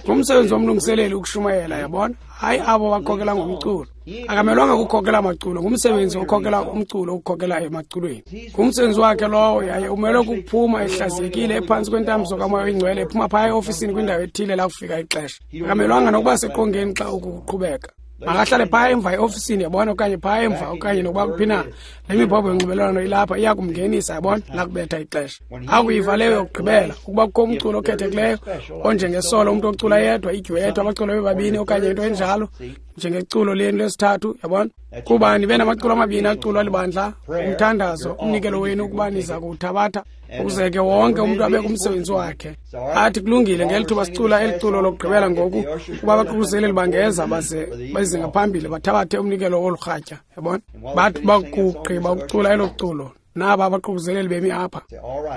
Ngumsebenzi womlungiseleli ukushumayela, yabona? Hayi abo bakhokela ngomculo. Akamelwanga ukukhokela amaculo, ngumsebenzi okhokela umculo ukukhokela emaculweni. Ngumsebenzi wakhe lowo, yaye umelwe kukuphuma ehlaziyekile ephantsi kwentambiso kaMoya oyiNgcwele, ephuma phaya eofisini kwindawo ethile lakufika ixesha. Akamelwanga nokuba seqongeni xa oku kuqhubeka. Makahlale phaya emva eofisini, yabona, okanye phaya emva okanye nokuba kuphi na. Le mibhobho yonxibelelwano ilapha iya kumngenisa, yabona, lakubetha ixesha. Akuyiva leyo yokugqibela, ukuba kukho umculo okhethekileyo onjengesolo, umntu ocula yedwa, idyuethu, abacula bebabini okanye into enjalo, njengeculo lenu lesithathu, yabona? Kuba nibe namaculo amabini aculwa libandla, umthandazo, umnikelo wenu ukuba niza kuwuthabatha, ukuze ke wonke umntu abe kumsebenzi wakhe. Athi kulungile ngeli thuba sicula eli culo lokugqibela ngoku, kuba abaququzeleli bangeza baze beze ngaphambili bathabathe umnikelo wolurhatya, yabona? Bathi bakugqiba ukucula elo culo, naba abaququzeleli bemi apha.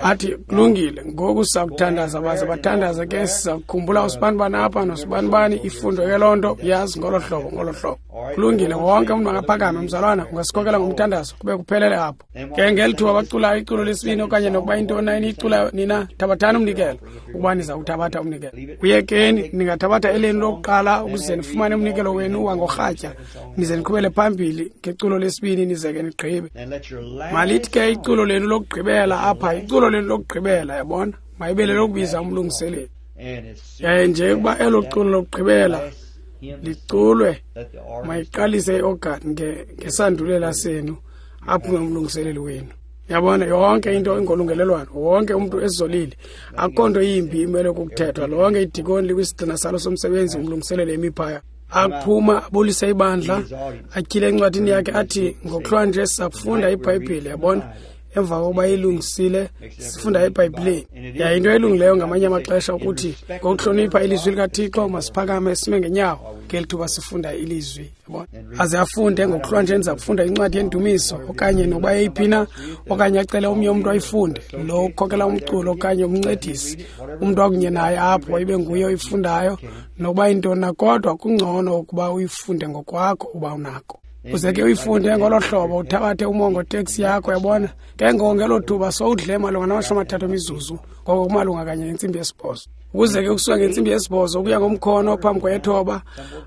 Athi kulungile ngoku siza kuthandaza, baze bathandaze ke, siza kukhumbula usibanibani apha nosibanibani, ifundwe ke loo nto, yazi ngolo hlobo, ngolo hlobo. Kulungile, wonke umntu angaphakame, mzalwana, ungasikhokela ngomthandazo kube kuphelele apho. Ke ngeli thuba baculayo iculo lesibini okanye nokuba intoni na eniyiculayo nina, thabathani umnikelo, ukuba niza kuthabatha umnikelo. Uyekeni, ningathabatha elenu lokuqala ukuze nifumane umnikelo wenu wangorhatya, nize niqhubele phambili ngeculo lesibini nize ke nigqibe. Malithi ke iculo lenu lokugqibela apha, iculo lenu lokugqibela, yabona, mayibele lokubiza umlungiseleli. Yaye nje ukuba elo culo lokugqibela liculwe, mayiqalise iorgan ngesandulela senu, aphume umlungiseleli wenu. Yabona, yonke into ingolungelelwano, wonke umntu ezolile, akukho nto yimbi imele ukuthethwa. Lonke idikoni likwisigxina salo somsebenzi, umlungiseleli emiphaya. Aphuma abulise ibandla, atyhile encwadini yakhe athi, ngokuhlwa nje sizakufunda iBhayibhile, yabona? Emva kokuba ilungisile, sifunda eBhayibhileni. Yaye into elungileyo ngamanye amaxesha ukuthi ngokuhlonipha ilizwi likaThixo masiphakame sime ngenyawo ngeli thuba sifunda ilizwi, yabona? Aze afunde ngokuhlwa nje ndiza kufunda incwadi yendumiso okanye nokuba eyiphi na, okanye acele omnye umntu ayifunde, lo ukhokela umculo okanye umncedisi, umntu akunye naye apho ibe nguye oyifundayo, nokuba yintoni na, kodwa kungcono ukuba uyifunde ngokwakho uba unako. Uze ke uyifunde ngolo hlobo, uthabathe umongo teksi yakho, yabona? Ke ngoko ngelo thuba sowudle malunga nama-30 emizuzu, ngoko kumalunga kanye ngentsimbi yesibhozo. Ukuze ke ukusuka ngentsimbi yesibhozo ukuya ngomkhono phambi kwethoba,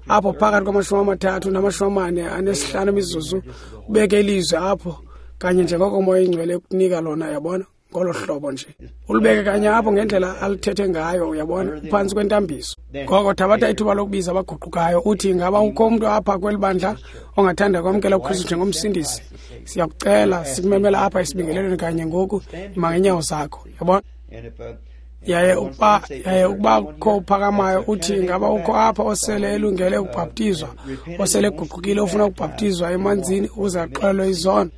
apho phakathi kwama-30 nama-45 emizuzu, ubeke ilizwi apho kanye njengoko uMoya oyiNgcwele ekunika lona, yabona? Ngolo hlobo nje. Ulibeke kanye apho ngendlela alithethe ngayo, uyabona, uphantsi kwentambiso. Ngoko thabatha ithuba lokubiza abaguqukayo, uthi ngaba ukho umntu apha kweli bandla ongathanda kwamkela uKristu njengomsindisi? Siyakucela, sikumemela apha esibingelelweni kanye ngoku, ima ngeenyawo zakho, yabona? Yaye ukuba kukho uphakamayo uthi ngaba ukho apha osele elungele ukubhaptizwa, osele eguqukile ofuna ukubhaptizwa emanzini ukuze axolelwe izono.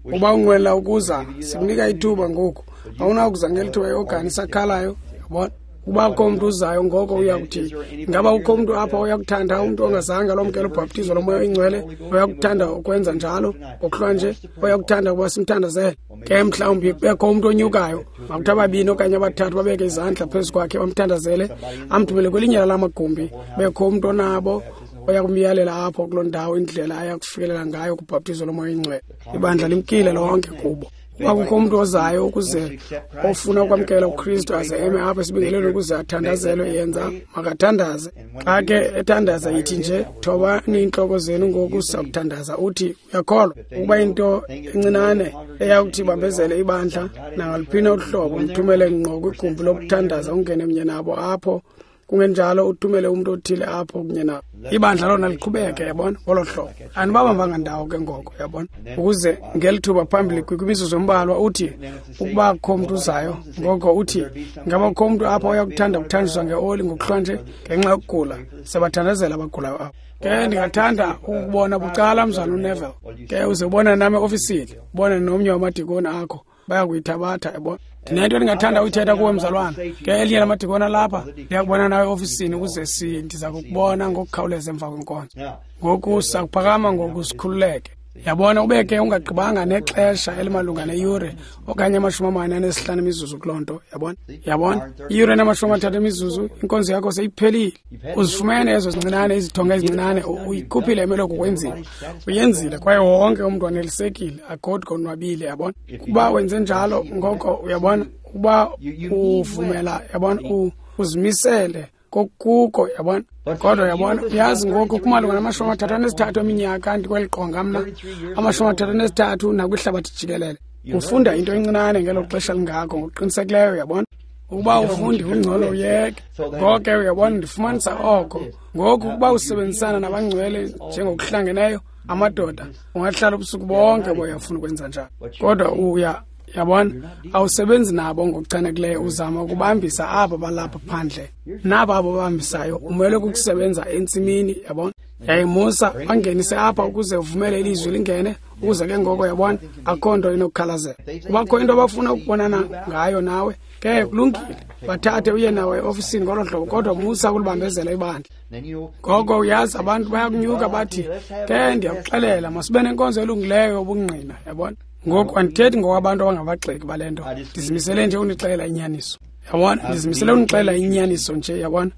Uba unqwenela ukuza, sikunika ithuba ngoku. Awunakuza ngeli thuba iogani isakhalayo, yabona? Uba kukho umntu uzayo ngoko uyakuthi, ngaba ukho umntu apha oyakuthanda, umntu ongazange alomkela ubhaptizo loMoya oyiNgcwele, oyakuthanda ukwenza njalo ngokuhlwa nje, oyakuthanda ukuba simthandazele? Ke mhlawumbi kubekho umntu onyukayo, makuthi ababini okanye abathathu babeke izandla phezu kwakhe bamthandazele, amthumele kwelinye lala magumbi, bekho umntu onabo oyakumyalela apho kuloo ndawo indlela ayakufikelela ngayo kubhaptizo loMoya oyiNgcwele. Ibandla limkile lonke kubo. Ukuba kukho umntu ozayo ukuze ofuna ukwamkela uKristu aze eme apha esibingelelweni ukuze athandazelwe, yenza makathandaze. Xa ke ethandaza, yithi nje, thobani iintloko zenu ngoku sakuthandaza. Uthi uyakholwa ukuba into encinane eyakuthi ibambezele ibandla nangaluphina uhlobo, mthumele ngqo kwigumbi lokuthandaza, ungene mnye nabo apho. Kungenjalo uthumele umntu othile apho kunye nabo. Ibandla lona liqhubeke, yabona, ngolo hlobo. Anibabambanga ndawo ke ngoko, yabona. Ukuze ngeli thuba phambili kwimizuzu embalwa uthi ukuba kukho umntu uzayo, ngoko uthi ngaba kukho umntu apha oyakuthanda ukuthanjiswa ngeoli ngokuhlwa nje ngenxa yokugula. Siyabathandazela abagulayo apho. Ke ndingathanda ukubona bucala, mzalwana uNeville. Ke uze ubonane nam eofisini, ubonane nomnye wamadikoni akho, bayakuyithabatha, yabona. Ndinento endingathanda uyithetha kuwe, mzalwana. Ke elinye lamadikoni alapha, ndiyakubona nawe eofisini ukuze ndiza kukubona ngokukhawuleza emva kwenkonzo. Ngoku sakuphakama ngoku sikhululeke. Yabona, ube ke ungagqibanga nexesha elimalunga neyure okanye 45 imizuzu kuloo nto, yabona. Yabona, iyure 30 imizuzu, inkonzo yakho seyiphelile. Uzifumene ezo zincinane, izithonga ezincinane, uyikhuphile emele kukwenziwa. Uyenzile kwaye wonke umntu wanelisekile, agodwa konwabile, yabona. Kuba wenze njalo ngoko, uyabona, ukuba uvumela, yabona, uzimisele kokuko, yabona. Kodwa yabona, uyazi ngoku kumalunga nama-33 eminyaka ndikweli qonga mna, 33 nakwihlabathi jikelele. Ufunda into encinane ngelo xesha lingako ngokuqinisekileyo, yabona. Ukuba ufundi ungcono uyeke. Ngoko ke uyabona, ndifumanisa oko. Ngoku ukuba usebenzisana nabangcwele njengokuhlangeneyo, amadoda, ungahlala ubusuku bonke boyafuna ukwenza njalo. Kodwa yabona, awusebenzi nabo ngokuchanekileyo, uzama ukubambisa aba balapha phandle. Naba abo babambisayo umele ukusebenza entsimini, yabona. Yaye musa bangenise apha ukuze uvumele ilizwi lingene, ukuze ke ngoko, yabona, akho nto inokukhalazela. Kubakho into abafuna ukubonana ngayo nawe, ke kulungile, bathathe uye nawe eofisini ngolo hlobo, kodwa musa ukulibambezela ibandla. Ngoko uyazi abantu bayakunyuka bathi, ke ndiyakuxelela, masibe nenkonzo elungileyo yobungqina, yabona. Ngoku andithethi ngokwabantu abangabagxeki bale nto, ndizimisele nje unixelela inyaniso. Yabona, ndizimisele unixelela inyaniso nje, yabona.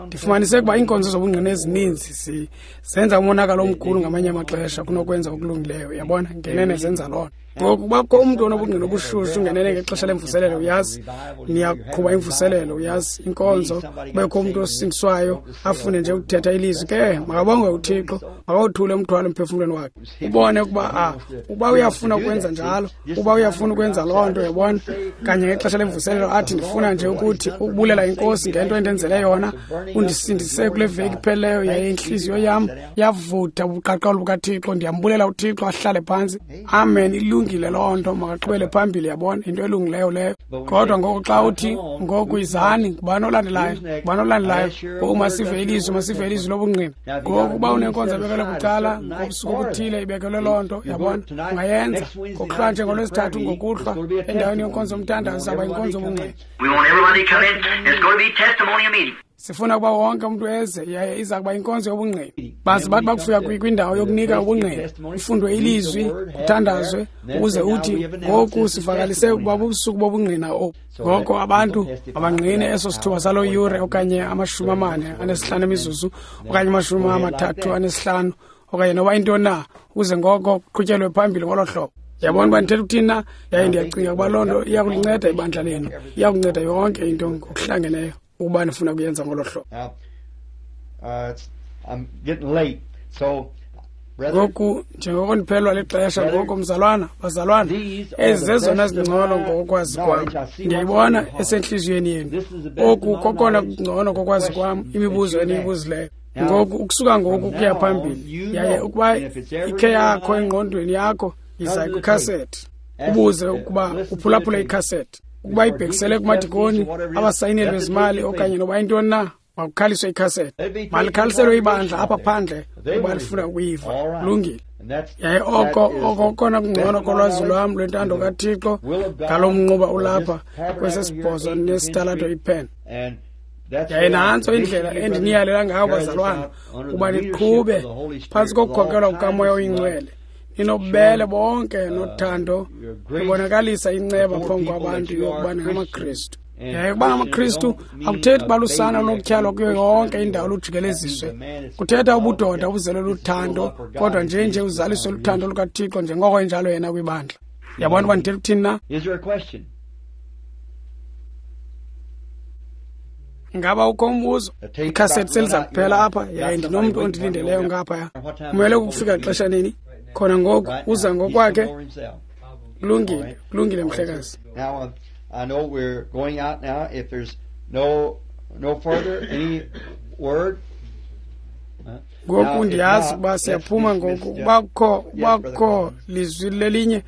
Ndifumanise ukuba iinkonzo zobungqina ezininzi zenza umonakalo omkhulu ngamanye amaxesha kunokwenza okulungileyo, yabona, ngenene zenza loo nto. Ngoku kubakho umntu onobungqina obushushu ngenene ngexesha lemvuselelo, uyazi, niyaqhuba imvuselelo, uyazi, inkonzo, kubekho umntu osindiswayo afune nje ukuthetha ilizwi, ke makabongwe uThixo, makawothule umthwalo emphefumlweni wakhe. Ubone ukuba uba uyafuna ukwenza njalo, uba uyafuna ukwenza loo nto, yabona, kanye ngexesha lemvuselelo athi ndifuna nje ukuthi ukubulela inkosi ngento endenzele yona, undisindise kule veki ipheleyo, yaye intliziyo yam yavutha ubuqaqawuli bukaThixo, ndiyambulela uThixo, ahlale phantsi. Amen, ilungile loo nto, makaqhubele phambili, yabona, into elungileyo leyo. Kodwa ngoku xa uthi ngoku izani, ngubani olandelayo, ngubani olandelayo, ngoku masive ilizwi, masive ilizwi lobungqina. Ngoku uba unenkonzo ebekelwe bucala ngobusuku obuthile, ibekelwe loo nto, yabona, ungayenza ngokuhlwa nje ngolwesithathu ngokuhlwa endaweni yenkonzo yomthandazo, izawuba yinkonzo yobungqina. Sifuna ukuba wonke umntu eze, yaye iza kuba inkonzo yobungqina. Baze bathi bakufika kwindawo yokunika ubungqina, kufundwe ilizwi, kuthandazwe, ukuze uthi ngoku sivakalise ukuba bubusuku bobungqina obu. Ngoko abantu mabangqine eso sithuba saloo yure okanye 45 imizuzu okanye 35 okanye noba intoni na, ukuze ngoko kuqhutyelwe phambili ngolo hlobo. Yabona uba ndithetha ukuthini na? Yaye ndiyacinga ukuba loo nto iya kulinceda ibandla lenu, iya kunceda yonke into ngokuhlangeneyo ukuba nifuna kuyenza ngolo hlobo. Ngoku njengoko ndiphelelwa lixesha ngoku, mzalwana, bazalwana, ezi zezona zingcono ngokwazi kwam. Ndiyayibona esentliziyweni yenu. Oku kokona kungcono kokwazi kwam imibuzo eniyibuzileyo. Ngoku ukusuka ngoku ukuya phambili, yaye ukuba ikhe yakho engqondweni yakho, yiza kwikhasethi ubuze ukuba uphulaphule ikhasethi. Ukuba ibhekisele kumadikoni, abasayineli bezimali okanye noba intoni na, makukhaliswe ikhasethi. Malikhaliselwe ibandla apha phandle ukuba lifuna ukuyiva. Kulungile. Yaye oko okona kungcono kolwazi lwam lwentando kaThixo ngalo mnquba ulapha kwesesibhozo nesitalato iPen. Yaye nantso indlela endiniyalela ngayo, bazalwana, ukuba niqhube phantsi kokukhokelwa kukaMoya oyiNgcwele, ninobubele bonke nothando, nibonakalisa inceba phambi kwabantu yokuba ningamaKristu. Yaye ukuba ngamaKristu akuthethi uba lusana lunokutyhalwa kuyo yonke indawo lujikeleziswe. Kuthetha ubudoda obuzelwe luthando, kodwa nje uzaliswe luthando lukaThixo njengoko enjalo yena kwibandla. Yabona uba ndithetha ukuthini na? Ngaba ukho umbuzo? Ikhasethi seliza kuphela apha, yaye ndinomntu ondilindeleyo ngaphaya. Kumele ukufika xesha nini? Khona ngoku, uza ngokwakhe. Kulungile, kulungile mhlekazi. Now, I know we're going out now. If there's no further any word. Ngoku ndiyazi ukuba siyaphuma ngoku. Bakho lizwi lelinye.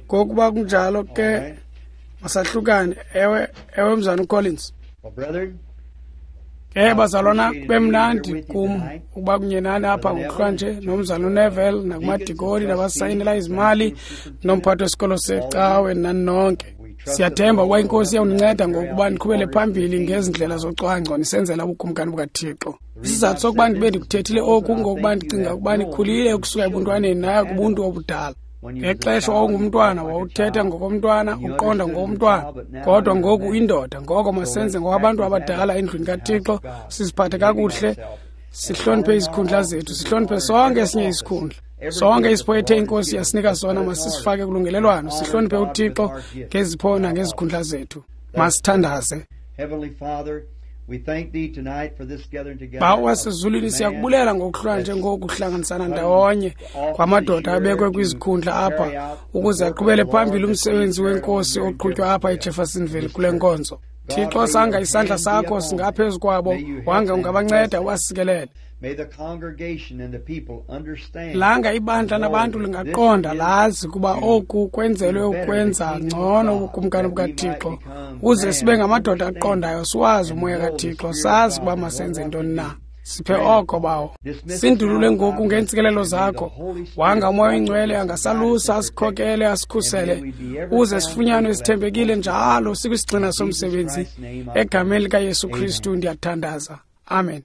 Ngoku bakunjalo ke masahlukane. Ewe mzana uCollins. Bazalwana, bemnandi kum ukuba kunye nani apha ngokuhlwanje nomzana uNeville nakumadikoni nabasayinela izimali nomphathi wesikolo secawe nani nonke. Siyathemba ukuba iNkosi iyawuninceda ngokuba niqhubele phambili ngezi ndlela zocwangco nisenzela ubukumkani bukaThixo. Isizathu sokuba ndibe ndikuthethile oku ngokuba ndicinga ukuba nikhulile ukusuka ebuntwaneni naye kubuntu obudala. Ngexesha wawungumntwana wawuthetha ngokomntwana, uqonda ngokomntwana, kodwa ngoku indoda. Ngoko masenze ngokwabantu abadala endlwini kaThixo, siziphathe kakuhle, sihloniphe izikhundla zethu, sihloniphe sonke esinye isikhundla. Sonke isipho ethe iNkosi yasinika sona masisifake kulungelelwano, sihloniphe uThixo ngezipho nangezikhundla zethu. Masithandaze. Bawo wasezulwini, siyakubulela ngokuhlwa njengoku kuhlanganisana ndawonye kwamadoda abekwe kwizikhundla apha ukuze aqhubele phambili umsebenzi wenkosi oqhutywa apha eJeffersonville kule nkonzo. Thixo, sanga isandla sakho singaphezu kwabo, wanga ungabanceda ubasikelele. Langa ibandla nabantu lingaqonda lazi kuba oku kwenzelwe ukwenza ngcono ubukumkani bukaThixo, ukuze sibe ngamadoda aqondayo, siwazi umoya kaThixo, sazi ukuba masenze ntoni na. Siphe oko, Bawo. Sindulule ngoku ngeentsikelelo zakho. Wanga umoya oyingcwele angasalusa, asikhokele, asikhusele, ukuze sifunyanwe sithembekile njalo sikwisigxina somsebenzi. Egameni likaYesu Kristu ndiyathandaza. Amen.